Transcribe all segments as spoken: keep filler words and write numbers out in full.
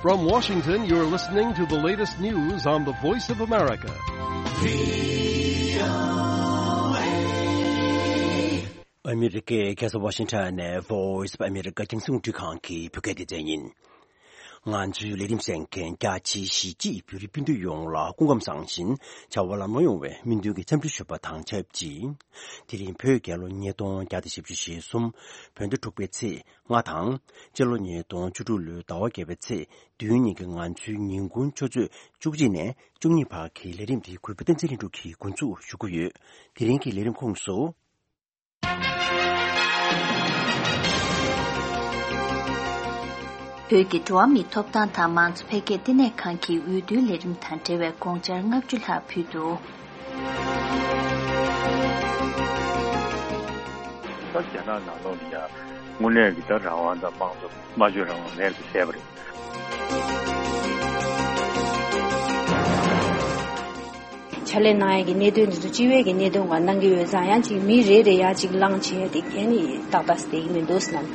From Washington, you're listening to the latest news on the Voice of America. ཨ་མི་རི་ཀའི་རྒྱལ་ས་ཝ་ཤིང་ཊོན་ནས་Voice of America་རྒྱང་སྲིང་རླུང་འཕྲིན་ཁང་གི་བོད་སྐད་སྡེ་ཚན་ཡིན། ང་ཚོའི་ལས་རིམ་གསན་མཁན་རྒྱ་ཆེའི་གཞིས་བྱེས་བོད་རིགས་སྤུན་ཟླ་ཡོངས་ལ་སྐུ་ཁམས་བཟང་ཞིང་བྱ་བ་ལམ་ལྷོང་ཡོང་བའི་སྨོན་འདུན་གྱི་འཚམས་འདྲི་ཞུ་བ་དང་ཆབས་ཅིག་དེ་རིང་བོད་རྒྱལ་ལོ་ཉིས་སྟོང་བརྒྱ་དང་བཞི་བཅུ་ཞེ་གསུམ། བོད་ཟླ་དྲུག་པའི་ཚེས་ལྔ་དང་། སྤྱི་ལོ་ཉིས་སྟོང་བཅུ་དྲུག་ལོའི་ཟླ་བ་བརྒྱད་པའི་ཚེས་བདུན་ཉིན་གྱི་ང་ཚོའི་ཉིན་གུང་ཆུ་ཚོད་བཅུ་གཅིག་ནས་བཅུ་གཉིས་བར་གྱི་ལས་རིམ་དེ་གུས་པ་བསྟན་འཛིན་ལྷུན་གྲུབ་ཀྱིས་འགོ་འཛུགས་ཞུ་གི་ཡོད། དེ་རིང་གི་ལས་རིམ་ཁོངས་སུ། བོད་ཀྱི་འགྲོ་བ་མིའི་ཐོབ་ཐང་དང་མང་གཙོ་འཕེལ་རྒྱས་བསྟི་གནས་ཁང་གིས་འོས་བསྡུའི་ལས་རིམ་དང་འབྲེལ་བའི་དགོངས་འཆར་ལྔ་བཅུ་ལྷག་ཕུལ་འདུག་ད་རྒྱ་ནག་ནང་ལོགས་ལ་ཡང་དངོས་གནས་ཀྱི་ད་རང་དབང་དང་དམངས་གཙོ་སྨྲ་བརྗོད་རང་དབང་མེད་པ་བྱས་པ་རེད། ཕྱག་ལས་གནང་ཡས་ཀྱི་གནད་དོན་འདི་ཚོ་སྤྱི་བའི་གི་གནད་དོན་སྒང་གནང་གི་ཡོད་ཙང་ཡང་ཅིག་མི་རེ་རེ་ཡང་ཅིག་ལངས་བྱས་ཏེ་གན་ནི་ཏག་ཏག་བསྡད་ཀྱི་མི་འདུག་ཟེར་ན།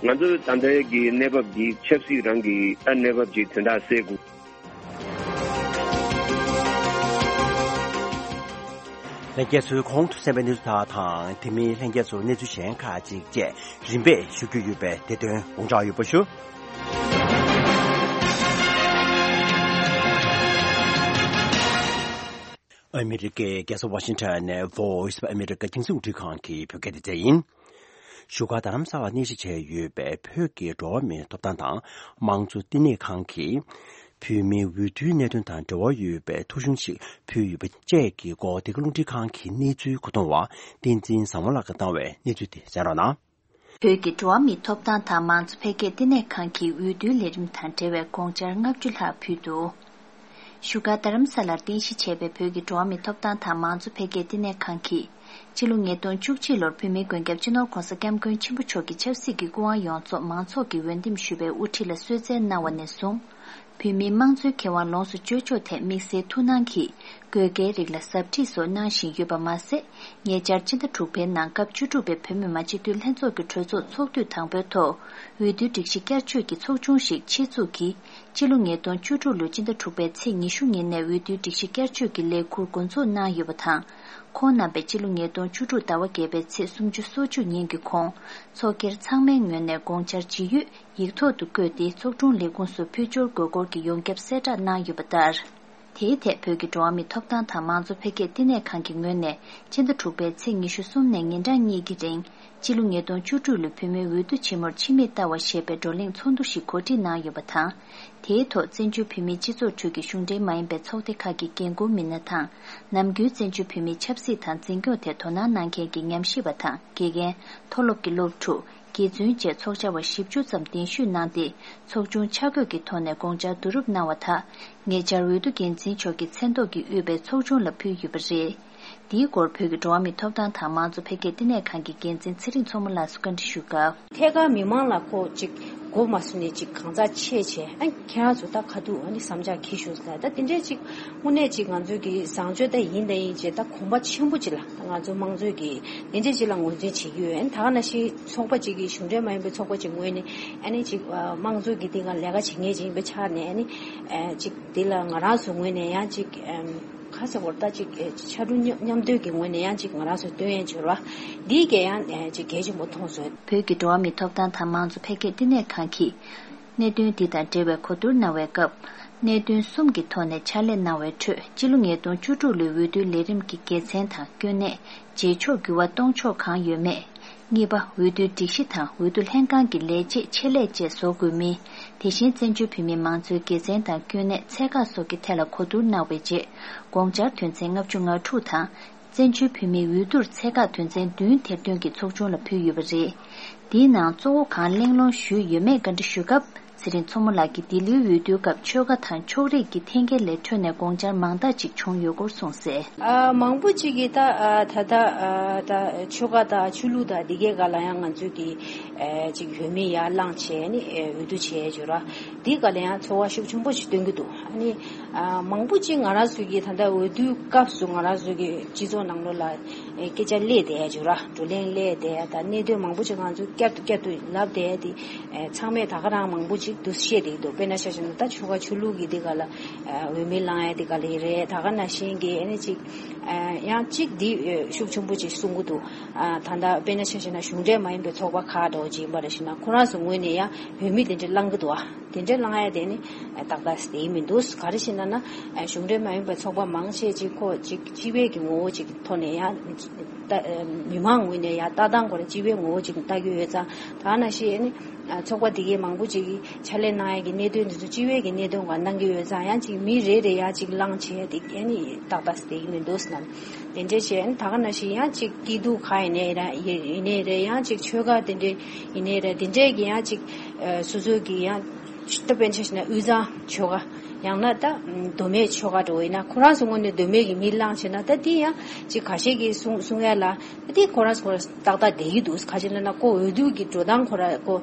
ང་ཚོ་ད་ལྟའི་གི་གནས་བབ་འདི་ཆབ་སྲིད་རང་གི་ད་གནས་བབ་ཅིག་དོན་དག་སེལ་དགོས། ལྷན་རྒྱས་ཚོས་གོང་དུ་གསན་པའི་གནས་ཚུལ་དག་དང་དེ་མིན་ལྷན་རྒྱས་ཚོར་གནས་ཚུལ་གཞན་ཁག་ཅིག་བཅས་རིམ་པས་ཞུ་རྒྱུ་ཡོད་པས་དེ་དོན་དགོངས་འཇགས་ཡོད་པ་ཞུ། ཨ་མི་རི་ཀའི་རྒྱལ་ས་ཝ་ཤིང་ཊོན་ནས་Voice of America་རྒྱང་སྲིང་རླུང་འཕྲིན་ཁང་གི་བོད་སྐད་སྡེ་ཚན་ཡིན། བཞུགས་སྒར་རྡ་རམ་ས་ལར་གནས་གཞི་བྱས་ཡོད་པའི་བོད་ཀྱི་འགྲོ་བ་མིའི་ཐོབ་ཐང་དང་དམངས་གཙོ་བསྟི་གནས་ཁང་གིས། བོད་མིའི་འོས་བསྡུའི་གནད་དོན་དང་འབྲེལ་བ་ཡོད་པའི་ཐོ་གཞུང་ཞིག་ཕུལ་ཡོད་པ་བཅས་ཀྱི་སྐོར་འདི་ག་རླུང་འཕྲིན་ཁང་གི་གནས་ཚུལ་མཁོ་གཏོང་བ་བསྟན་འཛིན་བཟང་མོ་ལགས་ཀྱིས་བཏང་བའི་གནས་ཚུལ་དེ་གསན་རོགས་གནང་། བོད་ཀྱི་འགྲོ་བ་མིའི་ཐོབ་ཐང་དང་མང་གཙོ་འཕེལ་རྒྱས་བསྟི་གནས་ཁང་གིས་འོས་བསྡུའི་ལས་རིམ་དང་འབྲེལ་བའི་དགོངས་འཆར་ལྔ་བཅུ་ལྷག་ཕུལ་འདུག་བཞུགས་སྒར་རྡ་རམ་ས་ལར་རྟེན་གཞི་བྱས་པའི་བོད་ཀྱི་འགྲོ་བ་མིའི་ཐོབ་ཐང་དང་མང་གཙོ་འཕེལ་རྒྱས་བསྟི་གནས་ཁང་གིས། སྤྱི་ལོ་ཉིས་སྟོང་བཅུ་གཅིག་ལོར་བོད་མིའི་མགོན་སྐྱབས་སྤྱི་ནོར་༧གོང་ས་༧སྐྱབས་མགོན་ཆེན་པོ་མཆོག་གིས་ཆབ་སྲིད་ཀྱི་སྐུ་དབང་ཡོངས་རྫོགས་མང་ཚོགས་ཀྱིས་འོས་འདེམས་ཞུས་པའི་དབུ་ཁྲིད་ལ་གསོལ་སྩལ་གནང་བ་ནས་བཟུང་། བོད་མིའི་དམངས་གཙོའི་ཁེ་དབང་ལོངས་སུ་སྤྱོད་ཕྱོགས་ཐད་དམིགས་བསལ་ཐུགས་སྣང་གིས་དགོས་གལ་རིགས་ལ་ཟབ་ཁྲིད་སོགས་གནང་བཞིན་ཡོད་པ་མ་ཟད། ཉེ་ཆར་སྤྱི་ཟླ་དྲུག་པའི་ནང་སྐབས་བཅུ་དྲུག་པའི་བོད་མི་མང་སྤྱི་འཐུས་ལྷན་ཚོགས་ཀྱི་གྲོས་ཚོགས་ཚོགས་དུས་དང་པོའི་ཐོག་འོས་བསྡུའི་སྒྲིག་གཞི་བསྐྱར་བཅོས་ཀྱི་ཚོགས་ཆུང་ཞིག་ཆེད་འཛུགས་ཀྱིས། སྤྱི་ལོ་ཉིས་སྟོང་བཅུ་དྲུག་ལོའི་སྤྱི་ཟླ་དྲུག་པའི་ཚེས་ཉི་ཤུ་ཉིན་ནས་འོས་བསྡུའི་སྒྲིག་གཞི་བསྐྱར་བཅོས་ཀྱི་ལས་འཁུར་འགོ་འཛུགས་གནང་ཡོད་པ་དང་། ཁོང་རྣམ་པས་སྤྱི་ལོ་ཉིས་སྟོང་བཅུ་དྲུག་ཟླ་བ་བརྒྱད་པའི་ཚེས་སུམ་ཅུ་སོ་གཅིག་ཉིན་གྱི་གོང་ཚོགས་སྒེར་ཚང་མའི་ངོས་ནས་དགོངས་འཆར་ཇི་ཡོད་ཡིག་ཐོག་ཏུ་བཀོད་དེ་ཚོགས་དྲུང་ལས་ཁུངས་སུ་ཕུལ་འབྱོར་དགོས་སྐོར་གྱི་ཡོངས་ཁྱབ་གསལ་བསྒྲགས་གནང་ཡོད་པ་ལྟར། དེའི་ཐད་བོད་ཀྱི་འགྲོ་བ་མིའི་ཐོབ་ཐང་དང་མང་གཙོ་འཕེལ་རྒྱས་བསྟི་གནས་ཁང་གི་ངོས་ནས་སྤྱི་ཟླ་དྲུག་པའི་ཚེས་ཉི་ཤུ་གསུམ་ནས་ཉིན་གྲངས་གཉིས་ཀྱི་རིང་། སྤྱི་ལོ་ཉིས་སྟོང་བཅུ་དྲུག་ལོའི་བོད་མིའི་འོས་བསྡུ་ཆེན་མོར་ཕྱི་མིག་ལྟ་བ་ཞེས་པའི་བགྲོ་གླེང་ཚོགས་འདུ་ཞིག་གོ་སྒྲིག་གནང་ཡོད་པ་དང་། དེའི་ཐོག་བཙན་བྱོལ་བོད་མིའི་སྤྱི་ཚོགས་ཁྲོད་ཀྱི་གཞུང་འབྲེལ་མ་ཡིན་པའི་ཚོགས་སྡེ་ཁག་གི་འགན་འཁུར་མི་སྣ་དང་། ནམ་རྒྱུན་བཙན་བྱོལ་བོད་མིའི་ཆབ་སྲིད་དང་འཛིན་སྐྱོང་ཐད་དོ་སྣང་གནང་མཁན་གྱི་ཉམས་ཞིབ་པ་དང་དགེ་རྒན། མཐོ་སློབ་ཀྱི་སློབ་ཕྲུག་དགེ་བཙུན་བཅས་ཚོགས་བཅར་བ་བཞི་བཅུ་ཙམ་གདན་ཞུས་གནང་སྟེ། ཚོགས་ཆུང་ཆ་བགོས་ཀྱི་ཐོག་ནས་དགོངས་འཆར་བསྡུ་རུབ་གནང་བ་དག་ཉེ་ཆར་འོས་བསྡུ་འགན་འཛིན་མཆོག་གི་མཚན་ཐོག་གིས་དབུས་པའི་ཚོགས་ཆུང་ལ་ཕུལ་ཡོད་པ་རེད། འདིའི་སྐོར་བོད་ཀྱི་འགྲོ་བ་མིའི་ཐོབ་ཐང་དང་མང་གཙོ་འཕེལ་རྒྱས་བསྟི་གནས་ཁང་གི་འགན་འཛིན་ཚེ་རིང་མཚོ་མོ་ལགས་སུ་བཀའ་འདྲི་ཞུས་སྐབས། ཐད་ཀར་མི་མང་ལ་ཁོ་ཅིག་མགོ་མ་ཟུམ་ནས་ཅིག་གང་ཟག་ཆེ་ཆེ་ཨ་ཁྱེད་རང་ཚོ་ད་ཁ་ཐུག་ཨ་ནི་བསམ་འཆར་གྱིས་ཞུ་ཟེར། ད་དེ་འདྲས་ཅིག་དངོས་གནས་ཅིག་ང་ཚོའི་གི་བཟང་སྤྱོད་ད་ཡིན་ད་ཡིན་ཅེས་ད་གོམ་པ་ཆེན་པོ་ཅིག་ལ་ད་ང་ཚོ་དམངས་གཙོའི་གི་དེ་འདྲས་ཅིག་ལ་ངོས་འཛིན་བྱེད་ཀྱི་ཡོད། ཨ་ནི་ད་ག་ནང་བཞིན་ཚོགས་པ་ཅིག་གི་གཞུང་འབྲེལ་མ་ཡིན་པའི་ཚོགས་པ་ཅིག་ངོས་ནས་ཨ་ནི་ཅིག་དམངས་གཙོའི་གི་སྟེང་ལ་ལས་ཀ་བྱེད་མཁན་ཅིག་ཡིན་པའི་ཆ་ནས་ཨ་ནི་ཅིག་དེ་ལ་ང་རང་ཚོ་ངོས་ནས་ཡང་ཅིག་ཁ་ཚ་བོར་ད་ཅིག་ཕྱར་གྲུ་མཉམ་མཉམ་འདོན་གྱི་ངོས་ནས་ཡང་ཅིག་ང་རང་ཚོ་སྟོན་ཡན་འབྱོར་བ་འདིའི་གས་ཡང་ཅིག་གལ་ཆེན་པོ་མཐོང་སོང་། བོད་ཀྱི་འགྲོ་བ་མིའི་ཐོབ་ཐང་དང་མང་གཙོ་འཕེལ་རྒྱས་བསྟི་གནས་ཁང་གིས་གནད་དོན་འདི་དང་འབྲེལ་བའི་གོ་བསྡུར་གནང་བའི་སྐབས། གནད་དོན་གསུམ་གྱི་ཐོག་ནས་ཕྱག་ལས་གནང་བའི་ཁྲོད་སྤྱི་ལོ་ཉིས་སྟོང་བཅུ་དྲུག་ལོའི་འོས་བསྡུའི་ལས་རིམ་གྱི་དགེ་མཚན་དང་དཀོན་གནད། བྱེད་ཕྱོགས་འགྱུར་བ་གཏོང་ཕྱོགས་གང་ཡོད་མེད། གཉིས་པ། འོས་བསྡུའི་སྒྲིག་གཞི་དང་འོས་བསྡུ་ལྷན་ཁང་གི་ལས་བྱེད་ཆེད་ལས་བཅས་བཟོ་དགོས་མིན། དེ་བཞིན་བཙན་བྱོལ་བོད་མིའི་མང་གཙོའི་དགེ་མཚན་དང་སྐྱོན་གནད་ཚད་བཀག་སོགས་ཀྱི་ཐད་ལ་གོ་བསྡུར་གནང་བའི་རྗེས། དགོངས་འཆར་དོན་ཚན་ལྔ་བཅུ་ང་དྲུག་དང་། བཙན་བྱོལ་བོད་མིའི་འོས་བསྡུར་ཚད་བཀག་དོན་ཚན་བདུན་ཐེར་འདོན་གྱིས་ཚོགས་ཆུང་ལ་ཕུལ་ཡོད་པ་རེད། འདིའི་ནང་གཙོ་བོ་གང་གླེང་སློང་ཞུས་ཡོད་མེད་བཀའ་འདྲི་ཞུས་སྐབས། ཚེ་རིང་མཚོ་མོ་ལགས་ཀྱིས་འདི་ལོའི་འོས་བསྡུའི་སྐབས་ཆོལ་ཁ་དང་ཕྱོགས་རིས་ཀྱི་འཐེན་འཁྱེར་ལས་འཕྲོས་ནས་དགོངས་འཆར་མང་དག་ཅིག་བྱུང་ཡོད་སྐོར་གསུངས་གསལ། ཨ་མང་པོ་ཅིག་གིས་ད་ཨ་ད་ལྟ་ཨ་ད་ཆོལ་ཁ་དང་ཆོས་ལུགས་དང་འདི་གའི་སྒང་ལ་ཡང་ང་ཚོས་ཀྱི་ཨ་ཅིག་འོས་མི་ཡར་ལངས་བྱས་ནས་ཨ་འོས་བསྡུ་བྱས་ཡོད་ར། འདི་སྒང་ལ་ཡང་ཚོར་བ་ཤུགས་ཆེན་པོ་ཞིག་སྟོན་གྱི་འདུག་ཨ་ནི་ ཨ། མང་པོ་ཅིག་ང་རང་ཚོ་གི་ད་ལྟ་འོས་བསྡུའི་སྐབས་སུ་ང་རང་ཚོ་གི་སྤྱི་ཚོགས་ནང་ལོགས་ལ་ཨེ་སྐད་ཆ་སླེབས་བསྡད་ཡ་ཅིག་ར། བགྲོ་གླེང་སླེབས་བསྡད་ཡ་དང་གནད་དོན་མང་པོ་ཅིག་ང་ཚོས་བསྐྱར་དུ་བསྐྱར་དུ་ལབ་བསྡད་ཡ་དེ་ཨེ་ཚང་མས་ད་ག་རང་མང་པོ་ཅིག་འདུ་ཤེས་བསྡད་ཀྱི་འདུག་དཔེར་ན་ཆ་བཞག་ན་ད་ཆོལ་ཁ་ཆོས་ལུགས་ཀྱི་འདི་ག་ལ་ཨ་འོས་མི་བླང་ཡ་འདི་ག་ལ་ཡི་རེད། ད་ག་ནང་བཞིན་གྱི་ཨ་ནི་ཅིག་ཨ་ཡང་ཅིག་འདི་ཨེ་ཤུགས་ཆེན་པོ་ཅིག་གསུང་གི་འདུག་ཨ་ད་ལྟ་དཔེར་ན་ཆ་བཞག་ན་གཞུང་འབྲེལ་མ་ཡིན་པའི་ཚོགས་པ་ཁག་འདྲ་བོ་ཅིག་ཡིན་པ་རེད་ཞུ་ན་ཁོ་རང་ཚོ་ངོས་ནས་ཡང་འོས་མི་དེ་འདྲ་བླང་གི་འདུག་ཨ། དེ་འདྲའི་བླང་ཡ་དེ་ནི་ཏག་ཏག་དེ་མི་འདུག་ག་རེ་ཞེ་ན་ན་གཞུང་འབྲེལ་མ་ཡིན་པའི་ཚོགས་པ་མང་ཆེ་ཅིག་ཁོ་ཅིག་སྤྱི་པའི་གི་ངོ་བོ་ཅིག་ཐོག་ནས་ཡང་ལྟ་མི་མང་ངོས་ནས་ཡང་ལྟ་སྟངས་ཁོ་རང་སྤྱི་པའི་ངོ་བོ་ཅིག་ལྟ་གི་ཡོད་ཙང་ད་ན་ཤི་ནི་ཚོགས་པ་དེ་གའི་མང་པོ་ཅིག་གི་ཕྱག་ལས་གནང་ཡ་གི་གནད་དོན་དེ་ཚོ་སྤྱི་པའི་གི་གནད་དོན་ག་གནང་གི་ཡོད་ཙང་ཡང་ཅིག་མི་རེ་རེ་ཡང་ཅིག་བླང་བྱས་དེ་ཨེ་ནི་ཏག་ཏག་དེ་མི་འདུག་ན་དེ་འདྲའི་བྱས་ད་ག་ན་ཤི་ཡང་ཅིག་སྐྱིད་སྡུག་ག་ཡིན་ནའི་ར་ཡིན་ནའི་ར་ཡང་ཅིག་ཆོལ་ཁ་དེ་འདྲའི་ཡིན་ནའི་ར་དེ་འདྲའི་གི་ཡང་ཅིག་སོ་སོ་གི་ཡང་། ད་དཔེར་ན་ཆ་བཞག་ན་དབུས་གཙང་ཆོལ་ཁ་ཡང་ན་ད་མདོ་སྨད་ཆོལ་ཁ་འདྲ་བོ་ཡིན་ན་ཁོ་རང་ཚོ་ངོས་ནས་མདོ་སྨད་ཀྱི་མི་བླངས་བྱས་ན་ད་དེ་ཡང་ཅིག་ཁ་ཤས་ཀྱིས་གསུང་གསུང་ཡ་ལ་ད་དེ་ཁོ་རང་ཚོ་ཏག་ཏག་བསྡད་ཀྱི་འདུག་ག་ཅི་ལབ་ན་ཁོ་འོས་བསྡུ་གི་འགྲོ་སྟངས་ཁོ་རང་ཁོ་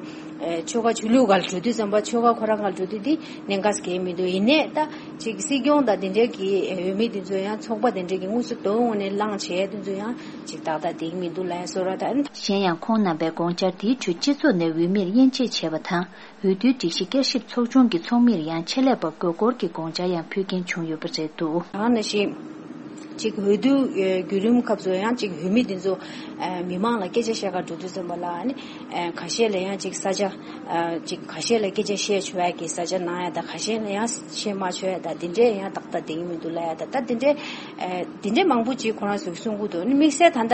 ཆོལ་ཁ་ཆོས་ལུགས་སྒང་ལ་འགྲོ་དུས་ཙམ་པ་ཆོལ་ཁ་ཁོ་རང་སྒང་ལ་འགྲོ་དུས་དེ་གནད་འགག་གང་ཡང་མི་འདུག་ཡིན་ནའི་ད་ཅིག་སྲིད་སྐྱོང་དང་དེ་འདྲའི་གི་འོས་མི་དེ་ཚོ་ཡང་ཚོགས་པ་དེ་འདྲའི་གི་དངོས་སུ་མདོ་དབུས་ངོས་ནས་བླངས་བྱས་དེ་ཚོ་ཡང་ཅིག་ཏག་ཏག་བསྡད་ཀྱི་མི་འདུག་ལབ་ཡ་བཟོ་འདྲ་ད། གཞན་ཡང་ཁོང་རྣམ་པས་དགོངས་འཆར་དེའི་ཁྲོད་སྤྱི་ཚོགས་ནས་འོས་མིར་དབྱེ་འབྱེད་བྱས་པ་དང་། འོས་བསྡུའི་སྒྲིག་གཞི་བསྐྱར་ཞིབ་ཚོགས་ཆུང་གི་ཚོགས་མིར་ཡང་ཆེད་ལས་པ་དགོས་སྐོར་གྱི་དགོངས་འཆར་ཡང་ཕུལ་མཁན་བྱུང་ཡོད་པ་རེད་འདུག་ད་ག་ནང་བཞིན་ཅིག་འོས་བསྡུ་ཨེ་བརྒྱུད་རིམ་སྐབས་སུ་ཡང་ཅིག་འོས་མི་འདི་ཚོ་ཨེ་མི་མང་ལ་སྐད་ཆ་བཤད་གར་འགྲོ་དུས་ཙམ་པ་ལ་ཨ་ནི་ཨེ་ཁ་ཤས་ལ་ཡང་ཅིག་ས་ཆ་ཨེ་ཅིག་ཁ་ཤས་ལ་སྐད་ཆ་བཤད་ཆོག་ཡ་གི་ས་ཆ་གནང་ཡ་དང་ཁ་ཤས་ལ་ཡང་བཤད་མ་ཆོག་ཡ་དང་དེ་འདྲས་ཡང་ཏག་ཏག་བསྡད་ཀྱི་མི་འདུག་ལབ་ཡ་དང་ད་དེ་འདྲས་ཨེ་དེ་འདྲས་མང་པོ་ཅིག་ཁོ་རང་ཚོས་གསུང་གི་འདུག་ཨ་ནི་དམིགས་བསལ་ད་ལྟ་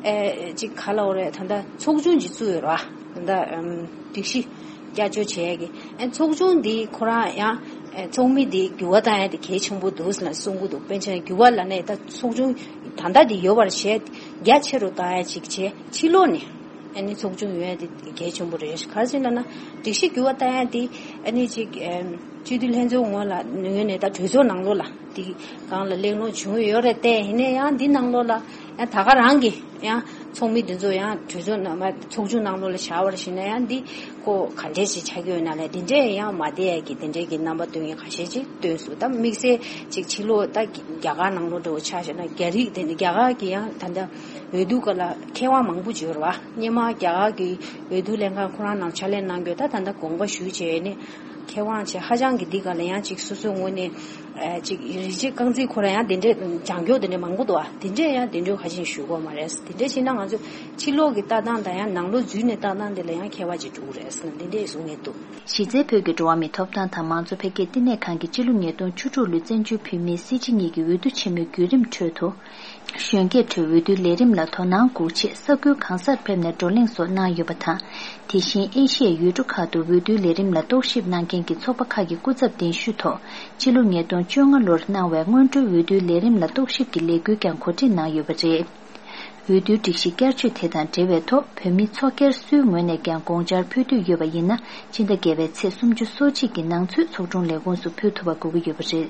ཨེ་ཅིག་ག་ལབ་དགོས་རེད་ད་ལྟ་ཚོགས་ཆུང་ཅིག་བཙུགས་ཡོད་རེད་བ། ད་ལྟ་ཨམ་སྒྲིག་གཞི་བསྐྱར་བཅོས་བྱས་ཀྱི་ཨ་ཚོགས་ཆུང་འདི་ཁོ་རང་ཡང་ཨ་ཚོགས་མི་འདི་འགྱུར་བ་བཏང་ཡ་དེ་གལ་ཆེན་པོ་འདུག་ཟེར་ན་གསུང་གི་འདུག་དཔེར་ན་འགྱུར་བ་ལབ་ནས་ད་ཚོགས་ཆུང་ད་ལྟ་འདི་ཡོད་པར་བྱས་རྒྱ་ཆེ་རུ་བཏང་ཡ་ཅིག་བྱས་ཕྱི་ལོགས་ནས་ཨ་ནི་ཚོགས་ཆུང་ཡོད་ཡ་དེ་གལ་ཆེན་པོ་རེད། ག་རེ་ཟེར་ན་ན་སྒྲིག་གཞི་འགྱུར་བ་བཏང་ཡ་དེ་ཨ་ནི་ཅིག་ཨམ་སྤྱི་འཐུས་ལྷན་ཚོགས་ངོས་ལ་ངོས་ནས་ད་གྲོས་ཚོགས་ནང་ལོགས་ལ་དེ་སྒང་ལ་གླེང་སློང་བྱུང་ཡོད་རེད་དེ་ཡིན་ན་ཡང་འདི་ནང་ལོགས་ལ་ཡང་ད་ག་རང་གི་ཡང་ཚོགས་མི་འདི་ཚོ་ཡང་གྲོས་ཚོགས་ནང་མ་ཚོགས་ཆུང་ནང་ལོགས་ལ་བཞག་པར་ཞུས་ན་ཡང་འདི་ཁོ་ག་འདྲས་ཞིག་ཆགས་ཀྱི་ཡོད་ན་ལས་འདི་འདྲས་ཡང་མ་བསྡད་ཡ་གི་དེ་འདྲས་ཀྱི་རྣམ་པ་སྟོན་མཁན་ཁ་ཤས་ཅིག་སྟོན་སོང་། ད་དམིགས་བསལ་ཅིག་ཕྱི་ལོགས་ད་རྒྱ་གར་ནང་ལོགས་འདྲ་བོ་ཆ་བཞག་ན་རྒྱ་རིགས་དེ་འདྲ་རྒྱ་གར་གྱི་ཡང་ད་ལྟ་འོས་བསྡུ་སྐབས་ལ་མཁས་དབང་མང་པོ་ཅིག་ཡོད་རེད་བ། སྔོན་མ་རྒྱ་གར་གྱི་འོས་བསྡུ་ལྷན་ཁང་ཁོ་རང་ནང་ཕྱག་ལས་གནང་རྒྱུ་ད་ད་ལྟ་དགོངས་པ་ཞུས་བྱས་ནས་མཁས་དབང་བྱས་ཧ་ཅང་གི་འདི་ག་ལ་ཡང་ཅིག་སོ་སོའི་ངོས་ནས་ཨ་ཅིག་རིན་ཆེན་རྐང་འཛིན་ཁོ་རང་ཡང་དེ་འདྲས་ལྗང་མགྱོགས་དེ་འདྲས་མང་པོ་འདུག་ཨ། དེ་འདྲས་ཡང་དེ་འདྲས་ཧ་ཅང་ཞུ་གི་ཡོད་མ་རེད། དེ་འདྲས་བྱས་ན་ང་ཚོ་ཕྱི་ལོགས་ཀྱི་ལྟ་སྟངས་དང་ཡང་ནང་ལོགས་འཛུལ་ནས་ལྟ་སྟངས་དེ་ལ་ཡང་ཁྱད་པར་ཅིག་འགྲོ་གི་རེད་ཟེར་ན་དེ་འདྲས་གསུང་གི་འདུག་གཞི་རྩའི་བོད་ཀྱི་འགྲོ་བ་མིའི་ཐོབ་ཐང་དང་མང་གཙོ་འཕེལ་རྒྱས་བསྟི་གནས་ཁང་གི་སྤྱི་ལོ་ཉིས་སྟོང་བཅུ་དྲུག་ལོའི་བཙན་བྱོལ་བོད་མིའི་སྲིད་སྤྱི་གཉིས་ཀྱི་འོས་བསྡུ་ཆེན་མོའི་བརྒྱུད་རིམ་ཁྲོད་དུ། གཞོན་སྐྱེས་ཁྲོད་འོས་བསྡུའི་ལས་རིམ་ལ་དོ་སྣང་དགོས་ཆེད་ས་ཁུལ་གང་སར་ཕེབས་ནས་བགྲོ་གླེང་སོགས་གནང་ཡོད་པ་དང་། དེ་བཞིན་ཨེ་ཤི་ཡའི་ཡུལ་གྲུ་ཁག་ཏུ་འོས་བསྡུའི་ལས་རིམ་ལ་རྟོག་ཞིབ་གནང་མཁན་གྱི་ཚོགས་པ་ཁག་གི་སྐུ་ཚབ་གདན་ཞུས་ཐོག་ཕྱི་ལོ་ཉིས་སྟོང་བཅོ་ལྔ་ལོར་གནང་བའི་སྔོན་འགྲོའི་འོས་བསྡུའི་ལས་རིམ་ལ་རྟོག་ཞིབ་ཀྱི་ལས་འགུལ་ཀྱང་གོ་སྒྲིག་གནང་ཡོད་པ་རེད། འོས་བསྡུའི་སྒྲིག་གཞི་བསྐྱར་བཅོས་དེ་དང་འབྲེལ་བའི་ཐོག་བོད་མི་ཚོགས་སྒེར་སུའི་ངོས་ནས་ཀྱང་དགོངས་འཆར་ཕུལ་འདོད་ཡོད་པ་ཡིན་ན་ཕྱི་ཟླ་བརྒྱད་པའི་ཚེས་སུམ་ཅུ་སོ་གཅིག་གི་ནང་ཚུད་ཚོགས་དྲུང་ལས་ཁུངས་སུ་ཕུལ་ཐུབ་པ་དགོས་ཀྱི་ཡོད་པ་རེད།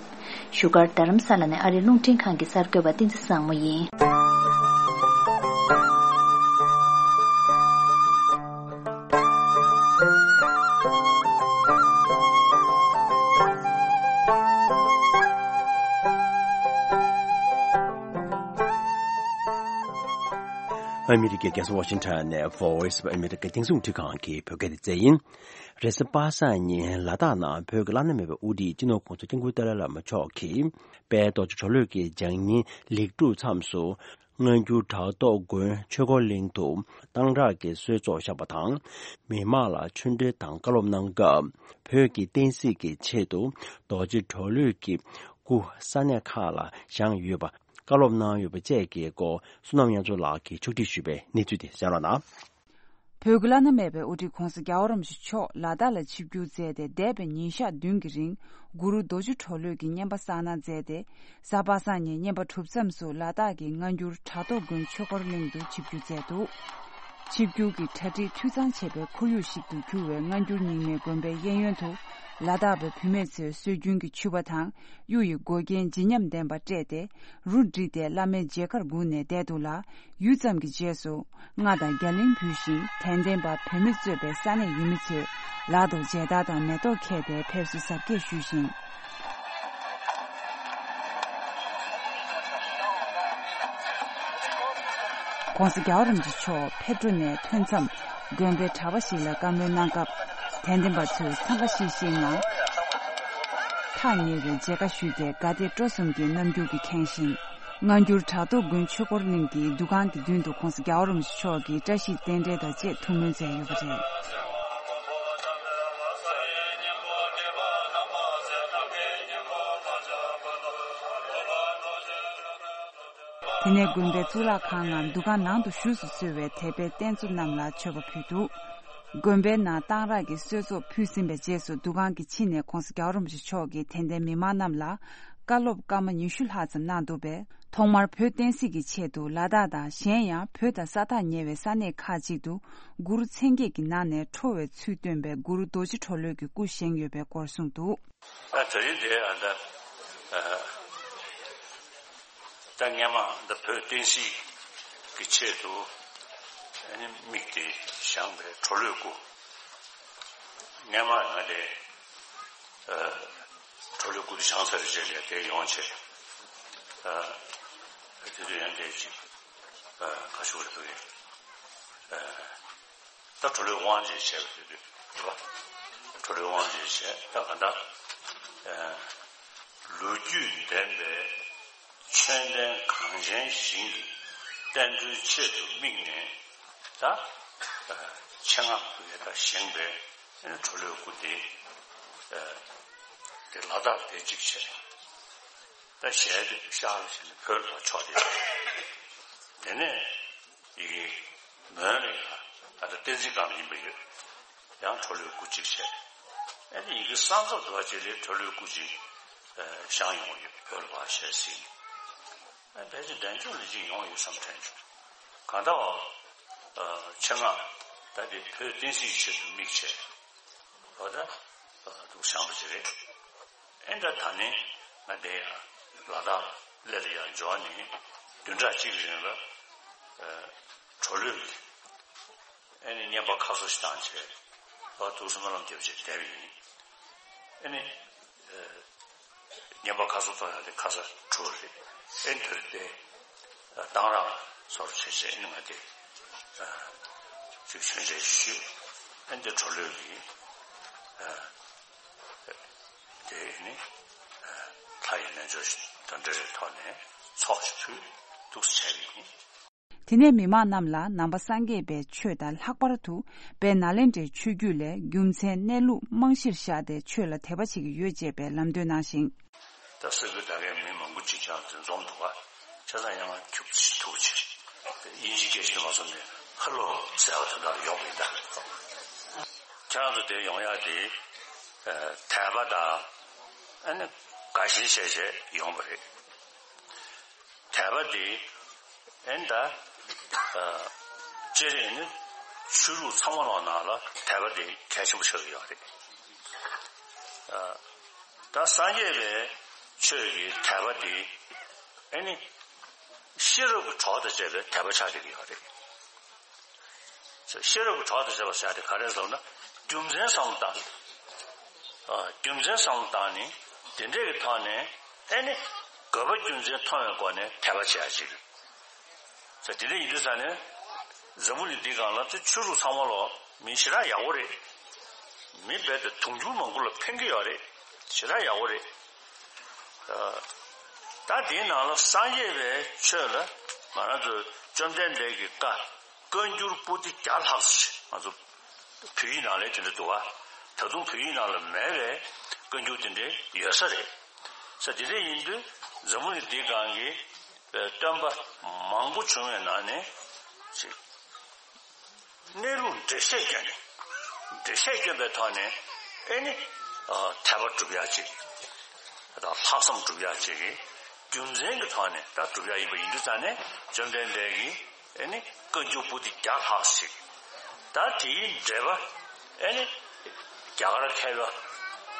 བཞུགས་སྒར་རྡ་རམ་ས་ལ་ནས་ཨ་རིའི་རླུང་འཕྲིན་ཁང་གི་གསར་འགོད་པ་བསྟན་འཛིན་བཟང་མོ་ཡིན། ཨ་མི་རི་ཀའི་རྒྱལ་ས་ཝ་ཤིང་ཊོན་ནས་Voice of America་རྒྱང་སྲིང་རླུང་འཕྲིན་ཁང་གི་བོད་སྐད་སྡེ་ཚན་ཡིན། རེས་གཟའ་པ་སངས་ཉིན་ལ་དྭགས་ནང་བོད་ཀྱི་བླ་ན་མེད་པའི་དབུ་ཁྲིད་སྤྱི་ནོར་༸གོང་ས་༸སྐྱབས་མགོན་ཏཱ་ལའི་བླ་མ་མཆོག་གིས་དཔལ་རྡོ་རྗེ་གྲོ་ལོད་ཀྱི་ལྗགས་བསྙེན་ལེགས་གྲུབ་མཚམས་སུ་སྔ་འགྱུར་བྲག་ཐོག་དགོན་ཆོས་འཁོར་གླིང་དུ་གཏང་རག་གི་གསོལ་ཚོགས་བཞག་པ་དང་། མི་མང་ལ་ཆོས་འབྲེལ་དང་བཀའ་སློབ་གནང་སྐབས་བོད་ཀྱི་བསྟན་སྲིད་ཀྱི་ཆེད་དུ་རྡོ་རྗེ་གྲོ་ལོད་ཀྱི་སྐུ་ས་གནས་ཁག་ལ་བཞེངས་ཡོད་པ་བཀའ་སློབ་གནང་ཡོད་པ་བཅས་ཀྱི་སྐོར་བསོད་ནམས་དབྱངས་མཚོ་ལགས་ཀྱིས་ཕྱོགས་སྒྲིག་ཞུས་པའི་གནས་ཚུལ་དེ་གསན་རོགས་གནང་། བོད་ཀྱི་བླ་ན་མེད་པའི་དབུ་ཁྲིད་༸གོང་ས་༸རྒྱལ་བ་རིན་པོ་ཆེ་མཆོག་ལ་དྭགས་ལ་ཆིབས་བསྒྱུར་མཛད་དེ་འདས་པའི་ཉིན་ཞག་བདུན་གྱི་རིང་གུ་རུ་རྡོ་རྗེ་གྲོ་ལོད་ཀྱི་བསྙེན་པ་བསགས་གནང་མཛད་དེ། གཟའ་པ་སངས་ཉིན་བསྙེན་པ་གྲུབ་མཚམས་སུ་ལ་དྭགས་ཀྱི་སྔ་འགྱུར་བྲག་ཐོག་དགོན་ཆོས་འཁོར་གླིང་དུ་ཆིབས་བསྒྱུར་མཛད་འདུག་ཆིབས་བསྒྱུར་གྱི་གྲ་སྒྲིག་འཐུས་ཚང་བྱས་པའི་ཁོར་ཡུག་ཞིག་ཏུ་གྱུར་བའི་སྔ་འགྱུར་རྙིང་མའི་དགོན་པའི་གཡས་གཡོན་དུ་ལ་དྭགས་པའི་བུད་མེད་ཚོས་སྲོལ་རྒྱུན་གྱི་ཕྱུ་པ་དང་གཡུ་ཡི་མགོ་རྒྱན་བརྗིད་ཉམས་ལྡན་པ་སྤྲས་ཏེ། རུ་བསྒྲིགས་ཏེ་བླ་མའི་མཇལ་ཁར་སྒུག་ནས་བསྡད་འདུག་ལ། ཡུད་ཙམ་གྱི་རྗེས་སུ་རྔ་དང་རྒྱ་གླིང་འབུད་བཞིན་དད་ལྡན་པ་བོད་མི་གཙོས་པའི་ས་གནས་ཡུལ་མི་ཚོས་ལག་ཏུ་མཇལ་དར་དང་མེ་ཏོག་འཁྱེར་ཏེ་ཕེབས་བསུ་གཟབ་རྒྱས་ཞུས་ཤིང་། ༸གོང་ས་༸རྒྱལ་བ་རིན་པོ་ཆེ་མཆོག་ཕེབས་འགྲོ་ནས་ཐོན་མཚམས་དགོན་པའི་གྲྭ་པ་ཞིག་ལ་བཀའ་མོལ་གནང་སྐབས། དད་ལྡན་པ་ཚོས་འཚང་ཁ་ཤིག་ཤིག་ངང་ཐག་ཉེ་བའི་མཇལ་ཁ་ཞུས་ཏེ། དགའ་དད་སྤྲོ་གསུམ་གྱི་རྣམ་འགྱུར་གྱིས་ཁེངས་ཤིང་། སྔ་འགྱུར་བྲག་ཐོག་དགོན་ཆོས་འཁོར་གླིང་གི་འདུ་ཁང་གི་མདུན་དུ་༸གོང་ས་༸རྒྱལ་བ་རིན་པོ་ཆེ་མཆོག་གིས་བཀྲ་ཤིས་རྟེན་འབྲེལ་དང་བཅས་ཐུགས་སྨོན་མཛད་ཡོད་པ་རེད། དེ་ནས་དགོན་པའི་གཙུག་ལག་ཁང་ངམ་འདུ་ཁང་ནང་དུ་བཞུགས་སུ་གསོལ་བའི་དད་པའི་རྟེན་གཙོ་རྣམས་ལ་མཆོད་པ་ཕུལ་འདུག་དགོན་པའི་ནང་གཏང་རག་གི་གསོལ་ཚོགས་ཕུལ་ཟིན་པའི་རྗེས་སུ། འདུ་ཁང་གི་ཕྱི་ནས་༸གོང་ས་༸རྒྱལ་བ་རིན་པོ་ཆེ་མཆོག་གིས་དད་ལྡན་མི་མང་རྣམས་ལ་བཀའ་སློབ་སྐར་མ་ཉི་ཤུ་ལྷག་ཙམ་གནང་འདུག་པས། ཐོག་མར་བོད་བསྟན་སྲིད་ཀྱི་ཆེད་དུ་ལ་དྭགས་དང་གཞན་ཡང་བོད་དང་ས་ཐག་ཉེ་བའི་ས་གནས་ཁག་ཅིག་ཏུ་གུ་རུ་མཚན་བརྒྱད་ཀྱི་ནང་ནས་ཁྲོ་བའི་ཚུལ་སྟོན་པའི་གུ་རུ་རྡོ་རྗེ་གྲོ་ལོད་ཀྱི་སྐུ་བཞེངས་ཡོད་པའི་སྐོར་གསུངས་འདུག་ད་དེ་རིང་དེ་ཨ་ད་ཨ་ད་སྔས་མ་ད་བོད་བསྟན་སྲིད་ཀྱི་ཆེད་དུ་ཨ་ནི་དམིགས་ཏེ་བཞེངས་པའི་གྲོ་ལོད་སྐུ། སྔས་མ་ང་དེ་ཨ་གྲོ་ལོད་སྐུ་དེ་བཞེངས་ཚར་བའི་རྗེས་ལ་དེ་ཡོང་བྱས། ཨ་དེ་དུས་ཡང་དེ་ཅིག་ཨ་ཁ་ཤུགས་རེད་འདུག་ཡ། ཨ་ད་གྲོ་ལོད་དབང་ཅིག་བྱས་པ་དེ་དུས་རེད་པ། གྲོ་ལོད་དབང་ཅིག་བྱས། ད་ག་ད་ཨ་ལོ་རྒྱུས་ལྡན་པའི་ཆོས་ལྡན་གངས་ཅན་ཞིང་གི་བསྟན་འགྲོའི་ཆེད་དུ་དམིགས་ནས། ད་ཨ་ཆེད་མངགས་ཀྱིས་ད་བཞེངས་པའི་གྲོ་ལོད་སྐུ་དེ། ཨ་དེ་ལ་དྭགས་དེ་གཅིག་བྱས། ད་ཞལ་དེ་ཤར་ལ་བྱས་ནས་བོད་ལ་ཕྱོགས་ཏེ། དེ་ནས་ཡི་གེ་མོན་ལ་ཡང་ད་ལྟ་བསྟན་འཛིན་སྒང་ལ་ཡིན་པ་ཡོད། ཡང་གྲོ་ལོད་སྐུ་གཅིག་བྱས། ཨ་ནི་ཡི་གེ་གསང་རྫོགས་འདྲ་བ་ཅིག་ལ་གྲོ་ལོད་སྐུ་གཅིག་བཞེངས་ཡོང་ཡོད། བོད་ལ་ཕར་ཞལ་གཟིགས། ཨ་ཕལ་ཆེར་འབྲས་ལྗོངས་ལ་གཅིག་ཡོང་ཡོད་བསམ་དྲན་བྱུང་། གང་ལྟར་བ་ཆེད་མངགས་ད་དེ་བོད་བསྟན་སྲིད་ཀྱི་ཆེད་དུ་དམིགས་བྱས། འོ་ད་འདུག་བཞེངས་པ་ཅིག་རེད། ཨེ་ད་ད་ནི་ང་དེ་ཡང་ལ་དྭགས་ལ་ཡར་འབྱོར་ནས་བདུན་ཕྲག་གཅིག་གི་རིང་ལ་ཨ་གྲོ་ལོད་ཀྱི་ཨེ་ནི་བསྙེན་པ་ཁ་གསོ་ཞིག་བཏང་བྱས། ཨ་ཐུགས་སྨོན་ལམ་བརྒྱབ་བྱས་བསྡད་པ་ཡིན། ཨེ་ནི་ཨ་བསྙེན་པ་ཁ་གསོ་གཏོང་ཡག་དེ་ཁ་ས་གྲུ་རེད། ཨེ་འདིར་དེ་གཏང་རག་སོར་བྱས་བྱས། ཨེ་ནི་ང་དེ་ཨ་ཅིག་མཆོད་མཇལ་ཞུས། ཨེ་འདི་གྲོ་ལོད་ཀྱི་ཨ་དེ་ནི་ལྷ་ཡི་རྣལ་འབྱོར་དང་འབྲེལ་བའི་ཐོག་ནས་ཚོགས་ཤིག་ཕུལ་འདུག་སེ་བྱས་པ་ཡིན། དེ་ནས་མི་མང་རྣམས་ལ་ནང་པ་སངས་རྒྱས་པའི་ཆོས་དང་། ལྷག་པར་དུ་དཔལ་ནཱ་ལེནྡྲའི་ཆོས་བརྒྱུད་ལས་རྒྱུ་མཚན་གནས་ལུགས་རྨང་གཞིར་བཞག་སྟེ་ཆོས་ལ་དད་པ་བྱེད་ཀྱི་ཡོད་ཅེས་པའི་ལམ་སྟོན་གནང་ཞིང་། ད་ས་ཁུལ་ད་གའི་མི་མང་པོ་ཅིག་ཀྱང་འཛོམས་འདུག་ག་ཆ་ཚང་ཡང་ཁྱུག་ཅིག་ཐུག་ཅིག་དབྱིན་ཇི་སྐད་ཤེས་མ་སོང་ནས་ཧ་ལོ་ཟེར་བ་དེ་འདྲ་ཡོང་གི་ཡིན། ད་ཁྱེད་རང་ཚོ་དེ་ཡོང་ཡག་དེ་དད་པ་དང་ཨ་ནི་དགའ་ཞེན་བྱས་བྱས་ཡོང་བ་རེད། དད་པ་དེ་ཨེ་ད་སྤྱིར་ནི་ཆོས་ལུགས་ཚང་མ་ལོག་ནང་ལ་དད་པ་དེ་གལ་ཆེན་པོ་ཆགས་ཀྱི་ཡོད་རེད། ད་སངས་རྒྱས་པའི་ཆོས་ཀྱི་དད་པ་དེ་ཨེ་ནི་ཤེས་རབ་ཀྱི་གྲོགས་དང་བཅས་པའི་དད་པ་ཆགས་ཀྱི་ཡོད་རེད། ཤེས་རབ་ཀྱི་གྲོགས་དང་བཅས་པ་ཟེར་དེ་ག་རེ་ཟེར་ན། རྒྱུ་མཚན་བསམ་བློ་བཏང་། ཨ་རྒྱུ་མཚན་བསམ་བློ་བཏང་ནས་དེ་འདྲས་ཀྱི་ཐོག་ནས་ཨེ་ནི་དགོས་པ་རྒྱུ་མཚན་མཐོང་བའི་སྒོ་ནས་དད་པ་བྱེད་ཡ་ཅིག་ཟེར། དེ་འདྲས་ཡིན་དུས་ཙང་ནས་འཛམ་བུ་གླིང་འདིའི་སྒང་ལ་ཆོས་ལུགས་ཚང་མ་ལོག་མི་ཞེ་དྲག་ཡག་པོ་རེད། མི་རྦད་དེ་དུང་ཕྱུར་མང་པོ་ལ་ཕན་གྱི་ཡོད་རེད། ཞེ་དྲག་ཡག་པོ་རེད། ཨ་ད་དེའི་ནང་ལ་སངས་རྒྱས་པའི་ཆོས་ལ་ང་རང་ཚོ་བཅོམ་ལྡན་འདས་ཀྱི་བཀའ། བཀའ་འགྱུར་པོ་ཏི་བརྒྱ་ལྷག་ཙམ་ཞིག་ང་ཚོ་བོད་ཡིག་ནང་ལ་དེ་འདྲ་འདུག་བ། ད་དུང་བོད་ཡིག་ནང་ལ་མེད་པའི་བཀའ་འགྱུར་དེ་འདྲ་ཡོད་ས་རེད། ས་དེ་འདྲ་ཡིན་དུས་འཛམ་བུ་གླིང་འདིའི་སྒང་གི་སྟོན་པ་མང་པོ་བྱུང་བའི་ནང་ནས་ཅིག་གནས་ལུགས་འགྲེལ་བཤད་བསྐྱོན་ནས། འགྲེལ་བཤད་བསྐྱོན་པའི་ཐོག་ནས་ཨེ་ནི་ཨ་དད་པ་སྒྲུབ་ཡག་ཅིག་དང་ལྷག་བསམ་སྒྲུབ་ཡག་ཅིག་གི་རྒྱུ་མཚན་གྱི་ཐོག་ནས་ད་སྒྲུབ་ཡག་ཡིན་པ་ཡིན་དུས་ཙང་ནས་བཅོམ་ལྡན་འདས་ཀྱིས་ཨེ་ནི་བཀའ་འགྱུར་པོ་ཏི་བརྒྱ་ལྷག་ཞིག་ད་དེའི་འགྲེལ་པ་ཨེ་ནི་རྒྱ་གར་མཁས་པ་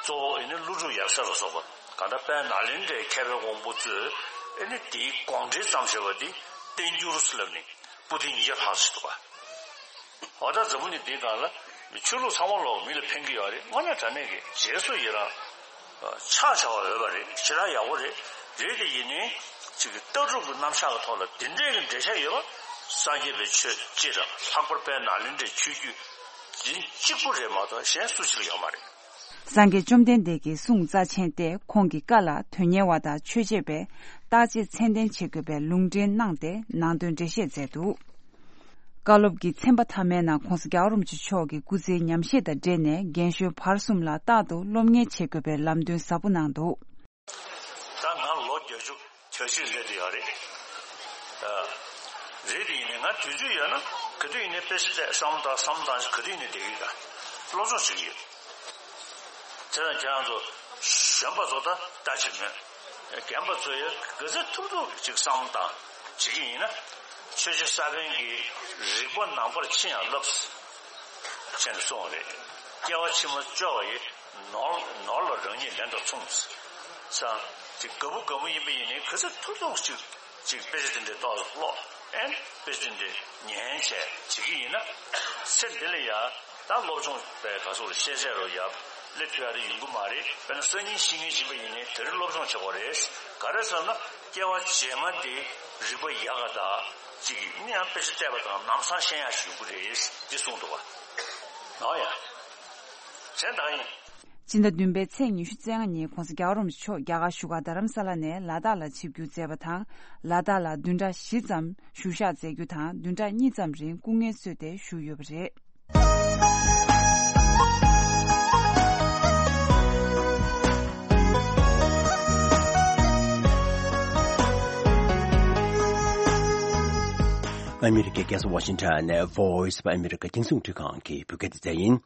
གཙོ་བོ་ཨེ་ནི་ཀླུ་སྒྲུབ་ཡབ་སྲས་ལ་སོགས་པ་གང་ལྟར་དཔལ་ནཱ་ལེནྡྲའི་མཁས་པའི་དབང་པོ་ཚོས་ཨེ་ནི་དེའི་དགོངས་འགྲེལ་བརྩམས་བཞག་པ་འདི་བསྟན་འགྱུར་ལབ་ནས་པོ་ཏི་ཉིས་བརྒྱ་ལྷག་ཞིག་འདུག་ག་འོ་ད་འཛམ་བུ་གླིང་འདིའི་སྒང་ལ་ཆོས་ལུགས་ཚང་མ་ལོག་མི་ལ་ཕན་གྱི་ཡོད་རེད། དངོས་གནས་དྲང་གནས་ཀྱི་རྗེས་སུ་ཡི་རང་ཆགས་བྱ་བ་འོས་པ་རེད། ཞེ་དྲག་ཡག་པོ་རེད། རེད་དེ་ཡིན་ནའི་ཅིག་གི་ལྟ་གྲུབ་ཀྱི་རྣམ་གཞག་གི་ཐོག་ལ་འདི་འདྲའི་གི་འགྲེལ་བཤད་ཡོད་ སངས་རྒྱས་པའི་ཆོས་སྤྱི་དང་ལྷག་པར་དཔལ་ནཱ་ལེནྡྲའི་ཆོས་བརྒྱུད་འཛིན་གཅིག་པུ་རེད་མ་གཏོགས་གཞན་སུ་གཅིག་ཡོད་མ་རེད། སངས་རྒྱས་བཅོམ་ལྡན་འདས་ཀྱི་གསུང་རྩ་ཆེན་ཏེ་ཁོང་གི་བཀའ་ལ་དོན་གཉེར་བ་དང་ཆོས་བྱེད་པས་བརྟག་དཔྱད་ཚད་ལྡན་བྱེད་དགོས་པའི་ལུང་འདྲེན་གནང་སྟེ་ནང་དོན་འགྲེལ་བཤད་མཛད་འདུག། བཀའ་སློབ་ཀྱི་ཚན་པ་མཐའ་མའི་ནང་༧གོང་ས་༧རྒྱལ་བ་རིན་པོ་ཆེ་མཆོག་གི་སྐུ་ཚེའི་ཉམས་བཞེས་དང་འབྲེལ་ནས་རྒན་གཞོན་བར་གསུམ་ལ་རྟག་ཏུ་སློབ་གཉེར་བྱེད་དགོས་པའི་ལམ་སྟོན་ཟབ་པོ་གནང་འདུག། ད་ང་ལོ་བརྒྱད་ཅུ་གྱ་གཅིག་སླེབས་བསྡད་ཡོད་རེད། ཨ། རེད་དེ་ཡིན་ནའི་ང་དུས་ཚོད་ཡོད་ན་ག་དུས་ཡིན་ནའི་དཔེ་ཆ་བལྟས་བསམ་བློ་བཏང་བསམ་བློ་བཏང་ག་དུས་ཡིན་ནའི་བསྡད་ཀྱི་ཡོད། སློབ་སྦྱོང་བྱེད་ཀྱི་ཡོད། དེ་ལ་ཁྱེད་རང་ཚོ་གཞོན་པ་ཚོ་ད་ལྟ་བྱེད་མོད། རྒན་པ་ཚོ་ཡང་ག་ཚོད་ཐུབ་ཐུབ་ཅིག་བསམ་བློ་བཏང་བྱེད་ཀྱི་ཡིན་ན། ཆོས་རྗེ་ས་པཎ་གྱིས་རིག་པ་ནང་པར་ཕྱིན་ཡང་བསླབ་ཟེར་ནས་གསུངས་པ་རེད། སྐྱེ་བ་ཕྱི་མ་སྐྱོ་བ་ཡི། ནོར་ནོར་ལ་རང་ཉིད་ལན་དུ་མཚུངས། ས་དེ་དགའ་པོ་དགའ་པོ་ཡིན་པ་ཡིན་ནའི་ག་ཚོད་ཐུབ་ཐུབ་ཅིག་ཅིག་དཔེ་ཆ་དེ་འདྲའི་ཏོག་ཙམ་ཀློག་ཨེ། དཔེ་ཆ་དེ་འདྲའི་ཉན་བྱས་བྱེད་ཀྱི་ཡིན་ན། ཚེ་འདི་ལ་ཡ་ད་སློབ་སྦྱོང་པའི་ག་ཚོད་ཤེས་བྱ་རོ་ཡ་སླེབས་ཐུབ་ཡ་དེ་ཡོང་གི་མ་རེད། དཔེར་ན་སང་ཉིན་ཤེས་མཁན་ཞིག་ཡིན་པ་ཡིན་ནའི་དེ་རིང་སློབ་སྦྱོང་བྱེད་དགོས་རེད། ག་རེ་ཟེར་ན་སྐྱེ་བ་རྗེས་མ་དེ་རིག་པ་ཡག་ག་ད་ཅིག་ནི་ཡང་དཔེ་ཆ་བལྟས་པ་དང་ལམ་སང་ཤེས་ཡ་ཞིག་ཡོང་གི་རེད་འདི་གསུངས་འདུག་བ། ཨོ་ཡ། གཞན་དག་ཡིན། སྤྱི་ཟླ་བདུན་པའི་ཚེས་ཉི་ཤུ་རྩ་ལྔ་ཉིན་༧གོང་ས་༧རྒྱལ་བ་རིན་པོ་ཆེ་མཆོག་རྒྱ་གར་བཞུགས་སྒར་རྡ་རམ་ས་ལ་ནས་ལ་དྭགས་ལ་ཆིབས་བསྒྱུར་མཛད་པ་དང་། ལ་དྭགས་ལ་བདུན་ཕྲག་བཞི་ཙམ་བཞུགས་ཞག་མཛད་རྒྱུ་དང་བདུན་ཕྲག་གཉིས་ཙམ་རིང་སྐུ་ངལ་གསོས་ཏེ་བཞུགས་ཡོད་པ་རེད། ཨ་མི་རི་ཀའི་རྒྱལ་ས་ཝ་ཤིང་ཊོན་ནས་Voice of America་རྒྱང་སྲིང་རླུང་འཕྲིན་ཁང་གི་བོད་སྐད་སྡེ་ཚན་ཡིན།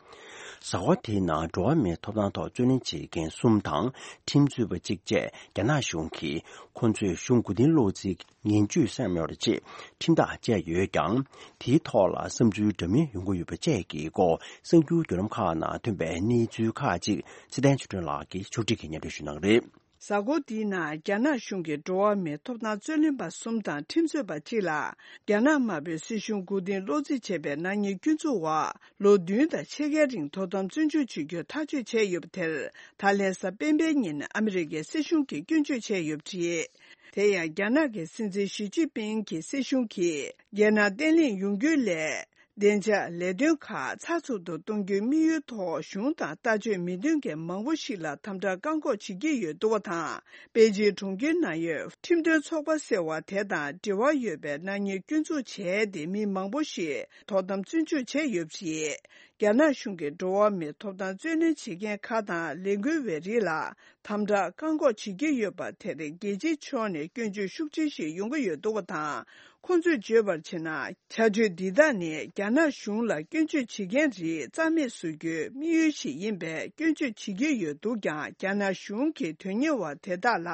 གཟའ་འཁོར་དེའི་ནང་འགྲོ་བ་མིའི་ཐོབ་ཐང་ཐོག་རྩོད་ལེན་བྱེད་མཁན་གསུམ་དང་ཁྲིམས་རྩོད་པ་གཅིག་བཅས་རྒྱ་ནག་གཞུང་གིས་ཁོ་ཚོའི་གཞུང་མགོ་རྟིང་སློག་རྩིས་ངན་ཇུས་བསྣན་ཡོད་པ་རེད་ཅེས་ཁྲིམས་ཐག་བཅད་ཡོད་ཀྱང་། དེའི་ཐོག་ལ་བསམ་ཚུལ་འདྲ་མིན་ཡོང་གི་ཡོད་པ་བཅས་ཀྱི་སྐོར་གསར་འགྱུར་བརྒྱུད་ལམ་ཁག་ནང་ཐོན་པའི་གནས་ཚུལ་ཁག་ཅིག་ཚེ་བརྟན་ཆོས་སྒྲོན་ལགས་ཀྱིས་ཕྱོགས་སྒྲིག་གིས་སྙན་སྒྲོན་ཞུ་གནང་གི་རེད། གཟའ་འཁོར་འདིའི་ནང་རྒྱ་ནག་གཞུང་གིས་འགྲོ་བ་མིའི་ཐོབ་ཐང་རྩོད་ལེན་པ་གསུམ་དང་ཁྲིམས་རྩོད་པ་གཅིག་ལ་རྒྱ་ནག་དམར་པོའི་སྲིད་གཞུང་མགོ་རྟིང་སློག་རྩིས་བྱས་པའི་ནག་ཉེས་སྐྱོན་འཛུགས་འོག་ལོ་བདུན་དང་ཕྱེད་ཀའི་རིང་དོ་དམ་བཙོན་འཇུག་བྱེད་རྒྱུ་ཐག་གཅོད་བྱས་ཡོད་པ་དེར་ད་ལན་གཟའ་སྤེན་པའི་ཉིན་ཨ་མི་རི་ཀའི་སྲིད་གཞུང་གིས་སྐྱོན་བརྗོད་བྱས་ཡོད་པ་རེད། དེ་ཡང་རྒྱ་ནག་གི་སྲིད་འཛིན་ཞི་ཅིན་ཕིང་གི་སྲིད་གཞུང་གིས་རྒྱལ་ནང་བརྟན་ལྷིང་ཡོང་རྒྱུའི་སླད། བདེ་འཇགས་ལས་དོན་ཁག་ཚགས་ཚུད་དུ་གཏོང་རྒྱུའི་དམིགས་ཡུལ་ཐོག་གཞུང་དང་ལྟ་སྤྱོད་མི་མཐུན་མཁན་མང་པོ་ཞིག་ལ་དམ་དྲག་བཀག་འགོག་བྱེད་ཀྱི་ཡོད་འདུག་པ་དང་། པེ་ཅིང་གྲོང་ཁྱེར་ནང་ཡོད་ཁྲིམས་དོན་ཚོགས་པ་ཟེར་བ་དེ་དང་འབྲེལ་བ་ཡོད་པའི་ནག་ཉེས་སྐྱོན་འཛུགས་བྱས་ཏེ་མི་མང་པོ་ཞིག་དོ་དམ་བཙོན་འཇུག་བྱས་ཡོད་པ་རེད། རྒྱ་ནག་གཞུང་གིས་འགྲོ་བ་མིའི་ཐོབ་ཐང་རྩོད་ལེན་བྱེད་མཁན་ཁག་དང་ལས་འགུལ་བའི་རིགས་ལ་དམ་དྲག་བཀག་འགོག་བྱེད་ཀྱི་ཡོད་པ་དེར་རྒྱལ་སྤྱིའི་ཕྱོགས་ནས་སྐྱོན་བརྗོད་ཤུགས་ཆེན་ཞིག་ཡོང་གི་ཡོད་འདུག་པ་དང་། ཁོང་ཚོས་བརྗོད་པར་བྱས་ན། བྱ་སྤྱོད་འདི་དག་ནི་རྒྱ་ནག་གཞུང་ལ་སྐྱོན་བརྗོད་བྱེད་མཁན་རིགས་རྩ་མེད་བཟོ་རྒྱུའི་དམིགས་ཡུལ་ཞིག་ཡིན་པའི་སྐྱོན་བརྗོད་བྱེད་ཀྱི་ཡོད་འདུག་ཀྱང་། རྒྱ་ནག་གཞུང་གིས་དོན་གཉེར་བ་དེ་དག་ལ་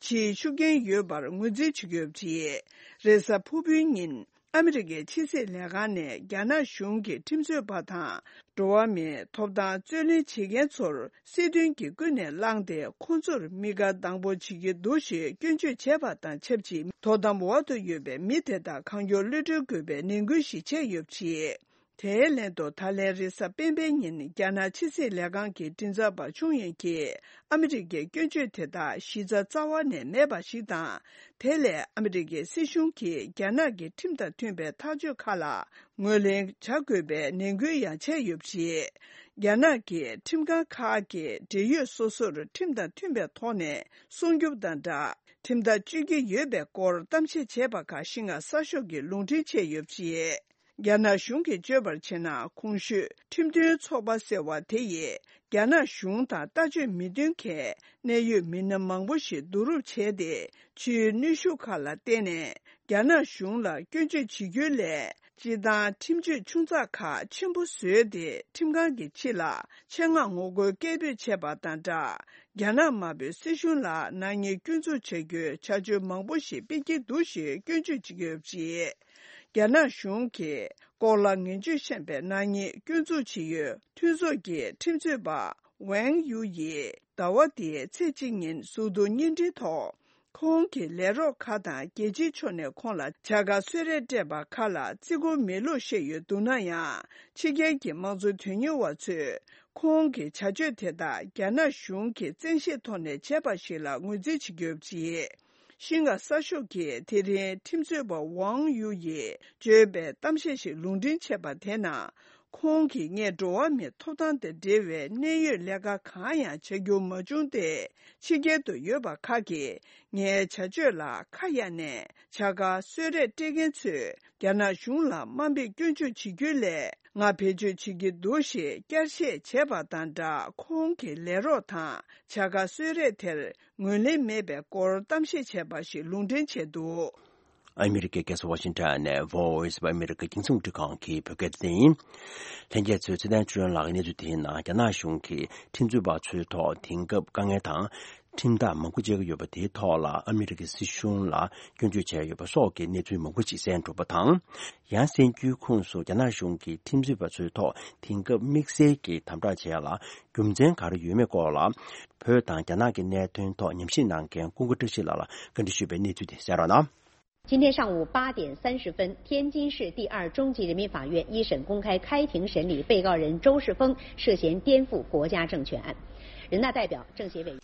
ཕྱིའི་ཤུགས་རྐྱེན་ཡོད་པར་ངོས་འཛིན་བྱེད་ཀྱི་ཡོད་པ་རེད། རེས་གཟའ་ཕུར་བུའི་ཉིན། ཨ་མི་རི་ཀའི་ཕྱི་སྲིད་ལས་ཁང་ནས་རྒྱ་ནག་གཞུང་གི་ཁྲིམས་རྩོད་པ་དང་། འགྲོ་བ་མིའི་ཐོབ་ཐང་རྩོད་ལེན་བྱེད་མཁན་ཚོར་སྲིད་དོན་གྱིས་ཀུན་ནས་བསླངས་ཏེ། ཁོང་ཚོར་མི་དགའ་སྡང་པོ་བྱེད་ཀྱི་འདུག་ཞེས་སྐྱོན་བརྗོད་བྱས་པ་དང་ཆབས་ཅིག་དོ་དམ་འོག་ཏུ་ཡོད་པའི་མི་དེ་དག་གང་མགྱོགས་གློད་གྲོལ་དགོས་པའི་ནན་སྐུལ་ཞིག་བྱས་ཡོད་པ་རེད། དེའི་ལན་དུ། ད་ལན་རེས་གཟའ་སྤེན་པའི་ཉིན་རྒྱ་ནག་ཕྱི་སྲིད་ལས་ཁང་གི་མགྲིན་ཚབ་པ་ཆུང་ཡོན་གྱིས། ཨ་མི་རི་ཀའི་སྐྱོན་བརྗོད་དེ་དག་གཞི་རྩ་རྩ་བ་ནས་མེད་པ་ཞིག་དང་། དེ་ལས་ཨ་མི་རི་ཀའི་སྲིད་གཞུང་གིས་རྒྱ་ནག་གི་ཁྲིམས་དང་མཐུན་པའི་ཐག་གཅོད་ཁག་ལ་ངོས་ལེན་བྱ་དགོས་པའི་ནན་སྐུལ་ཡང་བྱས་ཡོད་པ་རེད། རྒྱ་ནག་གི་ཁྲིམས་ཁང་ཁག་གིས་འབྲེལ་ཡོད་སོ་སོར་ཁྲིམས་དང་མཐུན་པའི་ཐོག་ནས་སྲུང་སྐྱོབ་དང་སྦྲགས། ཁྲིམས་ཐག་གཅོད་ཀྱི་ཡོད་པའི་སྐོར་གཏམ་བཤད་བྱས་པ་ཁག་ཤིན་ཧྭ་གསར་ཤོག་གིས་ལུང་འདྲེན་བྱས་ཡོད་པ་རེད། རྒྱ་ནག་གཞུང་གིས་བརྗོད་པར་བྱས་ན། གོང་ཞུས་ཁྲིམས་མཐུན་ཚོགས་པ་ཟེར་བ་དེ་ཡིས་རྒྱ་ནག་གཞུང་དང་ལྟ་སྤྱོད་མི་མཐུན་མཁན་གནད་ཡོད་མི་སྣ་མང་པོ་ཞིག་བསྡུ་རུབ་བྱས་ཏེ། ཕྱིའི་གནོན་ཤུགས་ཁག་ལ་བརྟེན་ནས་རྒྱ་ནག་གཞུང་ལ་སྐྱོན་བརྗོད་བྱེད་རྒྱུའི་སླད། སྤྱིར་བཏང་ཁྲིམས་གཅོད་ཆུང་ཙག་ཁག་ཆེན་པོ་བཟོས་ཏེ། ཁྲིམས་ཁང་གི་ཕྱི་ལ་ཆེད་མངགས་ངོ་རྒོལ་སྐད་འབོད་བྱས་པ་དང་སྦྲགས། རྒྱ་ནག་དམར་པོའི་སྲིད་གཞུང་ལ་ནག་ཉེས་སྐྱོན་འཛུགས་བྱ་རྒྱུའི་བྱ་སྤྱོད་མང་པོ་ཞིག་སྤེལ་གྱི་འདུག་ཞེས་སྐྱོན་བརྗོད་བྱེད་ཀྱི་ཡོད་པ་རེད། རྒྱ་ནག་གཞུང་གིས་སྐོར་ལ་ངན་ཇུས་བཤད་པའི་ནག་ཉེས་སྐྱོན་འཛུགས་བྱེད་ཡུལ་མཐུན་ཚོགས་ཀྱི་ཁྲིམས་རྩོད་པ་ཝེང་ཡུ་ཡིས་ཟླ་བ་འདིའི་ཚེས་གཅིག་ཉིན་གཟུགས་མཐོང་བརྙན་འཕྲིན་ཐོག་ཁོང་གི་ལས་རོགས་ཁག་དང་རྒྱལ་སྤྱིའི་ཕྱོགས་ནས་ཁོང་ལ་བྱ་དགའ་གསོལ་རས་སྤྲད་པ་ཁག་ལ་བརྩི་བཀུར་མེད་ལུགས་བཤད་ཡོད་འདུག་ན་ཡང་། ཕྱི་རྒྱལ་གྱི་དམངས་གཙོ་དོན་གཉེར་བ་ཚོས་ཁོང་གི་བྱ་སྤྱོད་དེ་དག་རྒྱ་ནག་གཞུང་གིས་བཙན་ཤེད་ཐོག་ནས་བྱས་པ་ཞིག་ལ་ངོས་འཛིན་བྱེད་ཀྱི་ཡོད་པ་རེད། ཤིན་ཧྭ་གསར་ཤོག་གིས་དེ་རིང་ཁྲིམས་རྩོད་པ་ཝང་ཡུ་ཡིས་བརྗོད་པའི་གཏམ་བཤད་ཞིག་ལུང་འདྲེན་བྱས་པ་དེ་ནང་། ཁོང་གིས་ངས་འགྲོ་བ་མིའི་ཐོབ་ཐང་དང་འབྲེལ་བའི་གནད་ཡོད་ལས་ཀ་གང་ཡང་བྱ་རྒྱུ་མ་བྱུང་སྟེ། ཕྱི་རྒྱལ་དུ་ཡོད་པ་ཁག་གིས་ངའི་བྱ་སྤྱོད་ལ་ཁ་གཡར་ནས་བྱ་དགའ་གསོལ་རས་སྤྲད་མཁན་ཚོས་རྒྱ་ནག་གཞུང་ལ་དམའ་འབེབས་སྐྱོན་བརྗོད་བྱེད་རྒྱུ་ལས་ང་བེད་སྤྱོད་བྱེད་ཀྱི་འདུག་ཞེས་བསྐྱར་བཤད་བྱས་པ་དང་སྦྲགས། ཁོང་གི་ལས་རོགས་དང་བྱ་དགའ་གསོལ་རས་དེར་ངོས་ལེན་མེད་པའི་སྐོར་གཏམ་བཤད་བྱས་པ་ཞིག་ལུང་འདྲེན་བྱས་འདུག། ཨ་མི་རི་ཀའི་རྒྱལ་ས་ཝ་ཤིང་ཊོན་ནས་Voice of America རྒྱང་སྲིང་རླུང་འཕྲིན་ཁང་གི་བོད་སྐད་སྡེ་ཚན་ཡིན། ལྷན་རྒྱས་ཚོས་ཚེ་བརྟན་ཆོས་སྒྲོན་ལགས་ཀྱི་གནས་ཚུལ་དེའི་ནང་རྒྱ་ནག་གཞུང་གིས་ཁྲིམས་རྩོད་པ་ཚོའི་ཐོག་དེང་སྐབས་དཀའ་ངལ་དང་། ཁྲིམས་ཐག་མང་པོ་བཅད་ཀྱི་ཡོད་པ་དེའི་ཐོག་ལ་ཨ་མི་རི་ཀའི་སྲིད་གཞུང་ལ་སྐྱོན་བརྗོད་བྱས་ཡོད་པ་སོགས་ཀྱི་གནས་ཚུལ་མང་པོ་ཞིག་གསན་གྲུབ་པ་དང་། ཡང་གསན་རྒྱུའི་ཁོངས་སུ་རྒྱ་ནག་གཞུང་གིས་ཁྲིམས་རྩོད་པ་ཚོའི་ཐོག་དེང་སྐབས་དམིགས་བསལ་གྱི་དམ་དྲག་བྱས་ཡ་ལ་རྒྱུ་མཚན་ག་རེ་ཡོད་མེད་སྐོར་ལ། བོད་དང་རྒྱ་ནག་གི་གནད་དོན་ཐོག་ཉམས་ཞིབ་གནང་མཁན་ཀུན་དགའ་བཀྲ་ཤིས་ལགས་ལ་བཀའ་འདྲི་ཞུས་པའི་གནས་ཚུལ་དེ་གསན་རོགས་གནང་། 今天上午八点三十分，天津市第二中级人民法院一审公开开庭审理被告人周世峰涉嫌颠覆国家政权案。人大代表、政协委员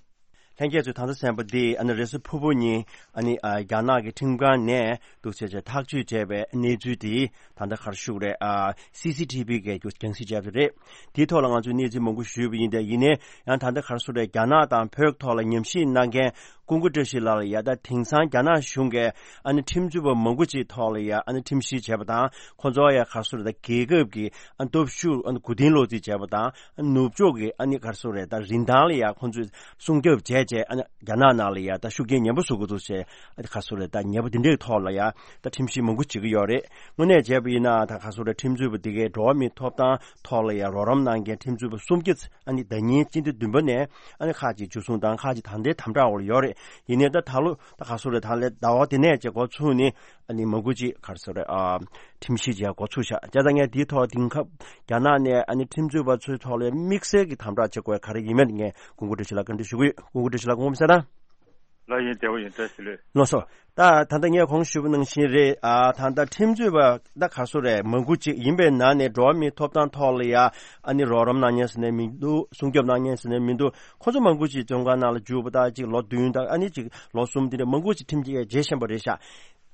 ལྷན་རྒྱས་ཚོས་ད་ལྟ་གསན་པ་འདི་ཨ་ནི་རེས་གཟའ་ཕུར་བུ་ཉིན་ཨ་ནི་ཨ་རྒྱ་ནག་གི་ཁྲིམས་ཁང་ནས་འདུག་བྱས་བྱས་ཐག་གཅོད་བྱས་པའི་གནས་ཚུལ་དེ་ད་ལྟ་ག་རེ་ཞུ་དགོས་རེད། ཨ་སི་སི་ཐི་བི་གིས་རྒྱང་སྲིང་བྱས་པ་རེད། དེའི་ཐོག་ལ་ང་ཚོས་གནས་ཚུལ་མང་པོ་ཞུས་པ་ཡིན་ཏེ། ཡིན་ནའི་ཡང་ད་ལྟ་ག་རེ་ཞུ་དགོས་རེད། རྒྱ་ནག་དང་བོད་ཐོག་ལ་ཉམས་ཞིབ་གནང་མཁན་ཀུན་དགའ་བཀྲ་ཤིས་ལགས་ལ་ཡ། ད་དེང་སང་རྒྱ་ནག་གཞུང་གིས་ཨ་ནི་ཁྲིམས་རྩོད་པ་མང་པོ་ཅིག་ཐོག་ལ་ཡ་ཨ་ནི་ཁྲིམས་བཤེར་བྱས་པ་དང་། ཁོ་ཚོ་ཡ་ག་རེ་ཞུ་དགོས་རེད། ད་རྒྱལ་ཁབ་ཀྱི་ཨ་སྟོབས་ཤུགས་ཨ་ནི་མགོ་རྟིང་སློག་རྩིས་བྱས་པ་དང་། ནུབ་ཕྱོགས་ཀྱི་ཨ་ནི་ག་རེ་ཞུ་དགོས་རེད། ད་རིན་ཐང་ལ་ཡ་ཁོང་ཚོས་སྲུང་སྐྱོབ་བྱས་བྱས། ཨ་ནི་རྒྱ་ནག་ནང་ལ་ཡ་ད་ཤུགས་རྐྱེན་ངན་པ་བཟོ་གི་འདུག་ཟེར། ཨ་ནི་ག་རེ་ཞུ་དགོས་རེད། ད་ཉེས་པ་འདི་འདྲའི་ཐོག་ལ་ཡ་ད་ཁྲིམས་བཤེར་མང་པོ་བྱེད་ཀྱི་ཡོད་རེད། དངོས་གནས་བྱས་པ་ཡིན་ན། ད་ག་རེ་ཞུ་དགོས་རེད། ཁྲིམས་རྩོད་པ་འདི་གའི་འགྲོ་བ་མིའི་ཐོབ་ཐང་ཐོག་ལ་ཡ་རོགས་རམ་གནང་མཁན་ཁྲིམས་རྩོད་པ་སུམ་བརྒྱ་ཨ་ནི་ཟླ་ཉིན་སྤྱི་ཟླ་བདུན་པ་ནས་ཨ་ནི་ཁག་ཅིག་འཇུ་བཟུང་དང་ཁག་ཅིག་ད་ལྟའི་དམ་དྲག་འོག་ལ་ཡོད་རེད། ཡིན་ནའི་ད་ད་ལོ་ད་ག་རེ་ཞུ་དགོས་རེད། ད་ལོའི་ཟླ་བ་འདི་ནས་བྱས་འགོ་ཚུགས་ནས་ཨ་ནི་མང་པོ་ཅིག་ག་རེ་ཞུ་དགོས་རེད། ཨ་ཁྲིམས་བཤེར་བྱས་འགོ་ཚུགས་ཤག་བྱས་ཙང་ངས་འདིའི་ཐོག་དེང་སྐབས་རྒྱ་ནག་ནས་ཨ་ནི་ཁྲིམས་རྩོད་པ་ཚོའི་ཐོག་ལ་དམིགས་བསལ་གྱི་དམ་དྲག་བྱེད་དགོས་ཡ་ག་རེ་ཡིན་མིན་ངས་ཀུན་དགའ་བཀྲ་ཤིས་ལགས་བཀའ་འདྲི་ཞུ་གི་ཡོད། ཀུན་དགའ་བཀྲ་ཤིས་ལགས་དགོངས་པ་མ་ཚོམ་ན། ལགས་ཡིན། བདེ་པོ་ཡིན། བཀྲ་ཤིས་བདེ་ལེགས། ལགས་སོ། ད་ད་ལྟ་ངས་གོང་ཞུས་པ་ནང་བཞིན་རེད། ཨ་ད་ལྟ་ཁྲིམས་རྩོད་པ་ད་ག་རེ་ཞུ་དགོས་རེད། མང་པོ་ཅིག་ཡིན་པའི་ནང་ནས་འགྲོ་བ་མིའི་ཐོབ་ཐང་ཐོག་ལ་ཡ་ཨ་ནི་རོགས་རམ་གནང་མཁན་ཟེར་ནས་མི་འདུག་སྲུང་སྐྱོབ་གནང་མཁན་ཟེར་ནས་མི་འདུག་ཁོ་ཚོ་མང་པོ་ཅིག་བཙོན་ཁང་ནང་ལ་འཇུག་པ་དང་། ཅིག་ལོ་བདུན་དང་ཨ་ནི་ཅིག་ལོ་གསུམ་དེ་འདྲ་མང་པོ་ཅིག་ཁྲིམས་ཀྱིས་བརྗེ་བཞིན་པ་རེད་ཤག་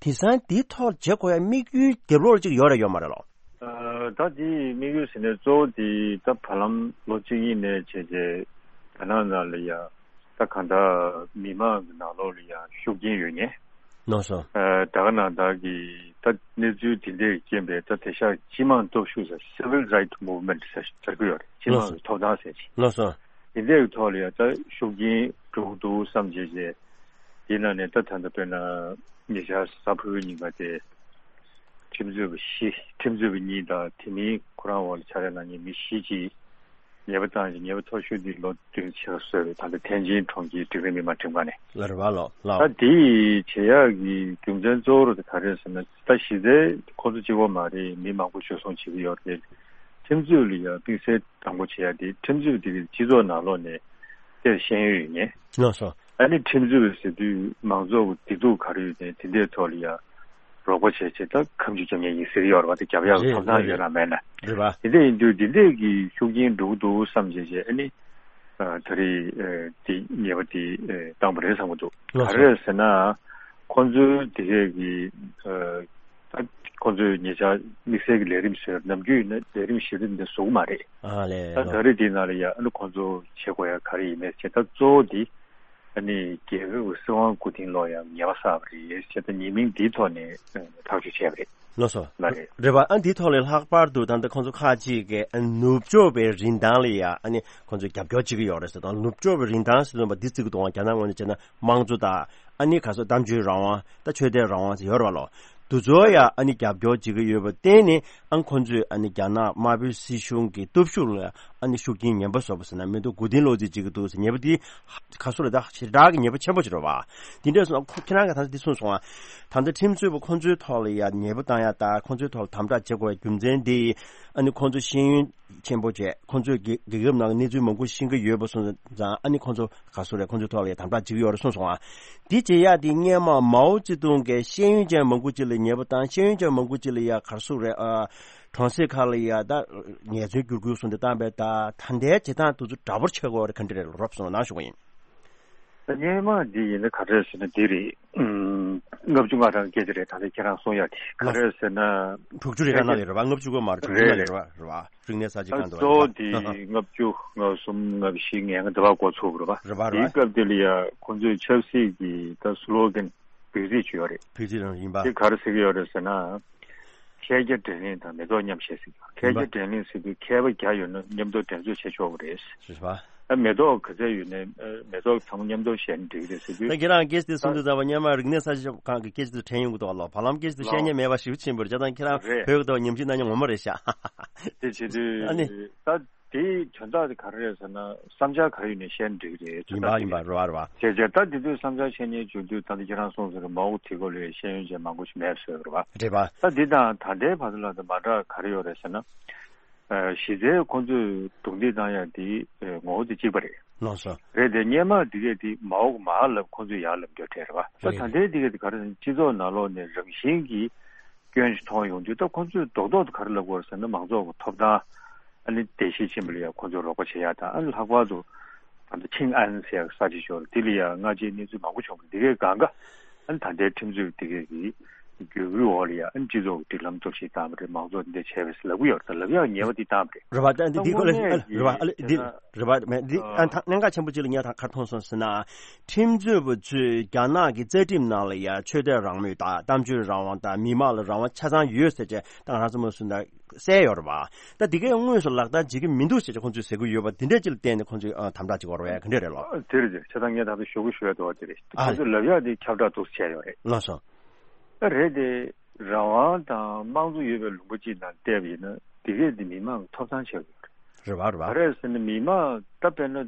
དེང་སང་འདིའི་ཐོག་བྱེད་དགོས་ཡ་དམིགས་ཡུལ་རྒྱབ་ལོགས་ཅིག་ཡོད་རེད་ཡོད་མ་རེད་ལོ། ཨ་ད་དེའི་དམིགས་ཡུལ་ཟེར་ནས་གཙོ་བོ་དེ་ད་བར་ལམ་ལོ་གཅིག་གཉིས་ནས་བྱས་བྱས་རྒྱ་ནག་ནང་ལ་ཡ་ད་གང་ལྟར་མི་མང་གི་ནང་ལོགས་ལ་ཡ་ཤུགས་རྐྱེན་ཡོད་མཁན། ལགས་སོ། ཨ་ད་ག་ནང་བདག་གིས་ད་གནས་ཚུལ་དེ་འདྲས་རྐྱེན་པས་ད་དེང་སང་སྤྱི་དམངས་སྟོབས་ཤུགས་ཟེར། Civil Right Movement ཟེར་ཟེར་གྱི་ཡོད་རེད། སྤྱི་དམངས་ཀྱི་ཐོབ་ཐང་ཟེར་ཅིག་ལགས་སོ། དེ་འདྲས་ཀྱི་ཐོག་ལ་ཡ་ད་ཤུགས་རྐྱེན་འགྲོ་གི་འདུག་བསམ་བྱས་བྱས། དེའི་ནང་ནས་ད་ད་ལྟ་དཔེར་ན་ཉེ་ཆར་གཟའ་ཕུར་བུའི་ཉིན་ཀ་དེ་ཁྲིམས་རྩོད་པ་བཞི། ཁྲིམས་རྩོད་པ་གཉིས་དང་དེ་མིན་ཁོ་རང་འོག་ལ་ཕྱག་ལས་གནང་མཁན་མི་བཞི་ཅིག་ཉེས་པ་བཏང་ཞིང་། ཉེས་པ་མཐོ་ཤོས་དེ་ལོ་བདུན་ཕྱིར་བཟོས་རེད། ད་ལྟ་ཐེན་ཅིན་གྲོང་ཁྱེར་འབྲིང་རིམ་མི་དམངས་ཁྲིམས་ཁང་ནས། ལགས་རེད་པ། ལགས་ལགས། ད་དེ་བྱེད་ཡག་གི་རྒྱུ་མཚན་གཙོ་བོ་རུ་དེ་ག་རེ་རེད་ཟེར་ན། ད་གཞི་རྩའི་ཁོ་ཚོ་གཅིག་པོ་མ་རེད། མི་མང་པོ་འཇུ་བཟུང་བྱེད་ཀྱི་ཡོད་རེད། ཁྲིམས་རྩོད་ལ་ཡང་དམིགས་བསལ་དང་པོ་བྱེད་ཡ་དེ་ཁྲིམས་རྩོད་དེ་གི་སྤྱི་ཚོགས་ནང་ལོགས་ནས་དེར་ཤེས་ཡོན་ཡོད་མཁན། ལགས་སོ། ཨ་ནི་ཁྲིམས་རྩོད་པ་ཟེར་དུས་མང་ཚོགས་ཀྱི་སྡིགས་སྡུག་ག་རེ་ཡོད་མཁན་དེ་འདྲའི་ཐོག་ལ་ཡ་རོགས་པ་བྱས་བྱས་ད་ཁ་མཆུ་རྒྱབ་མཁན་ཡིན་ཟེར་ཡོད་རེད་པ། དེ་རྒྱབ་ཡག་གི་རེད། ཐོབ་ཐང་རེད། ཡོད་རེད། ན་མེད་ན། རེད་པ། དེ་འདྲ་ཡིན་དུས་དེ་འདྲས་ཀྱི་ཤུགས་རྐྱེན་འགྲོ་གི་འདུག་བསམ་བྱས་བྱས། ཨ་ནི་ཨ་ད་རེས་ཨ་དེ་ཉེས་པ་དེ་ཨ་བཏང་པ་རེད་བསམ་གྱི་འདུག་ལགས་སོ། ག་རེ་རེད་ཟེར་ན། ཁོང་ཚོའི་དེ་གས་ཀྱི་ཨ་ད་ཁོང་ཚོས་ཉེ་ཆར་དམིགས་བསལ་གྱི་ལས་རིམ་བཟོས། ནམ་རྒྱུན་ཡིན་ན་ལས་རིམ་གཞི་རིམ་འདི་བཟོ་གི་མ་རེད། ཨ་ལས། ད་ལགས། ད་རེས་འདི་ནང་ལ་ཡ་ཨ་ནི་ཁོང་ཚོ་བྱེད་དགོས་ཡ་ག་རེ་ཡིན་མེད་ཅེས། ད་གཙོ་བོ་འདི་ཨ་ནི་རྒྱལ་ཁབ་ཀྱི་སྲིད་དབང་མགོ་རྟིང་སློག་ཡ་ཉེས་པ་བསགས་པ་རེད་ཅེས། ད་ཉེས་མིང་འདིའི་ཐོག་ནས་ཐག་གཅོད་བྱས་པ་རེད། ལགས་སོ། ལགས་རེད། རེད་པ། ཨ་འདིའི་ཐོག་ལས་ལྷག་པར་དུ་ད་ལྟ་ཁོང་ཚོ་ཁག་ཅིག་གིས་ཨ་ནུབ་ཕྱོགས་པའི་རིན་ཐང་ལ་ཡ་ཨ་ནི་ཁོང་ཚོས་རྒྱབ་སྐྱོར་བྱེད་ཀྱི་ཡོད་རེད་ཟེར། ད་ནུབ་ཕྱོགས་པའི་རིན་ཐང་ཟེར་དུས་འདི་བརྩི་གི་འདུག་ག་རྒྱ་ནག་ངོས་ནས་བྱས་ན་དམངས་གཙོ་དང་། ཨ་ནི་ག་ཚོད་གཏམ་བརྗོད་རང་དབང་། ད་ཆོས་དད་རང་དབང་ཟེར་ཡོད་རེད་པ་ལོ། འདི་ཚོ་ཡ་ཨ་ནི་རྒྱབ་སྐྱོར་བྱེད་ཀྱི་ཡོད་པ་བརྟེན་ནས། ཨ་ཁོང་ཚོས་ཨ་ནི་རྒྱ་ནག་དམར་པོའི་སྲིད་གཞུང་གི་སྟོབས་ཤུགས་ལ་ཨ་ནི་ཤུགས་རྐྱེན་ངན་པ་བཟོ་བ་ཟེར་ན་མི་འདུག་མགོ་རྟིང་སློག་རྩིས་བྱེད་ཀྱི་འདུག་ཟེར། ཉེས་པ་འདི་ག་ཚོད་རེད། ད་ཞེ་དྲག་གི་ཉེས་པ་ཆེན་པོ་ཅིག་རེད་པ། འདི་འདྲ་སོང་ཁོ་ཁྱེད་རང་གིས་ད་ལྟ་འདི་གསུངས་སོང་ཨ། ད་ལྟ་ཁྲིམས་རྩོད་པ་ཁོང་ཚོའི་ཐོག་ལ་ཡ་ཉེས་པ་བཏང་ཡ་དང་ཁོང་ཚོའི་ཐོག་ལ་དམ་དྲག་བྱེད་དགོས་པའི་རྒྱུ་མཚན་འདི། ཨ་ནི་ཁོང་ཚོ་ཤེས་ཡོན་ཆེན་པོ་བྱས། ཁོང་ཚོས་རྒྱལ་རྒྱལ་ཁབ་ནང་གི་གནས་ཚུལ་མང་པོ་ཤེས་ཀྱི་ཡོད་པ་སོང་ཙང་། ཨ་ནི་ཁོང་ཚོ་ག་ཚོད་རེད། ཁོང་ཚོའི་ཐོག་ལ་ཡ་དམ་དྲག་བྱེད་ཀྱི་ཡོད་རེད་གསུངས་སོང་ཨ། འདི་བྱེད་ཡ་དེ་སྔོན་མ་མའོ་ཙེ་ཏུང་གིས་ཤེས་ཡོན་ཅན་མང་པོ་ཅིག་ལ་ཉེས་པ་བཏང་། ཤེས་ཡོན་ཅན་མང་པོ་ཅིག་ལ་ཡ་ག་ཚོད་རེད། ཨ་གྲོང་གསེབ་ཁག་ལ་ཡ་ད་ཉེས་ཚབས་བསྒྱུར་དགོས་གསུངས་ཏེ་བཏང་པས། ད་ད་ལྟའི་བྱེད་སྟངས་དེ་ཚོ་འདྲ་པོ་བྱེད་དགོས་རེད། ག་འདྲ་རེད། རོབ་སོང་ན་ཞུ་གི་ཡིན། སྔོན་མ་འདི་ཡིན་ན་ག་རེ་ཟེར་ན་འདི་རེད། ཨུམ། ལྔ་བཅུ་ང་གྲངས་སྐད་ཆ་རེད། ད་ལྟ་ཁྱེད་རང་གསུང་ཡག་དེ་ག་རེ་ཟེར་ན། དྲུག་ཅུ་རེ་ལྔ་ནང་ལ་རེད་བ། ལྔ་བཅུ་ཀོ་མར་དྲུག་ཅུ་ནང་ལ་རེད་བ། རེད་བ། རིག་གནས་གསར་བརྗེ་ད་སྒང་དུ་གཙོ་བོ་དེ་ལྔ་བཅུ་ང་གསུམ་ང་བཞི་ང་ལྔ་འདི་བ་འགོ་ཚུགས་རེད་བ། རེད་བ། རེད་བ། དེའི་སྐབས་དེ་ལ་ཡ་ཁོང་ཚོས་ཆབ་སྲིད་ཀྱི་ད་སི་ལོ་གན་བོད་ཚིག་ཅིག་ཡོད་རེད། བོད་ཚིག་རང་ཡིན་པ། དེ་ག་རེ་ཟེར་གྱི་ཡོད་རེད་ཟེར་ན། མཁས་བརྒྱ་འགྲན་གླེང་དང་མེ་ཏོག་མཉམ་བཞད་ཟེར་གྱི་ཡོད། མཁས་བརྒྱ་འགྲན་གླེང་ཟེར་དུས་མཁས་པ་བརྒྱ་ཡོད་ན་མཉམ་དུ་འགྲན་རྩོད་བྱེད་ཆོག་གི་རེད། རེད་བ། ཨ་མེ་ཏོག་ག་ཚད་ཡོད་ན་ཨ་མེ་ཏོག་ཚང་མ་མཉམ་དུ་བཞད་ན་འགྲིག་གི་རེད་ཟེར་དུས། ད་ཁྱེད་རང་སྐད་ཆ་དེ་གསུང་དུས་ཙམ་པ་སྔོན་མ་རིག་གནས་གསར་བརྗེ་ཁང་གི་སྐད་ཆ་དེ་དྲན་ཡོང་གི་འདུག་ལ། བར་ལམ་སྐད་ཆ་དེ་བཤད་མཁན་མེད་པ་ཞེ་པོ་ཕྱིན་པ་རེད། བྱས་ཙང་ཁྱེད་རང་རེད། བོད་ཀྱི་ཐོག་ཉམས་ཞིབ་གནང་མཁན་ངོ་མ་རེད་ཤག་དེ་བྱེད་དུས། ཨ་ནི། ད་དེའི་དོན་དག་དེ་ག་རེ་རེད་ཟེར་ན། བསམ་འཆར་ག་རེ་ཡོད་ནས་བཤད་ན་འགྲིག་གི་རེད། ཡིན་པ་ཡིན་པ་རེད་བ་རེད་བ། བྱས་བྱས་ད་དེ་དུས་བསམ་འཆར་བཤད་མཁན་བྱུང་དུས་ད་ལྟ་ཁྱེད་རང་གསུངས་ཟེར་མ་འོག་དེ་སྐོར་ལ་ཤེས་ཡོན་ཅན་མང་པོ་ཞིག་མེད་ཟེར་བ་རེད་བ། རེད་བ། ད་འདི་དང་ད་ལྟའི་བར་དུ་ལ་ད་མ་འདྲ་ག་རེ་ཡོད་རེད་ཟེར་ན། ཨ་གཞི་རྩའི་ཁོང་ཚོས་རྡུང་རྡེག་བཏང་ཡ་དེ་ཨ་ངོ་བོ་དེ་གཅིག་པ་རེད། ལགས་སོ། རེད་དེ་སྔོན་མ་དེ་གས་དེ་མ་འོག་མར་ལབ་ཁོང་ཚོས་ཡར་ལབ་རྒྱུ་དེ་རེད་བ། ད་རེད་ད་ལྟའི་དེ་གས་དེ་ག་རེ་ཟེར་ན་སྤྱི་ཚོགས་ནང་ལོགས་ནས་རང་བཞིན་གྱིས་སྐྱོན་ཞིག་མཐོང་ཡོང་དུས་ད་ཁོང་ཚོས་རྡོག་རྡོག་ཏུ་ག་རེ་ལབ་དགོས་རེད་ཟེར་ན་མང་ཚོགས་ཀྱི་ཐོབ་ཐང་ཨ་ནི་བརྡལ་བཤིག་ཕྱིན་པ་ལ་ཡང་ཁོང་ཚོས་རོགས་པ་བྱེད་ཡ་དང་། ཨ་ནི་ལྷག་པར་དུ་ད་ལྟ་ཆིང་ཨན་ཟེར་ཡ་གི་ས་ཆ་ཞིག་ཡོད་རེད། དེ་ལ་ཡང་སྔ་རྗེས་གནས་ཚུལ་མང་པོ་བྱུང་བ་རེད། དེ་གའི་སྒང་ག་ཨ་ནི་ད་ལྟའི་ཁྲིམས་རྩོད་པ་དེ་གའི་གི་བརྒྱུད་སྐུལ་འོག་ལ་ཡང་ཨ་ནི་སྤྱི་ཚོགས་ཀྱི་སྒྲིག་ལམ་གཏོར་བཤིག་བཏང་བ་རེད། མང་ཚོགས་འདི་འདྲ་བྱས་པ་ཟེར་ལབ་ཀྱི་ཡོད་རེད། ད་ལབ་ཡག་ཉེས་པ་འདི་བཏང་བ་རེད། རེད་བ། ད་འདི་ད་གོ་ལ་དངོས་གནས་ཀྱི་རེད་བ། ཨ་ལེ་འདི་དེ་ན་རེད་བ། མེད་འདི་ཨ་ད་གནད་འགག་ཆེན་པོ་གཅིག་ལ་ངས་ད་ག་རེ་མཐོང་སོང་ཟེར་ན། ཁྲིམས་རྩོད་པ་ཚོས་རྒྱ་ནག་གི་རྩ་ཁྲིམས་ནང་ལ་ཡང་ཆོས་དད་རང་མོས་དང་གཏམ་བརྗོད་རང་དབང་དང་མི་མང་ལ་རང་དབང་ཆ་ཚང་ཡོད་ཟེར་བྱས་ད་ང་རང་ཚོ་མ་སུ་ན་གསལ་ཡོད་རེད་བ། ད་འདི་གའི་དངོས་སུ་ལག་བསྟར་བྱེད་ཀྱི་མི་འདུག་ཟེར་བྱས་ཁོང་ཚོས་ཟེར་གྱི་ཡོད་པ་འདི་འདྲ་ཅིག་ལ་བརྟེན་ནས་ཁོང་ཚོས་ཨ་དམ་དྲག་བྱེད་དགོས་རེད་བས། ག་འདྲ་རེད་ལོ། དེ་རེད། དེ་བྱས་ཙང་ངས་ད་ལྟ་ཞུ་གི་ཞུ་ཡ་འདུག་བ། དེ་རེད། ཨ་ཁོང་ཚོས་ལབ་ཡག་དེ་ཁྱབ་བསྒྲགས་འདུག་བྱས་ཡོད་རེད། ལགས་སོ། ད་རེད་དེ། རང་དབང་དང་དམངས་གཙོ་ཡོད་པའི་ལུང་པ་གཅིག་ནང་བལྟས་པ་ཡིན་ན་དེ་གས་དེ་མི་མང་གི་ཐོབ་ཐང་ཆགས་ཡོད་རེད། རེད་བ་རེད་བ། ག་རེ་ཟེར་ན་མི་མང་ད་དཔེར་ན་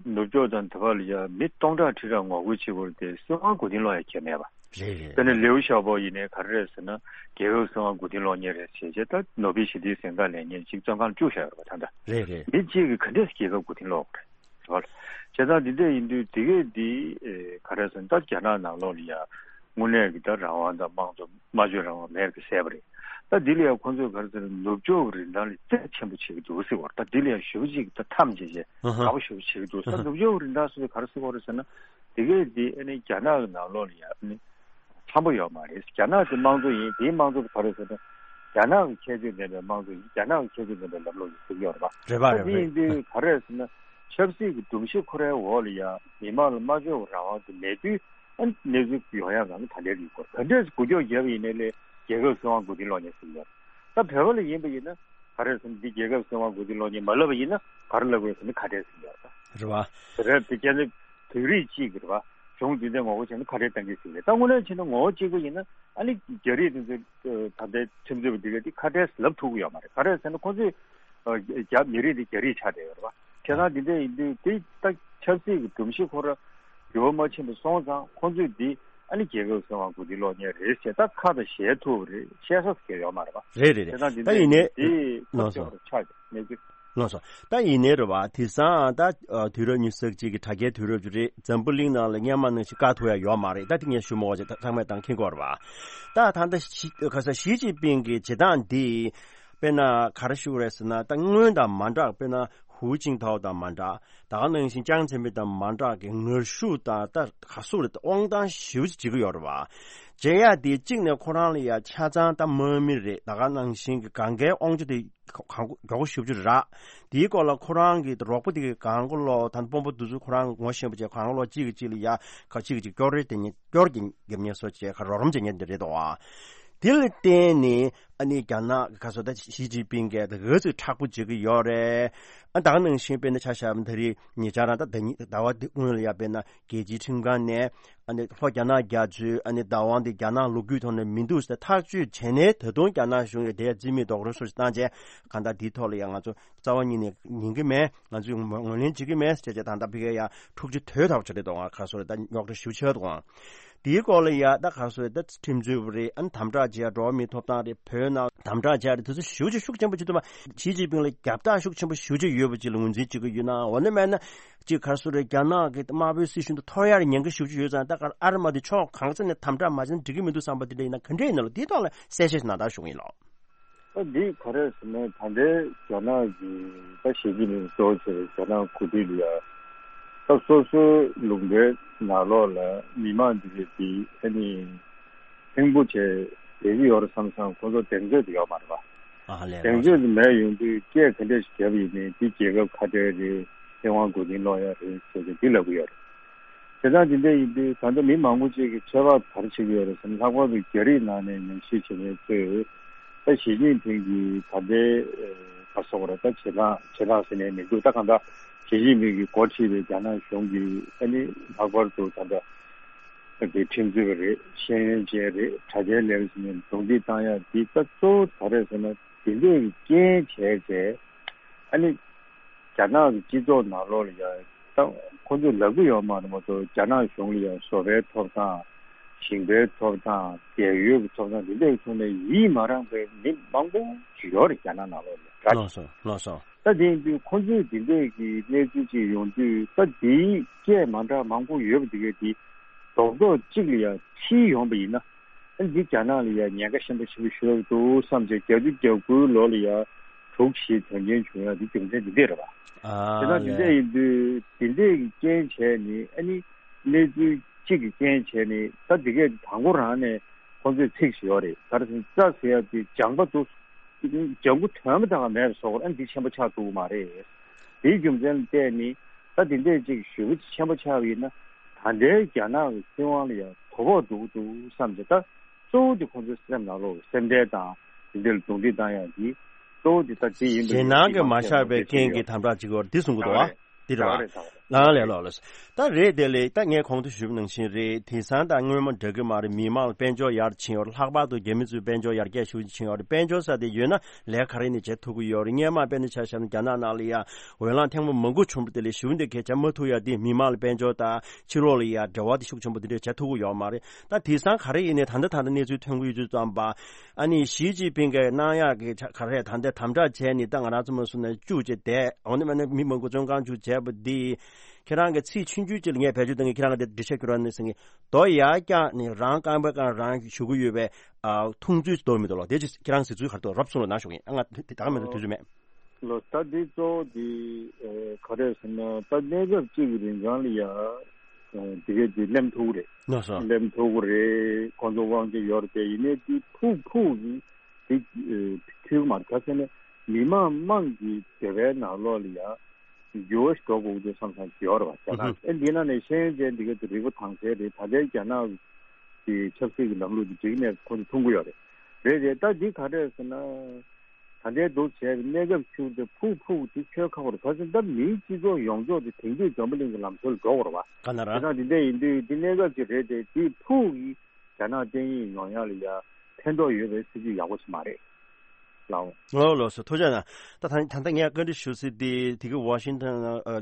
ནུབ་ཕྱོགས་དང་དེ་བ་ལ་ཡ་མི་སྟོང་ཕྲག་ཁྲི་ཕྲག་ངོ་རྒོལ་བྱེད་དགོས་རེད་དེ་སྲིད་དབང་མགོ་རྟིང་སློག་ཡ་གལ་མེད་པ། རེད་རེད། དཔེར་ན་ལེའུ་ཞའོ་པོ་ཡིན་ནའི་ག་རེ་རེད་ཟེར་ན་རྒྱལ་ཁབ་སྲིད་དབང་མགོ་རྟིང་སློག་མཁན་རེད་ཟེར་བྱས་ད་ནོ་བེལ་ཞི་བདེའི་གཟེངས་རྟགས་ལེན་མཁན་གཅིག་བཙོན་ཁང་ལ་བཅུག་བཞག་ཡོད་རེད་པ། ད་ལྟ་རེད་རེད། མི་གཅིག་གིས་ག་འདྲས་རྒྱལ་ཁབ་མགོ་རྟིང་སློག་དགོས་རེད། བྱས་ཙང་འདི་འདྲ་ཡིན་དུས་དེ་གས་འདི་ཨེ་ག་རེ་ཟེར་ན་ད་རྒྱ་ནག་ནང་ལོགས་ལ་ཡ་དངོས་གནས་ཀྱི་ད་རང་དབང་དང་དམངས་གཙོ་སྨྲ་བརྗོད་རང་དབང་མེད་པ་གསལ་པ་རེད། ད་འདི་ལ་ཡ་ཁོང་ཚོས་ག་རེ་ཟེར་ན་ནུབ་ཕྱོགས་ཀྱི་རིན་ཐང་ལ་བརྩི་ཆེན་པོ་བྱེད་ཀྱི་འདུག་ཟེར་བ་རེད། ད་འདི་ལ་ཡ་ཞེ་པོ་ཅིག་ད་མཚམས་བཅད་བྱས་དགའ་པོ་ཞེ་པོ་བྱེད་ཀྱི་འདུག་ད་ནུབ་ཕྱོགས་ཀྱི་རིན་ཐང་ཟེར་དུས་ག་རེ་ཟེར་བ་རེད་ཟེར་ན་དེ་གས་འདི་ཨ་ནི་རྒྱ་ནག་གི་ནང་ལོགས་ལ་ཡ་ཨ་ནི། འཚམ་པོ་ཡོད་མ་རེད། རྒྱ་ནག་གི་དམངས་གཙོ་ཡིན། དེའི་དམངས་གཙོ་དེ་ག་རེ་ཟེར་ན། རྒྱ་ནག་གི་ཁྱད་ཆོས་ལྡན་པའི་དམངས་གཙོ་ཡིན། རྒྱ་ནག་གི་ཁྱད་ཆོས་ལྡན་པའི་ལམ་ལུགས་ཡིན་ཟེར་གྱི་ཡོད་རེད་པ། རེད་པ། ད་རེད་དེ་ཡིན་པ་རེད། དུས་ག་རེ་ཟེར་ན། ཆབ་སྲིད་ཀྱི་སྒྲོམ་གཞི་ཁོ་རའི་འོག་ལ་ཡང་མི་མང་ལ་སྨྲ་བརྗོད་ཀྱི་རང་དབང་དེ་མེད་དུས་ཨ་ནི་གནས་ཚུལ་ཡོང་ཡག་གང་ག་ད་ལྟའི་རིགས་སྐོར་ག་འདྲས་སེ་འགུལ་སྐྱོད་བརྒྱབ་པ་ཡིན་ནའི་ལས་རྒྱལ་ཁབ་སྲིད་དབང་མགོ་རྟིང་སློག་མཁན་ཟེར་གྱི་ཡོད་རེད། ད་བོད་པ་ལ་ཡིན་པ་ཡིན་ན་ག་རེ་ཟེར་ན་འདི་རྒྱལ་ཁབ་སྲིད་དབང་མགོ་རྟིང་སློག་མཁན་མ་ལབ་པ་ཡིན་ན་ག་རེ་ལབ་དགོས་ཟེར་ན་ཁ་བྲལ་ཟེར་གྱི་ཡོད་རེད། རེད་པ། དེ་རེད། དེ་སྐྱེ་ནི་བོད་རིགས་གཅིག་གི་རེད་པ། གཞུང་འདི་འདྲ་ངོ་རྒོལ་བྱས་ན་ཁ་བྲལ་གཏང་གི་ཟེར་རེད། ད་དངོས་གནས་བྱས་ན་ངོ་རྒོལ་གཅིག་པ་ཡིན་ན་ཨ་ནི་རྒྱ་རིགས་དེ་ཚོས་ད་ལྟའི་ཁྲིམས་རྩོད་པ་འདི་ག་དེ་ཁ་བྲལ་ལབ་ཐུབ་ཀྱི་ཡོད་མ་རེད། ག་རེ་ཟེར་ན་ཁོ་ཚོས་རྒྱ་མི་རིགས་འདི་རྒྱ་རིགས་ཆགས་བསྡད་ཡོད་རེད་པ། བྱས་ཙང་འདི་འདྲ་ཡིན་དུས་དེ་ད་ཆབ་སྲིད་ཀྱི་སྒྲོམ་གཞི་ཁོ་ར་འགྱུར་བ་མ་ཕྱིན་པ་སོང་ཙང་ཁོ་ཚོས་འདི་ཨ་ནི་རྒྱལ་ཁབ་སྲིད་དབང་མགོ་རྟིང་སློག་མཁན་རེད་ཟེར་ད་ཁ་དང་ཞལ་ཐུག་པ་རེད། བཤད་ས་སུ་གལ་ཡོད་མ་རེད་པ། རེད་རེད་རེད། བྱས་ཙང་འདི་ད་འདྲ་ཡིན་ནའི་ཡིན་དུས་ཁོ་ལགས་སོ། ཚོས་ཆགས་ཀྱི་གནས་ཚུལ། ལགས་སོ། ད་ཡིན་ནའི་རེད་བ། དེང་སང་ད་ཨ་དུས་རབས་ཉི་ཤུ་རྩ་གཅིག་གི་དྲ་རྒྱའི་དུས་རབས་ཅིག་རེད། འཛམ་བུ་གླིང་ནང་ལ་སྔོན་མ་ནང་བཞིན་བཀག་ཐུབ་ཡ་ཡོད་མ་རེད། ད་དེ་ངས་ཞུ་མི་དགོས་ཅིག་ད་ཚང་མས་ད་མཁྱེན་གྱི་ཡོད་རེད་བ། ད་ད་ལྟ་ཞི་ག་ས་ཞི་ཅིན་ཕིང་གི་བྱེད་སྟངས་འདི་དཔེར་ན་ག་རེ་ཞུ་དགོས་རེད་ཟེར་ན་ད་སྔོན་དང་མ་འདྲ། དཔེར་ན་ཧུའུ་ཅིན་ཐའོ་དང་མ་འདྲ། ད་ག་ནང་བཞིན་ཅང་ཙེ་མིན་དང་མ་འདྲ་གི་ངར་ཤུགས་དང་ད་ག་སུ་རེད་ད་དབང་ཐང་ཞེ་པོ་ཅིག་བྱེད་ཀྱི་ཡོད་རེད་བ། བྱེད་ཡ་དེ་གཅིག་ནས་ཁོ་རང་ལ་ཡ་ཆ་ཚང་ད་དམག་མི་རེད། ད་ག་ནང་བཞིན་གི་གང་གའི་དབང་ཆ་དེ་གང་མགྱོགས་པོ་ཞེ་པོ་ཅིག་རག་དེའི་སྐོར་ལ་ཁོ་རང་གི་རོགས་པ་དེ་གི་གང་ག་ལོ་ད་དཔོན་པོ་དེ་ཚོ་ཁོ་རང་ངོ་ཤེས་པ་བྱས་གང་ག་ལོ་གཅིག་གིས་གཅིག་ལ་ཡ་ག་གཅིག་གིས་གཅིག་སྐྱོར་རེ་དེ་ཉིད་སྐྱོར་གྱི་རྒྱབ་ཉེས་སོ་བྱས་ག་རོགས་རམ་བྱེད་ཉེས་འདི་རེད་དོ། དེ་ལ་བརྟེན་ནས་ཨ་ནི་རྒྱ་ནག་གི་ག་སོ་ད་ཞི་ཅིན་ཕིང་གིས་ད་ག་ཚོད་མཁྲེགས་པོ་བྱེད་ཀྱི་ཡོད་རེད། ཨ་ད་ག་ནང་བཞིན་དཔེར་ན་ཆ་བཞག་ན་ད་རེས་ཉེ་ཆར་རང་ད་ཟླ་ཉི་ཟླ་བ་འདི་སྔོན་ལ་ཡ་དཔེར་ན་རྒྱལ་སྤྱིའི་ཁྲིམས་ཁང་ནས་ཨ་ནི་ལྷོ་རྒྱ་ནག་རྒྱ་མཚོའི་ཨ་ནི་བདག་དབང་དེ་རྒྱ་ནག་ལོ་རྒྱུས་ཐོག་ནས་མི་འདུག་ཟེར་ཐག་གཅོད་བྱས་ནས་ད་དུང་རྒྱ་ནག་གཞུང་གིས་དེ་རྩིས་མེད་རྡོག་རོལ་སོགས་ཤིག་བཏང་རྗེས་གང་ལྟར་འདིའི་ཐོག་ལ་ཡང་ང་ཚོ་རྩ་བ་ཉིད་ནས་ཉན་གྱི་མེད། ང་ཚོས་ངོས་ལེན་བྱེད་ཀྱི་མེད་ཟེར་བྱས་ད་ལྟ་ཕ་གིར་ཡང་འཁྲུག་ཆ་དོད་ཐག་ཆོད་རེད་འདུག་ག་སོ་རེད། ད་རྙོག་དྲ་ཞེ་པོ་ཆེ་འདུག་དེའི་སྐོར་ལ་ཡ་ད་ག་སོ་རེད། ད་ཁྲིམས་རྩོད་པ་རེད། ཨ་ནི་དམ་དྲག་བྱས་འགྲོ་བ་མིའི་ཐོབ་ཐང་རེད། བོད་ནང་དམ་དྲག་བྱས་རེད། དེ་ཚོ་ཞེ་པོ་ཅིག་ཤུགས་ཆེན་པོ་བྱེད་ཐུབ་མ། ཞི་ཅིན་ཕིང་ལ་རྒྱབ་རྟགས་ཤུགས་ཆེན་པོ་ཞེ་པོ་ཅིག་ཡོད་པ་ཅིག་ལ་ངོས་འཛིན་བྱེད་ཀྱི་ཡོད་ན། འོ་ན་མེད་ན་ཅིག་ག་སོ་རེད། རྒྱ་ནག་གི་དམར་པོའི་སྲིད་གཞུང་དུ་ཐོར་ཡར་ཉེན་ཁ་ཞེ་པོ་ཅིག་ཡོད་ཙང་ད་ག་ཨ་རི་མ་དེ་ཕྱོགས་གང་ས་ནས་དམ་དྲག་མ་བྱས་ན་འགྲིག་གི་མི་འདུག་བསམ་པ་དེ་འདྲ་ཡིན་ན་ག་འདྲ་ཡིན་ན་ལོ། དེའི་ཐོག་ལ་གསལ་བཤད་ཞིག་གནང་དང་ཞུ་གི་ཡིན་ལོ། ད་འདི་ག་རེ་ཟེར་ན་ད་ལྟའི་རྒྱ་ནག་གི་ད་ཞི་ཅིན་ཕིང་གཙོ་བོ་བྱས་པའི་རྒྱ་ནག་འགོ་ཁྲིད་ལ་ཡ་ ད་སོ་སོའི་ལུང་པའི་ནང་ལོགས་ལ་མི་མང་འདི་གས་དེ་ཨ་ནི་ཕྲན་བུ་བྱས་བསྡད་ཀྱི་ཡོད་རེད་བསམ་བསམ། ཁོ་ཚོ་གདེང་ཚོད་དེ་ཡོད་མ་རེད་པ། ཨ་ལས། གདེང་ལགས་ཚོད་དེ་མེད་ཡོང་དུས་སྐད་ག་འདྲས་ཤིག་བརྒྱབ་ཡིན་ནའི་འདི་རྒྱལ་ཁབ་ཁ་བྲལ་རེད། ཚེ་དབང་མགོ་རྟིང་སློག་ཡ་རེད་ཟེར་ཏེ་འདི་ལབ་ཀྱི་ཡོད་རེད། དེ་ལྟར་འདི་འདྲ་ཡིན་དུས་ད་ལྟ་མི་མང་པོ་ཅིག་གིས་ཚོད་དཔག་ག་རེ་བྱེད་ཀྱི་ཡོད་རེད་ཟེར་ན། ལྷག་པར་དུ་རྒྱ་རིགས་ནང་ནས་ཉམས་ཞིབ་བྱེད་མཁན་ཚོས་ད་ཞི་ཅིན་ཕིང་གིས་ད་ལྟའི་ཨ་ག་རེ་ཟེར་དགོས་རེད། ད་བྱེད་སྟངས་བྱེད་སྟངས་ཟེར་ནའི་མི་འདུག་ད་གང་ལྟར་ཞི་ཅིན་ཕིང་གིས་འགོ་ཁྲིད་པའི་རྒྱ་ནག་གཞུང་གིས་ཨ་ནི་ལྷག་པར་དུ་ད་ལྟ་གི་ཁྲིམས་རྩོད་པ་རེད། ཤེས་ཡོན་ཅན་རེད། དྲ་རྒྱའི་ལས་ཀ་བྱེད་མཁན་རྡུང་རྡེག་བཏང་ཡ་འདི་ད་གཙོ་བོ་ག་རེ་རེད་ཟེར་ན། དེ་འདྲའི་རྐྱེན་བྱས་བྱས་ཨ་ནི་རྒྱ་ནག་གི་སྤྱི་ཚོགས་ནང་ལོགས་ལ་ཡང་ད་ཁོ་ཚོས་ལབ་ཀྱི་ཡོད་མ་རེད་མ་གཏོགས། རྒྱ་ནག་གཞུང་ལ་ཡང་བཟོ་པའི་ཐོབ་ཐང་། ཞིང་པའི་ཐོབ་ཐང་། རྒས་ཡོལ་གྱི་ཐོབ་ཐང་། དེ་འདྲའི་ཐོག་ནས་ཡིད་མ་རངས་པའི་མི་མང་པོ་ཞིག་ཡོད་རེད་རྒྱ་ནག་ནང་ལོགས་ལ། ལགས་སོ། ལགས་སོ། ད་དེ་ཡིན་དུས་ཁོ་ཚོས་དེ་འདྲས་ཀྱི་གནས་ཚུལ་ཅིག་ཡོང་དུས། ད་དེའི་སྐད་མ་འདྲ་མང་པོ་ཡོད་པ་དེ་གས་དེ་རྡོག་རྡོག་གཅིག་ལ་ཡང་ཁྲིད་ཡོང་པ་ཡིན་ན། ཨ་ནི་འདི་རྒྱ་ནག་ལ་ཡང་ཉེན་ཁ་ཆེན་པོ་ཆེན་པོ་ཞིག་འདུག་བསམ་བྱས། བརྒྱད་ཅུ་གྱ་དགུའི་ལོ་ལ་ཡང་དྲུག་བཞི་དོན་རྐྱེན་བྱུང་ཡ་དེ་རྒྱུ་མཚན་འདི་འདྲས་རེད་པ། ཨ་དེ་ན་འདི་ལས། འདྲས་ཡིན་དུས་དེ་འདྲས་ཀྱི་རྐྱེན་བྱས་ནས། ཨ་ནི་གནས་ཚུལ་གཅིག་གི་རྐྱེན་བྱས་ནས་ད་དེ་གས་དང་པོ་རང་ནས་ཁོང་ཚོས་ཚིག་ཞིག་ཡོད་རེད། ག་རེ་ཟེར་ན། རྩྭ་ཟེར་ཡ་དེ་ལྗང་པ་འདུག་ལྗང་ཁུ་དོན་མེད་དང་མེད་པ་བཟོ་དགོས། ཨ་ནི་འདི་ཆེན་པོ་ཆགས་ཐུབ་ཀྱི་མ་རེད། དེའི་རྒྱུ་མཚན་ལ་བལྟས་ནས་ད་དེ་འདྲས་ཅིག་ཞེ་པོ་ཆེན་པོ་ཆགས་པ་ཡིན་ན། ད་ལྟའི་རྒྱ་ནག་གི་སྲིད་དབང་ལ་ཡང་དོ་ཕོག་འགྲོ་གི་འདུག་བསམ་བྱས། ད་གཙོ་བོ་དེ་ཁོང་ཚོའི་སེམས་ནང་ལོགས་སེམས་ཁྲལ་དང་དེ་འདྲ་ལ་རྡུང་རྡེག་བཏང་ཡག་གི་གཙོ་བོ་དེ་ད་དེ་ཡིན་པ་ཞེད་སྣང་གིས་མ་ཆགས་པའི་རྐྱེན་གྱིས་དམ་དྲག་བྱེད་ཀྱི་ཡོད་རེད། འདི་གསུང་གི་འདུག་བ། རེད། འདི་རེད་བ། རེད། ལགས་ལགས་ལགས་ལགས། ད་རེད། དེ་ལས་ད་ངས་གོང་དུ་ཞུས་པ་ནང་བཞིན་རེད། དེང་སང་ད་སྔོན་མ་འདྲ་གི་མ་རེད། མི་མང་ལ་དཔལ་འབྱོར་ཡར་ཕྱིན་ཡོད་རེད། ལྷག་པར་དུ་རྒྱ་མི་ཚོའི་དཔལ་འབྱོར་ཡར་རྒྱས་ཤུགས་ཆེ་ཕྱིན་ཡོད་རེད། དཔལ་འབྱོར་ཟེར་དེ་ཡོད་ན་ལས་ག་རེ་ནས་བྱེད་ཐུབ་ཀྱི་ཡོད་རེད། སྔོན་མ་དཔེར་ན་ཆ་བཞག་ན་རྒྱ་ནག་ནང་ལ་ཡ་འོས་ལངས་ཐེངས་མ་མང་པོ་བྱུང་བ་དེ་ལས་ཞེ་པོ་འདི་གས་བྱ་མ་ཐུབ་ཡ་དེ། མི་མང་ལ་དཔལ་འབྱོར་དང་ཕྱི་ལོགས་ལ་ཡ་འབྲེལ་བ་དེ་ཤུགས་ཆེན་པོ་དེ་འདྲས་བྱེད་ཐུབ་ཀྱི་ཡོད་མ་རེད། ད་དེང་སང་ག་རེ་ཡིན་ནའི་ད་ལྟ་ད་ལྟ་གནས་ཚུལ་ཐོན་གྱི་ཡོད་དུས་ཙམ་པ། ཨ་ནི་ཞི་ཅིན་ཕིང་གིས་གནང་ཡག་གི་ག་རེ་ད་ལྟ་དམ་དྲག་བྱས་ནས། ད་ང་རང་ཚོ་མ་སུ་ན་བཅུག་བྱས་བསྡད། འོ་ན་མ་ན་མི་མང་པོ་བཙོན་ཁང་བཅུག་བྱས་པ་འདི། ཁྱེད་རང་གི་ཚིག་ཆུང་ཆུང་ཅིག་ལ་ངས་བེད་སྤྱོད་གཏོང་གི། ཁྱེད་རང་གི་འདི་འགྲེལ་བཤད་ཁྱོད་རང་ནས་ཟེར་གི། རྡོ་ཡར་བཀྱགས་ནས་རང་རྐང་པའི་སྒང་རང་གཞུ་གི་ཡོད་པའི་ཨ་འཐུང་ཚུལ་ཞིག་འདུག་མི་འདུག་ལགས། དེ་ཅིག་ཁྱེད་རང་གཟིགས་ཚུལ་ག་རེ་འདུག། རོབ་གསུང་རོགས་གནང་ཞུ་གི་ཡིན། ཨ་ང་དེ་ད་ག་མེད་དུ་དུས་ཚོད་མེད། ལགས། ད་འདི་གཙོ་བོ་འདི་ཨེ་ག་རེ་ཟེར་ན། ད་གནས་སྐབས་གཅིག་གི་རིང་གང་ལ་ཡ་ཨེ་དེ་གས་དེ་སླེབས་ཐུབ་ཀྱི་རེད། ལགས་སོ། སླེབས་ཐུབ་ཀྱི་རེད། ཁོང་ཚོ་དབང་ཆ་ཡོད་རེད་དེ། ཡིན་ནའི་དེ་ཕུག་ཕུག་གི་དེ་ཨེ་འཁྱོལ་གྱི་མ་རེད། ག་རེ་ཟེར་ན་མི་མང་དམངས་ཀྱི་འདོད་པའི་ནང་ལོགས་ལ་ཡ་འགྱུར་བ་ཞིག་འགྲོ་དགོས་ཀྱི་འདུག་བསམ་བསམ་ཞིག་ཡོད་རེད་པ། རྒྱ་ནག་ཨེ་འདི་ནང་ནས་ཤེས་ཡོན་ཅན་འདི་ག་དེ་རིལ་བུ་དྭངས་གསལ་རེད། ད་ལྟའི་རྒྱ་ནག་གི་ཆབ་སྲིད་ཀྱི་ལམ་ལུགས་འདི་འགྲིག་ནས་ཁོང་ཚོ་མཐོང་གི་ཡོད་རེད། རེད་རེད། ད་འདི་ག་རེ་ཟེར་ན། ད་ལྟའི་འདུག་བྱས་པའི་གནས་སྐབས་ཤིག་དེ་ཕུག་ཕུག་དེ་འཁྱོལ་ཁག་པོ་རེད། ག་རེ་ཟེར་ན་ད་མིའི་སྤྱི་ཚོགས་ཡོངས་རྫོགས་དེ་དེང་དུས་འཛམ་བུ་གླིང་གི་ལམ་སྲོལ་འགྲོ་དགོས་རེད་པ། ག་ན་ར། དེ་དང་དེ་འདྲ་ཡིན་དུས་དེ་གནས་སྐབས་ཅིག་རེད་དེ། དེ་ཕུག་གི་རྒྱ་ནག་བསྟན་ཡིག་ཡོང་ཡག་ལ་ཡ་ཕན་ཐོགས་ཡོད་པའི་སྲིད་ཇུས་ཡག་པོ་ཞིག་མ་རེད། ལགས། ལགས་ལགས་སོ། ཐུགས་རྗེ་གནང་། ད་ད་ད་ལྟ་ངས་བཀའ་འདྲི་ཞུ་སྲིད་དེ། དེ་གི་ཝ་ཤིང་ཊོན་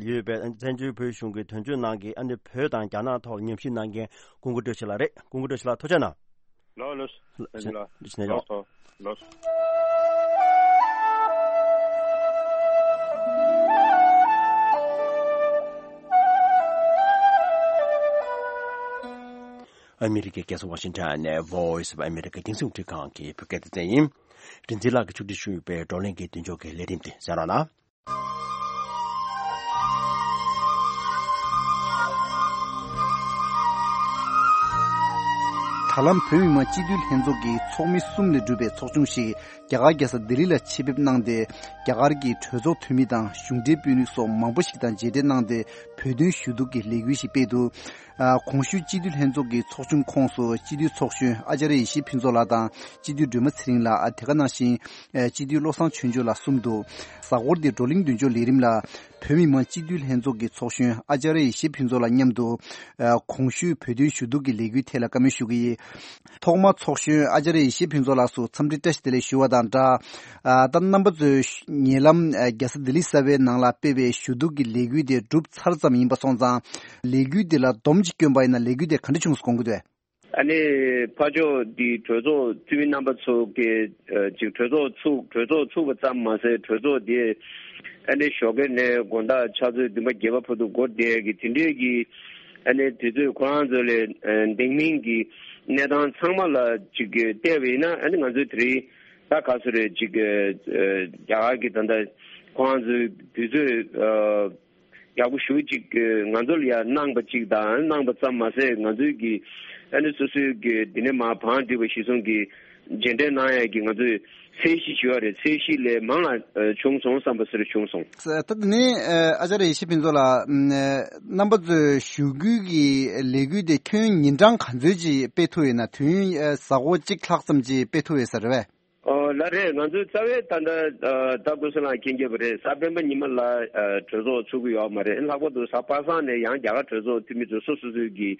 ཡོད་པའི་བཙན་བྱོལ་བོད་གཞུང་གི་དོན་གཅོད་ནང་གི་ཨ་ནི་བོད་དང་རྒྱ་ནག་ཐོག་ཉམས་ཞིབ་གནང་མཁན་ཀུན་དགའ་བཀྲ་ཤིས་ལགས་རེད། ཀུན་དགའ་བཀྲ་ཤིས་ལགས་ཐུགས་རྗེ་གནང་། ལགས་ལགས། ལགས་ལགས། ལགས་སོ། ལགས་སོ། ཨ་མི་རི་ཀའི་རྒྱལ་ས་ཝ་ཤིང་ཊོན་ནས་Voice of America རྒྱང་སྲིང་རླུང་འཕྲིན་ཁང་གི་བོད་སྐད་སྡེ་ཚན་ཡིན། རིག་འཛིན་ལགས་ཀྱིས་ཕྱོགས་སྒྲིག་ཞུས་པའི་བགྲོ་གླེང་གི་མདུན་ལྕོག་གི་ལས་རིམ་དེ་གསན་རོགས་གནང་། ད་ལམ་བོད་མི་མང་སྤྱི་འཐུས་ལྷན་ཚོགས་ཀྱི་ཚོགས་མི་གསུམ་ལས་གྲུབ་པའི་ཚོགས་ཆུང་ཞིག་རྒྱ་གར་རྒྱལ་ས་ལྡི་ལི་ལ་ཆེད་ཕེབས་གནང་སྟེ། རྒྱ་གར་གྱི་གྲོས་ཚོགས་འཐུས་མི་དང་གཞུང་འབྲེལ་དཔོན་རིགས་སོགས་མང་པོ་ཞིག་དང་མཇལ་འཕྲད་གནང་སྟེ། བོད་དོན་ཞུ་གཏུག་གི་ལས་འགུལ་ཞིག་སྤེལ་འདུག། ཨ། གོང་ཞུས་སྤྱི་འཐུས་ལྷན་ཚོགས་ཀྱི་ཚོགས་ཆུང་ཁོངས་སུ་སྤྱི་འཐུས་ཚོགས་གཞོན་ཨ་ཙརྱ་ཡེ་ཤེས་ཕུན་ཚོགས་ལགས་དང་སྤྱི་འཐུས་སྒྲོལ་མ་ཚེ་རིང་ལགས། ཨ། དེ་ག་ནང་བཞིན་ཨ་སྤྱི་འཐུས་བློ་བཟང་ཆོས་འབྱོར་ལགས་གསུམ་འདུག། གཟའ་འཁོར་འདིའི་བགྲོ་གླེང་མདུན་ལྕོག་ལས་རིམ་ལ། བོད་མི་མང་སྤྱི་འཐུས་ལྷན་ཚོགས་ཀྱི་ཚོགས་གཞོན་ཨ་ཙརྱ་ཡེ་ཤེས་ཕུན་ཚོགས་ལགས་མཉམ་དུ། ཨ། གོང་ཞུས་བོད་དོན་ཞུ་གཏུག་གི་ལས་འགུལ་ཐད་ལ་བཀའ་མོལ་ཞུ་གི་ཡིན། ཐོག་མར་ཚོགས་གཞོན་ཨ་ཙརྱ་ཡེ་ཤེས་ཕུན་ཚོགས་ལགས་སུ་འཚམས་འདྲི་བཀྲ་ཤིས་བདེ་ལེགས་ཞུ་བ་དང་སྦྲགས། ཨ། ད་རྣམ་པ་ཚོས་ཉེ་ལམ་ཨ་རྒྱལ་ས་ལྡི་ལི་གསར་པའི་ནང་ལ་སྤེལ་བའི་ཞུ་གཏུག་གི་ལས་འགུལ་དེ་གྲུབ་ཚར་ཙམ་ཡིན་པ་སོང་ཙང་། ལས་འགུལ་དེ་ལ་སྡོམ་གཅིག་བསྐྱོན་པ་ཡིན་ན་ལས་འགུལ་དེ་ག་འདྲ་བྱུང་སོང་དགོངས་ཀྱི་འདུག། ཨ་ནི་ཕར་ཕྱོགས་འདི་གྲོས་ཚོགས་འཐུས་མི་རྣམ་པ་ཚོ་གིས་ཨ་ཅིག་གྲོས་ཚོགས་ཚུགས། གྲོས་ཚོགས་ཚུགས་པ་ཙམ་མ་ཟད། གྲོས་ཚོགས་དེ་ཨ་ནི་ཞོགས་ཀས་ནས་དགོང་དག་ཕྱག་ཚོད་བདུན་པ་བརྒྱད་པ་བར་དུ་འགོར་བསྡད་ཀྱི་དེ་འདྲས་ཀྱི་ཨ་ནི་དུས་ཚོད་ཁོ་རང་ཚོ་ལ་ཨ་འདང་མིན་གྱི་གནས་སྟངས་ཚང་མ་ལ་ཅིག་བལྟས་པ་ཡིན་ན། ཨ་ནི་ང་ཚོའི་དེ་རིང་ད་ག་ཚོད་རེད། ཅིག་ཨ་རྒྱ་གར་གྱི་ད་ལྟ་ཁོ་རང་ཚོའི་དུས་ཚོད་ཨ་ ཡག་པོ་ཞེ་པོ་ཅིག་ང་ཚོ་ལ་ཡང་གནང་པ་ཅིག་དང་། གནང་པ་ཙམ་མ་ཟད་ང་ཚོའི་གི་ཨ་ནི་སོ་སོའི་གི་འདི་ནས་མར་བང་སྒྲིག་པ་གཞིར་བཟུང་གི་མཇལ་འཕྲད་གནང་ཡས་ཀྱི་ང་ཚོས་ཚད་གཞི་ཞུ་བ་རེད། ཚད་གཞི་ལས་མང་ལ་ཨ་བྱུང་སོང་བསམ་པ་ཟེར་བྱུང་སོང་། ད་དེ་ནས་ཨ་ཨ་ཅར་ཡེ་ཤེས་ཕུན་ཚོགས་ལགས། ཨ་རྣམ་པ་ཚོའི་ཞུ་སྐུལ་གྱི་ལས་འགུལ་དེ་ཁྱོན་ཉིན་གྲངས་ག་ཚོད་ཅིག་སྤེལ་ཐུབ་ཡོད་ན། དུས་ཡུན་ཨ་གཟའ་འཁོར་གཅིག་ལྷག་ཙམ་ཅིག་སྤེལ་ཐུབ་ཡོད་ས་རེད་པས། ཨོ་ལགས་རེད། ང་ཚོའི་རྩ་བའི་ད་ལྟ་ཨ་ད་ཀུན་བཟང་ལགས་མཁྱེན་གྱི་ཡོད་པ་རེད། གཟའ་སྤེན་པ་ཉི་མ་ལ་ཨ་གྲོས་ཚོགས་ཚུགས་ཀྱི་ཡོད་མ་རེད། ལྷག་པར་དུ་གཟའ་པ་སངས་ནས་ཡང་རྒྱ་གར་གྲོས་ཚོགས་འཐུས་མི་ཚོ་སོ་སོ་སོའི་གི་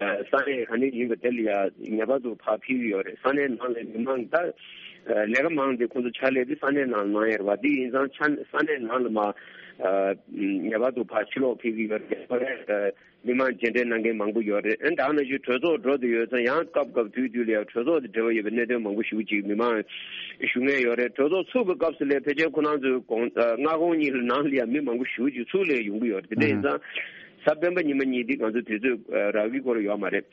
ཨ་ས་གནས་ག་ནས་ཡིན་པ་དེ་ལ་ཡ་ངེས་པར་དུ་ཕར་ཕེབས་ཀྱི་ཡོད་རེད། ས་གནས་ནང་ལ་མི་མང་ད་ཨ་ལས་ཀ་མང་སྟེ་ཁོང་ཚོ་ཕྱག་ལས་དེ་ས་གནས་ནང་ལ་གནང་ཡ་རེད་པ། དེ་ཡིན་ཙང་ཕྱག་ས་གནས་ནང་ལ་མར་ཨ་ངེས་པར་དུ་ཕར་ཕྱིར་ལོག་ཕེབས་ཀྱི་ཡོད་རེད། ཨ་མི་མང་མཇལ་འཕྲད་གནང་མཁན་མང་པོ་ཡོད་རེད། ཨ་ད་ག་ནང་བཞིན་གྲོས་ཚོགས་འགྲོ་བསྡད་ཡོད་ཙང་ཡང་སྐབས་སྐབས་དུས་དུས་ལ་ཡང་གྲོས་ཚོགས་དང་འབྲེལ་བ་ཡོད་པའི་གནད་དོན་མང་པོ་ཞེ་པོ་ཅིག་མི་མང་ཞུ་མཁན་ཡོད་རེད། གྲོས་ཚོགས་ཚུགས་པའི་སྐབས་སུ་ལ་ཕལ་ཆེར་ཁོ་རང་ཚོའི་དགོང་ཨ་སྔ་དགོང་གཉིས་ལ་ནང་ལ་ཡང་མི་མང་པོ་ཞེ་པོ་ཅིག་ཚུར་ལ་ཡོང་གི་ཡོད་རེད། དེ་འདྲ་ཡིན་ཙང་གཟའ་སྤེན་པ་ཉི་མ་གཉིས་འདི་ང་ཚོ་དུས་ཚོད་ཨ་རག་གི་སྐོར་ཡོད་མ་རེད།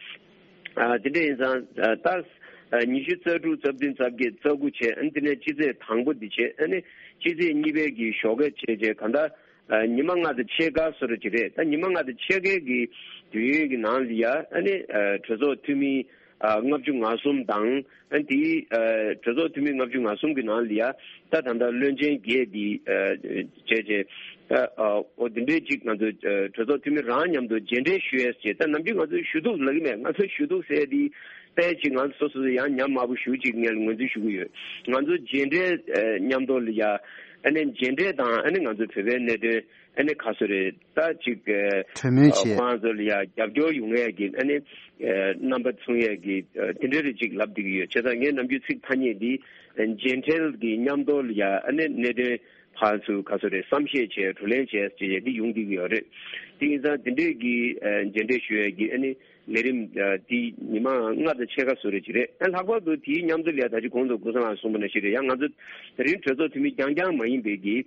ཨ་དེ་འདྲ་ཡིན་ཙང་ཨ་ད་ཨ་ཉི་ཤུ་རྩ་དྲུག་རྩ་བདུན་རྩ་བརྒྱད་རྩ་དགུ་བྱས། ཨ་ནི་དེ་ནས་སྤྱི་ཚེས་དང་པོ་འདི་བྱས། ཨ་ནི་སྤྱི་ཚེས་གཉིས་པའི་གི་ཞོགས་ཀས་བྱས་བྱས་གང་ལྟར། ཨ་ཉི་མ་ལྔ་དང་ཕྱེད་ཀ་བཟོ་འདྲ་ཅིག་རེད། ད་ཉི་མ་ལྔ་དང་ཕྱེད་ཀའི་གི་དུས་ཡུན་གྱི་ནང་ལ་ཡ་ཨ་ནི་ཨ་གྲོས་ཚོགས་འཐུས་མི་ཨ་ལྔ་བཅུ་ང་གསུམ་དང་། ཨ་དེའི་ཨ་གྲོས་ཚོགས་འཐུས་མི་ལྔ་བཅུ་ང་གསུམ་གྱི་ནང་ལ་ཡ་ད་ད་ལྟ་བློན་ཆེན་བརྒྱད་འདི་ཨ་བྱས་བྱས་ད་ཨ་འོ་དེ་འདྲའི་ཅིག་ང་ཚོ་ཨ་གྲོས་ཚོགས་འཐུས་མི་རང་མཉམ་དུ་མཇལ་འཕྲད་ཞུ་ཡས་བྱས། ད་ནམ་རྒྱུན་ང་ཚོ་ཞུ་གཏུག་ལབ་ཀྱི་མེད། ང་ཚོ་ཞུ་གཏུག་ཟེར་དེ་དཔེ་ཅིག་ང་ཚོ་སོ་སོ་ཡང་ཉམས་དམའ་པོ་ཞེ་པོ་ཅིག་ངས་ངོས་འཛིན་ཞུ་གི་ཡོད། ང་ཚོ་མཇལ་འཕྲད་ཨ་མཉམ་དུ་ལ་ཡ་ཨ་ནི་མཇལ་འཕྲད་དང་ཨ་ནི་ང་ཚོ་བོད་པའི་གནད་དོན་ཨ་ནི་ག་ཚོད་རེད་ད་ཅིག་ཨ་གྲོས་མོལ་ཨ་བྱས། ཁོང་ཚོ་ལ་ཡ་རྒྱབ་སྐྱོར་ཡོང་ཡས་ཀྱི་ཨ་ནི་ཨ་རྣམ་པ་མཚུངས་ཡས་ཀྱི་ཨ་དེ་འདྲ་རེ་ཅིག་ལབ་བསྡད་ཀྱི་ཡོད། བྱས་ཙང་ངས་ནམ་རྒྱུན་ཚིག་ཐ་སྙད་འདི་ཨ་མཇལ་འཕྲད་ཀྱི་མཉམ་དུ་ལ་ཡ་ཨ་ནི་གནད་དོན་ཕར་ཚུར་ག་ཚོད་རེད་བསམ་ཤེས་བྱས་བགྲོ་གླེང་བྱས་ཅེས་འདི་ཡོང་བསྡད་ཀྱི་ཡོད་རེད། དེ་ཡིན་ཙང་དེ་འདྲས་ཀྱི་ཨ་མཇལ་འཕྲད་ཞུ་ཡས་ཀྱི་ཨ་ནི་ལས་རིམ་ཨ་དེ་ཉི་མ་ལྔ་དང་ཕྱེད་ཀ་བཟོ་འདྲ་ཅིག་རེད། ཨ་ལྷག་པར་དུ་དེའི་མཉམ་དུ་ལ་ཡ་ད་ཅི་གོང་དུ་ཀུན་བཟང་ལགས་གསུངས་པ་ནང་བཞིན་རེད། ཡང་ང་ཚོ་དེ་རིང་གྲོས་ཚོགས་འཐུས་མི་རྐྱང་རྐྱང་མ་ཡིན་པའི་གི་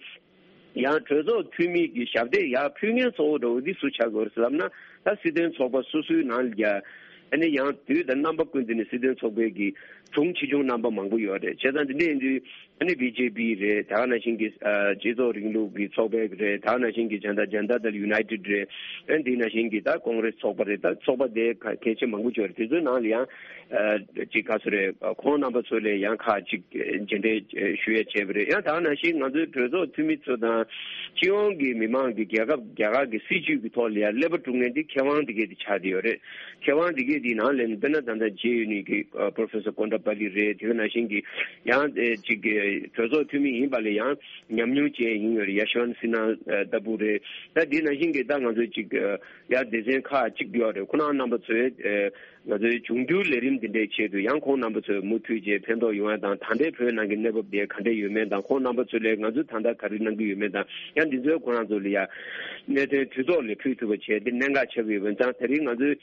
ཡང་གྲོས་ཚོགས་འཐུས་མི་གི་ཞབས་སྟེགས་ཡར་ཕུལ་མཁན་གཙོ་བོ་འདྲ་བོ་འདི་སུ་ཆགས་དགོས་རེད་ལབ་ན། ད་སྲིད་དོན་ཚོགས་པ་སོ་སོའི་ནང་ལ་ཡ་ཨ་ནི་ཡང་དུས་དང་རྣམ་པ་ཀུན་ཏུ་ནས་སྲིད་དོན་ཚོགས་པའི་གི་དྲུང་ཆེ་ཆུང་རྣམ་པ་མང་པོ་ཡོད་རེད། བྱས་ཙང་འདི་འདྲ་ཡིན་དུས་ཨ་ནི་བི་ཇེ་པི་རེད། ད་ག་ནང་བཞིན་གྱི་ཨ་སྤྱི་ཚོགས་རིང་ལུགས་ཀྱི་ཚོགས་པ་རེད། ད་ག་ནང་བཞིན་གྱི་ཇན་ད་ཇན་ད་དལ་ཡུ་ནའི་ཊེཌ་རེད། ཨ་འདི་ནང་བཞིན་གྱི་ད་ཀོང་རེ་སི་ཚོགས་པ་རེད། ད་ཚོགས་པ་དེ་ག་གལ་ཆེ་མང་པོ་ཅིག་ཡོད་རེད། དེ་ཚོའི་ནང་ལ་ཡང་ཨ་ཅིག་ག་ཚོད་རེད། ཁོང་རྣམ་པ་ཚོ་ལ་ཡང་ཁག་ཅིག་མཇལ་འཕྲད་ཞུ་ཡས་བྱས་པ་རེད། ཡང་ད་ག་ནང་བཞིན་ང་ཚོའི་གྲོས་ཚོགས་འཐུས་མི་ཚོ་དང་སྤྱི་ཡོངས་ཀྱི་མི་མང་གི་རྒྱལ་ཁབ་རྒྱ་གར་གྱི་སྲིད་བྱུས་ཀྱི་ཐོག་ལ་ཡང་ཀླད་པ་དཀྲུག་མཁན་དེ་མཁས་དབང་དེ་གས་དེ་ཆགས་བསྡད་ཡོད་རེད། མཁས་དབང་དེ་གས་དེའི་ནང་ལ་དཔེར་ན་ད་ལྟ་མཇལ་ཡོད་ནི་གི་ཨ་པོ་རོ་ཕེ་སར་ཀོན་ཌ་པ་ལི་རེད། དེ་ག་ནང་བཞིན་གྱི་ཡང་ཨེ་ཅིག་གི་གྲོས་ཚོགས་འཐུས་མི་ཡིན་པ་ལ་ཡང་ཉམས་མྱོང་ཅན་ཡིན་ཡོད་རེད། ཡ་ཤི་ཝན་སི་ན་ལྟ་བུ་རེད། ད་དེ་ནང་བཞིན་གྱི་ད་ང་ཚོའི་ཅིག་ཡ་སྡེ་ཚན་ཁག་ཅིག་ཡོད་རེད། ཁོ་རང་རྣམ་པ་ཚོས་ཨེ་ང་ཚོའི་འབྱུང་འགྱུར་ལས་རིམ་འདི་འདྲའི་ཆེད་དུ་ཡང་ཁོང་རྣམ་པ་ཚོས་མུ་མཐུད་བྱས་ཕན་ཐོགས་ཡོང་ཡ་དང་། ད་ལྟའི་བོད་ནང་གི་གནས་བབ་དེ་ག་འདྲ་ཡོད་མེད་དང་། ཁོང་རྣམ་པ་ཚོ་ལས་ང་ཚོས་ད་ལྟ་ག་རེ་གནང་གི་ཡོད་མེད་དང་། ཡང་འདི་ཚོའི་ཁོ་རང་ཚོ་ལ་ཡ་གནད་དོན་དུས་ཐོག་ལ་ཕུལ་ཐུབ་པ་བྱས་ཏེ་གནད་འགག་ཆགས་ཀྱི་ཡོད་པ་ཡིན་ཙང་། དེ་རིང་ང་ཚོའི་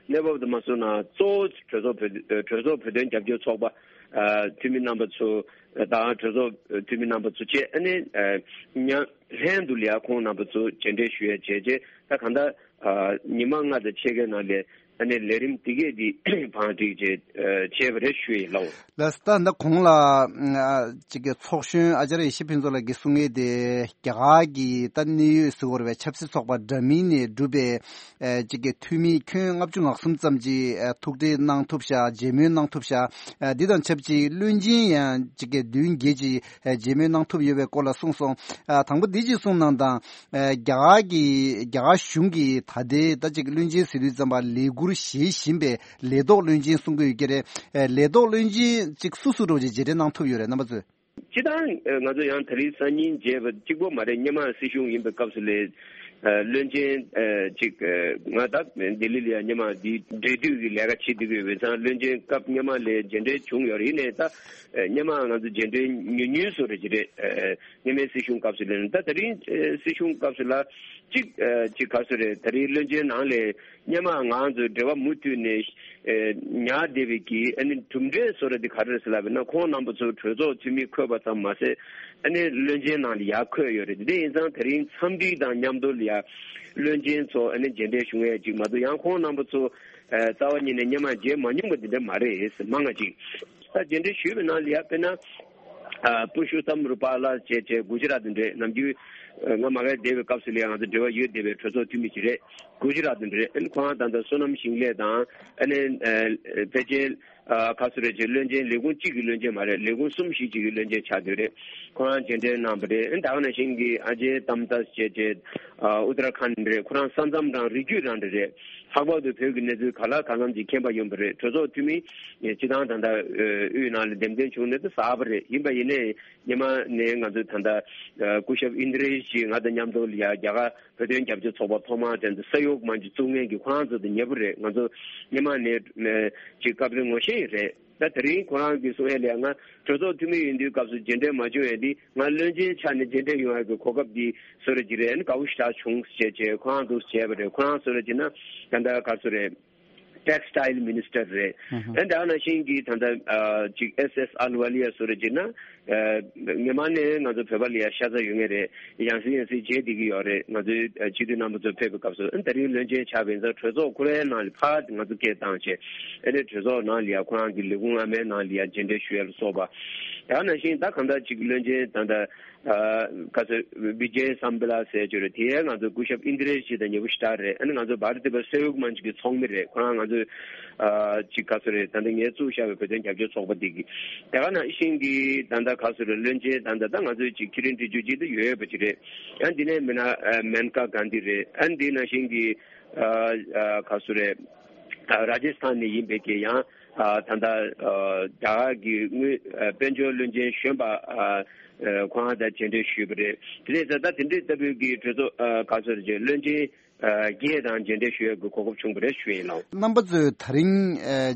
གནས་བབ་དེ་མ་སོང་ན་གཙོ་བོ་གྲོས་ཚོགས་བོད་གྲོས་ཚོགས་བོད་དོན་རྒྱབ་སྐྱོར་ཚོགས་པ་ཨ་འཐུས་མི་རྣམ་པ་ཚོ་དང་། གྲོས་ཚོགས་འཐུས་མི་རྣམ་པ་ཚོ་བཅས་ཨ་ནི་ཨ་མཉམ་ལྷན་དུ་ལ་ཡ་ཁོང་རྣམ་པ་ཚོ་མཇལ་འཕྲད་ཞུ་ཡ་བྱས་རྗེས་ད་གང་ལྟར་ཨ་ཉི་མ་ལྔ་དང་ཕྱེད་ཀའི་ནང་ལ་ཨ་ནི་ལས་རིམ་འདི་གས་འདི་བང་སྒྲིག་བྱས་ཨ་བྱས་པ་རེད་ཞུ་ཡི་ལགས། ལགས་སོ། ད་ད་གོང་ལ་ཨ་ཅིག་གི་ཚོགས་གཞོན་ཨ་ཅར་ཡེ་ཤེས་ཕུན་ཚོགས་ལགས་ཀྱིས་གསུང་ཡས་དེ་རྒྱ་གར་གྱི་ད་གནད་ཡོད་ཟེར་དགོས་རེད་པས། ཆབ་སྲིད་ཚོགས་པ་འདྲ་མིན་ནས་གྲུབ་པའི་ཨ་ཅིག་གི་འཐུས་མི་ཁྱོན་ལྔ་བཅུ་ང་གསུམ་ཙམ་ཅིག་ཨ་ཐུག་འཕྲད་གནང་ཐུབ་ཤག་མཇལ་མོལ་གནང་ཐུབ་ཤག་ཨ་འདི་དང་ཆབས་ཅིག་བློན་ཆེན་ཡང་ཅིག་གི་བདུན་བརྒྱད་ཅིག་ཨ་མཇལ་མོལ་གནང་ཐུབ་ཡོད་པའི་སྐོར་ལ་གསུངས་སོང་། ཨ་དང་པོ་འདི་ཅིག་གསུངས་གནང་དང་། ཨ་རྒྱ་གར་གྱི་རྒྱ་གར་གཞུང་གིས་ད་ལྟའི་ད་ཅིག་བློན་ཆེན་ཟེར་དུས་ཙམ་པ་ལས་འཁུར་བཞེས་བཞིན་པའི་ལས་ཐོག་བློན་ཆེན་གསུང་གི་ཡོད་ཀྱི་རེད། ཨ་ལས་ཐོག་བློན་ཆེན་ཅིག་སུ་སུ་རུ་ཅིག་མཇལ་འཕྲད་གནང་ཐུབ་ཡོད་རེད་རྣམ་པ་ཚོས། སྤྱིར་བཏང་ང་ཚོ་ཡང་དེ་རིང་སང་ཉིན་མཇལ་བ་གཅིག་པོ་མ་རེད། སྔོན་མ་སྲིད་གཞུང་ཡིན་པའི་སྐབས་སུ་ལས་བློན་ཆེན་གཅིག་ང་ད་ལྡི་ལི་ལ་ཡང་སྔོན་མ་འདི་འབྲེལ་མཐུད་ཀྱི་ལས་ཀ་བྱེད་བསྡད་ཀྱི་ཡོད་པས་ཙང་། བློན་ཆེན་སྐབས་སྔོན་མ་ལས་མཇལ་འཕྲད་བྱུང་ཡོད་རེད། ཡིན་ནའི་ད་སྔོན་མ་ང་ཚོ་མཇལ་འཕྲད་ཉུང་ཉུང་བཟོ་འདྲ་ཅིག་རེད། སྔོན་མའི་སྲིད་གཞུང་སྐབས་སུ་ལས་ནས་ད་དེ་རིང་སྲིད་གཞུང་སྐབས་སུ་ལ་གཅིག་གཅིག་ག་ཚོད་རེད། དེ་རིང་བློན་ཆེན་ནང་ལས་སྔོན་མ་ང་ཚོའི་འབྲེལ་བ་མུ་མཐུད་ནས་ཨེ་ཉར་བསྡད་པའི་གི་ཨ་ནི་གྲུབ་འབྲས་བཟོ་འདྲ་དེ་ག་རེ་རེད་ཟེར་ལབ་པ་ན། ཁོང་རྣམ་པ་ཚོ་གྲོས་ཚོགས་འཐུས་མི་འཁོད་པ་ཙམ་མ་ཟད་ཨ་ནི་བློན་ཆེན་ནང་ལ་ཡར་འཁོད་ཡོད་རེད། དེ་ཡིན་ཙང་དེ་རིང་འཚམས་འདྲི་དང་མཉམ་དུ་ལ་ཡ་བློན་ཆེན་ཚོ་ཨ་ནི་མཇལ་འཕྲད་བྱུང་ཡས་ཅིག་མ་གཏོགས། ཡང་ཁོང་རྣམ་པ་ཚོ་ཨེ་རྩ་བ་ཉིད་ནས་སྔོན་མ་མཇལ་མ་མྱོང་པ་དེ་འདྲ་མ་རེད། མང་ང་ཅིག་ད་མཇལ་འཕྲད་ཞུས་པའི་ནང་ལ་ཡ་དཔེར་ན། ཨ་པུ་ཤོ་ཏམ་རུ་པ་ལ་བྱས་བྱས་གུ་ཇི་རཱཏ་འདྲེ་ནམ་རྒྱུན་ང་མ་ག་བསྡད་པའི་སྐབས་སུ་ལ་ང་ཚོ་འབྲེལ་བ་ཡོད་བསྡད་པའི་གྲོས་ཚོགས་འཐུས་མི་ཅིག་རེད། གུ་ཇི་རཱཏ་འདྲེ་ཨ་ནི་ཁོ་རང་ད་ལྟ་བསོད་ནམས་ཞིང་ལས་དང་ཨ་ནི་ཕལ་ཆེར་ཁ་སོ་རེ་ཅིག་བློན་ཆེན་ལས་ཁུངས་གཅིག་གི་བློན་ཆེན་མ་རེད། ལས་ཁུངས་གསུམ་བཞི་ཅིག་གི་བློན་ཆེན་ཆགས་བསྡད་རེད། ཁོ་རང་མཇལ་འཕྲད་གནང་བ་རེད། ཨ་ནི་ད་ག་ནང་བཞིན་གྱི་ཨ་ཇེ་ཏམ་ཏཱས་བྱས་བྱས་ཨུ་ཏར་ཁཱན་རེད། ཁོ་རང་ས་མཚམས་རང་རི་རྒྱུད་རང་འདྲ་རེད། ལྷག་པར་དུ་བོད་ཀྱི་གནས་ཚུལ་ག་ལ་གང་འཚམ་ཅིག་མཁྱེན་པ་ཡོད་པ་རེད། གྲོས་ཚོགས་འཐུས་མི་སྤྱི་བཏང་ད་ལྟ་དབུས་ནང་ལ་འདེམས་ཐོན་བྱུང་ནས་ད་གསར་པ་རེད། ཡིན་པ་ཡིན་ནའི་སྔོན་མ་ནས་ང་ཚོ་ད་ལྟ་སྐུ་ཞབས་ཨིན་དྲེ་ཞི་ང་དང་མཉམ་དུ་ལ་ཡ་རྒྱ་གར་བོད་དོན་རྒྱབ་སྐྱོར་ཚོགས་པ་ཐོག་མར་དེ་ཚོ་ས་ཡོག་མང་ཆེ་བཙུགས་མཁན་གྱི་ཁོ་རང་ཚོ་དང་ཉེ་པོ་རེད། ང་ཚོ་སྔོན་མ་ནས་ཅིག་སྐབས་རེ་ངོ་ཤེས་རེད། ད་དེ་རིང་ཁོ་རང་གིས་གསུང་ཡས་ལ་ཡ་ང་གྲོས་ཚོགས་འཐུས་མི་ཡིན་དུས་སྐབས་སུ་མཇལ་འཕྲད་མ་བྱུང་ཡས་འདི་ང་བློན་ཆེན་ཆགས་ནས་མཇལ་འཕྲད་ཡོང་ཡས་ཀྱི་གོ་སྐབས་འདི་བཟོ་རེ་ཅིག་རེད། ཨ་ནི་དགའ་བོ་ཞེ་དྲག་བྱུང་ཟེར་བྱས་ཁོ་རང་འདུག་བྱས་པ་རེད། ཁོ་རང་བཟོ་རེ་ཅིག་ན་ད་ལྟ་ག་ཚོད་རེད། Textile Minister རེད། ཨ་ནི་ད་ནང་བཞིན་གྱི་ད་ལྟ་ཅིག་ཨེས་ཨེས་ཨལ་ཝ་ལི་ཡ་བཟོ་རེ་ཅིག་ན་སྔོན་མ་ནས་ང་ཚོ་བོད་པ་ལ་ཡ་ཤ་ཚ་ཡོད་ངེས་རེད། ཡང་སེ་ཡང་སེ་བརྗེད་བསྡད་ཀྱི་ཡོད་རེད། ང་ཚོའི་སྤྱི་འཐུས་རྣམ་པ་ཚོ་ཕེབས་པའི་སྐབས་སུ་ཨ་ནི་ད་རིང་བློན་ཆེན་ཆགས་པའི་ཚེ་གྲོས་ཚོགས་ཁོ་རའི་ནང་ལ་ཕར་ང་ཚོ་སྐད་བཏང་བྱས་ཨ་ནི་གྲོས་ཚོགས་ནང་ལ་ཡ་ཁོ་རང་གི་ལས་ཁུངས་ཨ་མའི་ནང་ལ་ཡ་མཇལ་འཕྲད་ཞུ་ཡ་ལ་སོགས་པ། ད་ནང་བཞིན་ད་གང་ལྟར་ཅིག་བློན་ཆེན་ད་ལྟ་ཁ་སོ་བི་ཇེ་སམ་བི་ལ་ཟེར་གྱི་རེད། དེ་ང་ཚོ་སྐུ་ཞབས་ཨིན་དྲེ་ཞི་དང་ཉེ་པོ་ཞེ་དྲག་རེད། ཨ་ནི་ང་ཚོ་བྷ་ར་ཏི་པ་སེ་ཡོག་མན་ཆི་གི་ཚོགས་མི་རེད། ཁོ་རང་ང་ཚོ་ཅིག་ག་ཚོད་རེད། ད་ལྟ་ངས་བཙུགས་བཞག་པའི་བོད་དོན་རྒྱབ་སྐྱོར་ཚོགས་པ་འདི་གི་དེ་ག་ནང་བཞིན་གྱི་ད་ལྟ་ག་ཚོད་རེད། བློན་ཆེན་ད་ལྟ་ད་ང་ཚོའི་ཅིག་ཁི་རིན་ཏི་ཇུ་ཅིག་ཏུ་ཡོད་པ་ཅིག་རེད། ཨ་འདི་ནས་མིན་ན་མེན་ཀ་གྷན་དྷི་རེད། ཨ་འདི་ནང་བཞིན་གྱི་ག་ཚོད་རེད། ར་ཇེ་སི་ཐན་ནས་ཡིན་པའི་གི་ཡང་ད་ལྟ་རྒྱ་གར་གྱི་དངུལ་དཔལ་འབྱོར་བློན་ཆེན་གཞོན་པ་ཁོང་ད་མཇལ་འཕྲད་ཞུས་པ་རེད། དེ་རེད་ཟེར། ད་དེ་འདྲའི་ལྟ་བུའི་གི་གྲོས་ཚོགས་ག་ཚོད་རེད། བློན་ཆེན་བརྒྱད་དང་མཇལ་འཕྲད་ཞུ་ཡག་གི་གོ་སྐབས་བྱུང་བ་རེད་ཞུ་ཡིན་ལགས། རྣམ་པ་ཚོས་ད་རིང་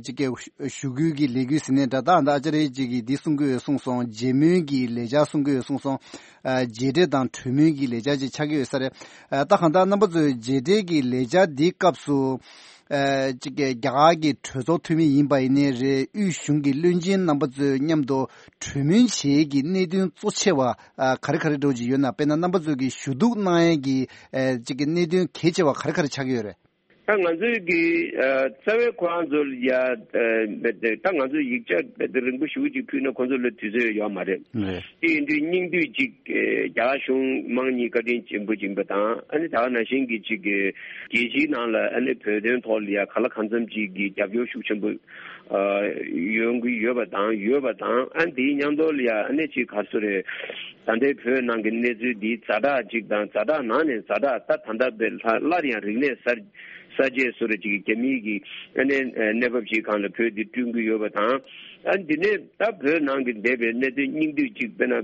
ཅིག་གི་ཞུ་སྐུལ་གྱི་ལས་འགུལ་ཟེར་ནས་འདྲ་ད་ད་ཨ་ཅག་རེ་ཅིག་གིས་འདི་གསུང་གི་ཡོད་གསུངས་སོང་། མཇལ་མོལ་གྱི་ལས་འཆར་གསུང་གི་ཡོད་གསུངས་སོང་། མཇལ་འཕྲད་དང་གྲོས་མོལ་གྱི་ལས་འཆར་ཅིག་ཆགས་ཀྱི་ཡོད་ས་རེད། ད་གང་ལྟར་རྣམ་པ་ཚོས་མཇལ་འཕྲད་ཀྱི་ལས་འཆར་འདིའི་སྐབས་སུ། ཅིག་གི་རྒྱ་གར་གྱི་གྲོས་ཚོགས་འཐུས་མི་ཡིན་པ་ཡིན་ནའི་རེད། དབུས་གཞུང་གི་བློན་ཆེན་རྣམ་པ་ཚོའི་མཉམ་དུ་གྲོས་མོལ་བྱེད་ཀྱི་གནད་དོན་གཙོ་ཆེ་བ་ག་རེ་ག་རེ་འདྲ་བོ་ཅིག་ཡོད་ན། དཔེར་ན་རྣམ་པ་ཚོ་གི་ཞུ་གཏུག་གནང་ཡས་ཀྱི་ཅིག་གི་གནད་དོན་གལ་ཆེ་བ་ག་རེ་ག་རེ་ཆགས་ཀྱི་ཡོད་རེད། ད་ང་ཚོའི་གི་རྩ་བའི་ཁོ་རང་ཚོ་ལ་ཡ་ད་ང་ཚོ་ཡིག་ཆ་རིང་པོ་ཞེ་པོ་ཅིག་ཕུལ་ན་ཁོང་ཚོ་ལ་དུས་ཚོད་ཡོད་མ་རེད། དེ་ཡིན་དུས་སྙིང་བསྡུས་ཅིག་རྒྱ་གར་གཞུང་དམངས་གཉིས་བཀའ་དྲིན་ཆེན་པོ་ཡིན་པ་དང་ཨ་ནི་ད་ག་ནང་བཞིན་གྱི་ཅིག་རྒྱལ་སྤྱིའི་ནང་ལ་ཨ་ནི་བོད་དོན་ཐོག་ལ་ཡ་ག་ལ་གང་འཚམ་ཅིག་གི་རྒྱབ་སྐྱོར་ཤུགས་ཆེན་པོ་ཡོང་གི་ཡོད་པ་དང་ཡོད་པ་དང་ཨ་ནི་དེའི་མཉམ་དུ་ལ་ཡ་ཨ་ནི་ཅིག་ག་ཚོད་རེད། ད་ལྟའི་བོད་ནང་གི་གནས་ཚུལ་འདི་ཛ་དྲག་ཅིག་དང་ཛ་དྲག་ནང་ནས་ཛ་དྲག་ད་ད་ལྟ་བའི་ལྷ་སླར་ཡང་རིག་གནས་གསར་གསར་བརྗེ་བཟོ་འདྲ་ཅིག་གི་རྒྱ་མིའི་གི་ཨ་ནི་གནས་བབ་ཅིག་སྒང་ལ་བོད་འདི་བསྐྲུན་གྱི་ཡོད་པ་དང་། ཨ་འདི་ནས་ད་བོད་ནང་གི་འདས་པའི་གནད་དོན་སྙིང་བསྡུས་ཅིག་དཔེར་ན་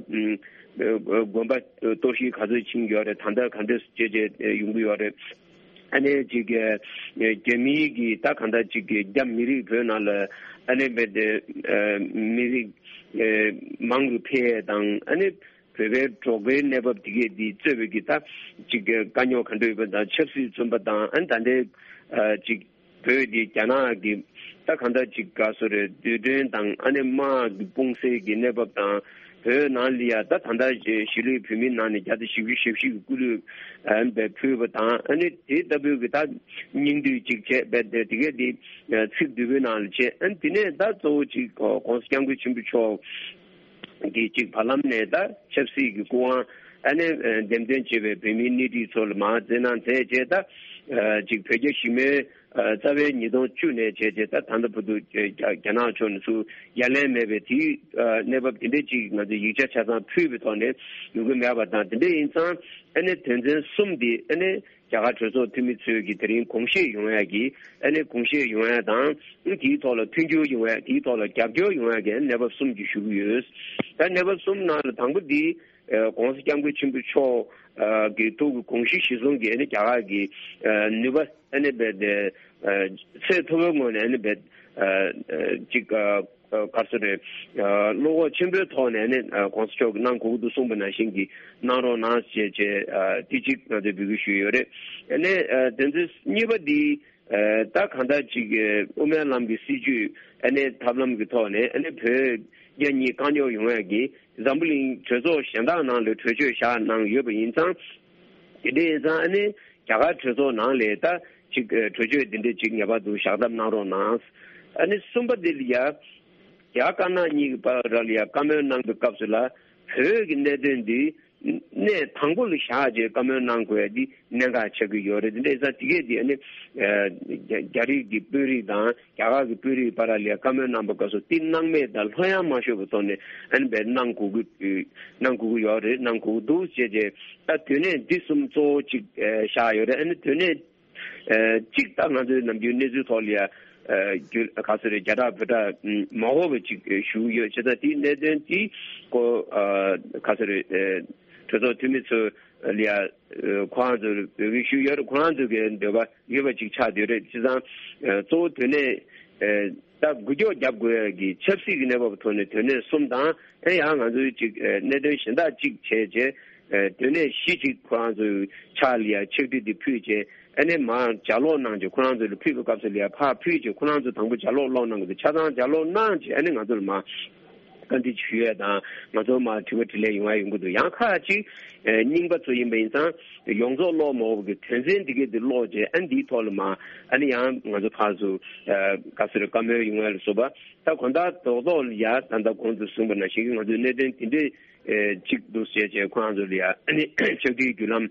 དགོན་པ་གཏོར་བཤིག་ག་ཚོད་ཕྱིན་ཡོད་རེད། ད་ལྟ་ག་འདྲ་བྱས་བྱས་ཡོང་གི་ཡོད་རེད། ཨ་ནི་ཅིག་རྒྱ་མིའི་གི་ད་ག་འདྲ་ཅིག་གི་རྒྱ་མི་རིགས་བོད་ནང་ལ་ཨ་ནི་བས་ཏེ་མི་རིགས་མང་རུ་འཕེལ་ཡས་དང་ཨ་ནི། བོད་པའི་འབྲོག་པའི་གནས་བབ་དེ་གས་འདི་གཙོས་པའི་གི་ད་ཅིག་གི་དཀའ་རྙོག་ག་འདྲ་ཡོད་པ་དང་ཆབ་སྲིད་མཚོན་པ་དང་ཨ་ནི་ད་ལྟའི་ཅིག་བོད་འདི་རྒྱ་ནག་གི་ད་གང་ལྟར་ཅིག་ག་སོ་རེད། རྡུལ་ཕྲན་དང་ཨ་ནི་དམག་གི་སྤུངས་སའི་གི་གནས་བབ་དང་བོད་ནང་ལ་ཡ་ད་ད་ལྟ་གཞིས་ལུས་བོད་མི་ནང་ནས་བརྒྱ་དང་བཞི་བཅུ་ཞེ་བཞི་གི་སྐུ་ལུས་ཨ་ནི་བས་ཕུལ་བ་དང་ཨ་ནི་དེ་ལྟ་བུའི་གི་ད་སྙིང་བསྡུས་ཅིག་བྱས་པས་དེ་གས་འདི་ཚིག་བསྡུས་པའི་ནང་ལ་བྱས་ཨ་ནི་དེ་ནས་ད་གཙོ་བོ་ཅིག་༸གོང་ས་༸སྐྱབས་མགོན་ཆེན་པོ་མཆོག་གི་ཅིག་བར་ལམ་ནས་ད་ཆབ་སྲིད་ཀྱི་སྐུ་དབང་ཨ་ནི་འདེམས་ཐོན་བྱས་པའི་བོད་མིའི་སྣེ་ཁྲིད་ཚོ་ལ་མར་བཙན་གནང་མཛད་རྗེས་ད་ཅིག་བོད་རྒྱ་ཞི་མོལ་རྩ་བའི་ཉིས་སྟོང་བཅུ་ནས་བྱས་རྗེས་ད་ད་ལྟ་བར་དུ་རྒྱ་རྒྱ་ནག་ཕྱོགས་ནས་ཚུར་ཡ་ལན་མེད་པའི་དེའི་གནས་བབ་དེ་འདྲས་ཅིག་ང་ཚོས་ཡིག་ཆ་ཆ་ཚང་ཕུལ་བའི་ཐོག་ནས་ཡོང་གི་མེད་པ་དང་དེ་འདྲས་ཡིན་ཙང་ཨ་ནི་དོན་ཚན་གསུམ་འདི་ཨ་ནི། རྒྱ་གར་གྲོས་ཚོགས་འཐུས་མི་ཚོས་ཀྱི་དེ་རིང་དགོངས་བཞེས་ཡོང་ཡ་གི་ཨ་ནི་དགོངས་བཞེས་ཡོང་ཡ་དང་དེའི་ཐོག་ལ་མཐུན་འགྱུར་ཡོང་ཡ་དེའི་ཐོག་ལ་རྒྱབ་སྐྱོར་ཡོང་ཡ་གི་གནས་བབ་གསུམ་ཅིག་ཞུ་གི་ཡོད། ད་གནས་བབ་གསུམ་ནང་ལ་དང་པོ་འདི་༸གོང་ས་༸སྐྱབས་མགོན་ཆེན་པོ་མཆོག་གི་ཐུགས་ཀྱི་དགོངས་གཞི་གཞིར་བཟུང་གི་ཨ་ནི་རྒྱ་གར་གྱི་ནུས་པ་ཨ་ནི་རྦད་དེ་ཚད་མཐོ་བོའི་ངོས་ནས་ཨ་ནི་རྦད་ཅིག་ག་རེ་ཟེར་རེད། བློ་ཁོག་ཆེན་པོའི་ཐོག་ནས་ནི་༸གོང་ས་མཆོག་གིས་གནང་དགོས་ཀྱི་འདུག་གསུངས་པ་ནང་བཞིན་གྱི་གནང་རོགས་གནང་ཞེས་བྱས་དེ་གཅིག་ང་ཚོས་འབོད་སྐུལ་ཞུས་ཡོད་རེད། ཨ་ནི་དོན་ཚན་གཉིས་པ་འདི་ད་གང་ལྟར་ཅིག་དབུ་མའི་ལམ་གྱི་སྲིད་བྱུས་ཨ་ནི་ཐབས་ལམ་གྱི་ཐོག་ནས་ཨ་ནི་བོད་རྒྱ་གཉིས་དཀའ་རྙོག་ཡོང་ཡ་གི་འཛམ་བུ་གླིང་གྲོས་ཚོགས་གཞན་དག་ནང་ལ་གྲོས་ཆོད་བཞག་གནང་ཡོད་པ་ཡིན་ཙང་། དེ་འདྲ་ཡིན་ཙང་ཨ་ནི་རྒྱ་གར་གྲོས་ཚོགས་ནང་ལ་ད་ཅིག་གྲོས་ཆོད་དེ་འདྲ་ཅིག་ངེས་པར་དུ་བཞག་ཐབས་གནང་རོགས་གནང་། ཨ་ནི་གསུམ་པ་དེ་ལ་ཡ། རྒྱ་དཀར་ནག་གཉིས་ཀྱི་བར་ལ་ཡ་བཀའ་མོལ་གནང་པའི་སྐབས་སུ་ལ་བོད་ཀྱི་གནད་དོན་འདི་གནས་དང་པོ་ལ་བཞག་བྱས་བཀའ་མོལ་གནང་དགོས་ཡ་འདི་གནད་འགག་ཆགས་ཀྱི་ཡོད་རེད། འདི་འདྲ་ཡིན་ཙང་དེ་གས་འདི་ཨ་ནི་རྒྱ་རིགས་ཀྱི་དཔོན་རིགས་དང་རྒྱ་གར་གྱི་དཔོན་རིགས་བར་ལ་ཡ་བཀའ་མོལ་གནང་པའི་སྐབས་སུ་འདི་སྣང་མེད་དང་ལྷོད་ཡངས་མ་ཤོར་བའི་ཐོག་ནས་ཨ་ནི་བས་གནང་དགོས་ཀྱི་གནང་དགོས་ཀྱི་ཡོད་རེད། གནང་དགོས་ཀྱི་འདུག་ཅེས་བྱས། ད་དོན་གནད་འདི་གསུམ་གཙོ་བོ་གཅིག་ཨ་བཞག་ཡོད་རེད། ཨ་ནི་དོན་གནད་ཨ་གཅིག་ད་ང་ཚོའི་ནམ་རྒྱུན་གནས་ཚུལ་ཐོག་ལ་ཡ་ཨ་རྒྱུ་ག་ཚོད་རེད། རྒྱ་གྲགས་བོད་གྲགས་མ་འོས་པ་ཅིག་ཞུ་གི་ཡོད། བྱས་ཙང་དེའི་གནད་དོན་དེ་ཀོ་ཨ་ག་ཚོད་རེད། ཨ་གྲོས་ཚོགས་འཐུས་མི་ཚོ་ལ་ཡ་ཨ་ཁོ་རང་ཚོ་འབོད་སྐུལ་ཞུས་ཡོད་རེད། ཁོ་རང་ཚོ་གི་འདོད་པ་ཡོད་པ་ཅིག་ཆགས་བསྡད་ཡོད་རེད། བྱས་ཙང་ཨ་གཙོ་བོ་དོན་གནད་ཨ་ད་འགུལ་སྐྱོད་རྒྱབ་དགོས་ཡ་གི་ཆབ་སྲིད་ཀྱི་གནས་བབ་ཐོག་ནས་དོན་གནད་གསུམ་དང་། ཨ་ཡང་ང་ཚོའི་ཅིག་ཨ་གནད་དོན་གཞན་དག་ཅིག་བྱས་རྗེས་ཨ་དོན་གནད་བཞི་ཅིག་ཁོ་རང་ཚོའི་ཕྱག་ལ་ཡ་ཕྱག་བྲིས་དེ་ཕུལ་རྗེས་ཨ་ནི་མར་ལྗགས་ཀློག་གནང་རྗེས། ཁོ་རང་ཚོ་ལ་ཕུལ་བའི་སྐབས་སུ་ལ་ཡ་ཕར་ཕུལ་རྗེས་ཁོ་རང་ཚོ་དང་པོ་ལྗགས་ཀློག་ཀློག་གནང་དགོས་འདུག་ཆ་ཚང་ལྗགས་ཀློག་གནང་རྗེས་ཨ་ནི་ང་ཚོ་ལ་མར་བཀའ་འདྲི་ཞུ་ཡས་དང་། ང་ཚོ་མར་དྲི་བ་དྲིས་ལན་ཡོང་ཡ་ཡོང་གི་འདུག་ཡང་ཁག་ཅིག་ཨ་རྙིང་པ་ཚོ་ཡིན་པ་ཡིན་ཙང་ཡོངས་རྫོགས་ཀློག་མ་འོས་པའི་དོན་ཚན་འདི་གས་འདི་ཀློག་རྗེས་ཨ་ནི་འདིའི་ཐོག་ལ་མར་ཨ་ནི་ཡང་ང་ཚོ་ཕར་ཚུར་ཨ་ག་ཚོད་རེད། བཀའ་མོལ་ཡོང་ཡ་ལ་སོགས་པ། ད་དགོང་དག་རྡོག་རྡོག་ལ་ཡ་ད་ལྟ་གོང་དུ་གསུངས་པ་ནང་བཞིན་གྱི་ང་ཚོའི་གནད་དོན་དེ་འདྲས་ཨེ་གཅིག་འདུག་ཟེར་བྱས་ཁོ་རང་ཚོ་ལ་ཡ་ཨ་ནི་ཕྱག་བྲིས་བརྒྱུད་ལམ་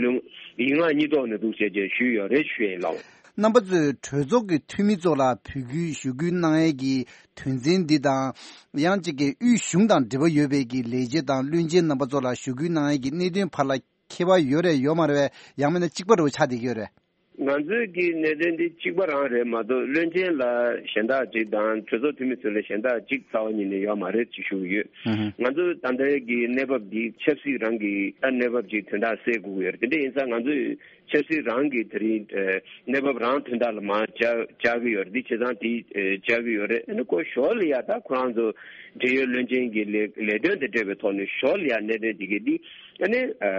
ལུང་ཡིག་ངག་གཉིས་ཐོག་ནས་འདུག་ཟེར་བྱས་ཞུས་ཡོད་རེད་ཞུ་ཡ་ཡིན་ལགས། རྣམ་པ་ཚོས་གྲོས་ཚོགས་ཀྱི་འཐུས་མི་ཚོ་ལ་འབོད་སྐུལ་ཞུ་སྐུལ་གནང་ཡས་ཀྱི་དོན་ཚན་འདི་དང་། ཡང་གཅིག་གི་དབུས་གཞུང་དང་འབྲེལ་བ་ཡོད་པའི་གི་ལས་བྱེད་དང་བློན་ཆེན་རྣམ་པ་ཚོ་ལ་ཞུ་སྐུལ་གནང་ཡས་ཀྱི་གནད་དོན་བར་ལ་ཁྱད་པར་ཡོད་རེད་ཡོད་མ་རེད་པས། ཡང་མིན་ན་གཅིག་པ་འདྲ་བོ་ཆགས་བསྡད་ཀྱི་ཡོད་རེད། ང་ཚོའི་གི་གནད་དོན་འདི་གཅིག་པ་རང་རེད་མ་གཏོགས་བློན་ཆེན་ལ་གཞན་དག་ཅིག་དང་གྲོས་ཚོགས་འཐུས་མི་ཚོ་ལ་གཞན་དག་ཅིག་རྩ་བ་ཉིད་ནས་ཡོད་མ་རེད་ཅེས་ཞུ་གི་ཡོད། ཧུམ་ཧུམ། ང་ཚོ་ད་ལྟའི་གི་གནས་བབ་འདི་ཆབ་སྲིད་རང་གི་ད་གནས་བབ་ཅིག་དོན་དག་སེལ་དགོས་ཀྱི་ཡོད་རེད། དེ་འདྲ་ཡིན་ཙང་ང་ཚོས་ཆབ་སྲིད་རང་གི་དེ་རིང་ཨ་གནས་བབ་རང་དོན་དག་ལ་མར་བཅར་བཅར་གི་ཡོད་རེད། འདི་བྱས་ཙང་དེ་ཨ་བཅར་གི་ཡོད་རེད། ཨ་ནི་ཁོ་ཞོར་ལ་ཡ་ད་ཁོ་རང་ཚོ་འབྲེལ་ཡོད་བློན་ཆེན་གྱི་ལས་ལས་དོན་དང་འབྲེལ་བའི་ཐོག་ནས་ཞོར་ལ་ཡ་གནད་དོན་དེ་གའི་འདི་ཨ་ནི་ཨ་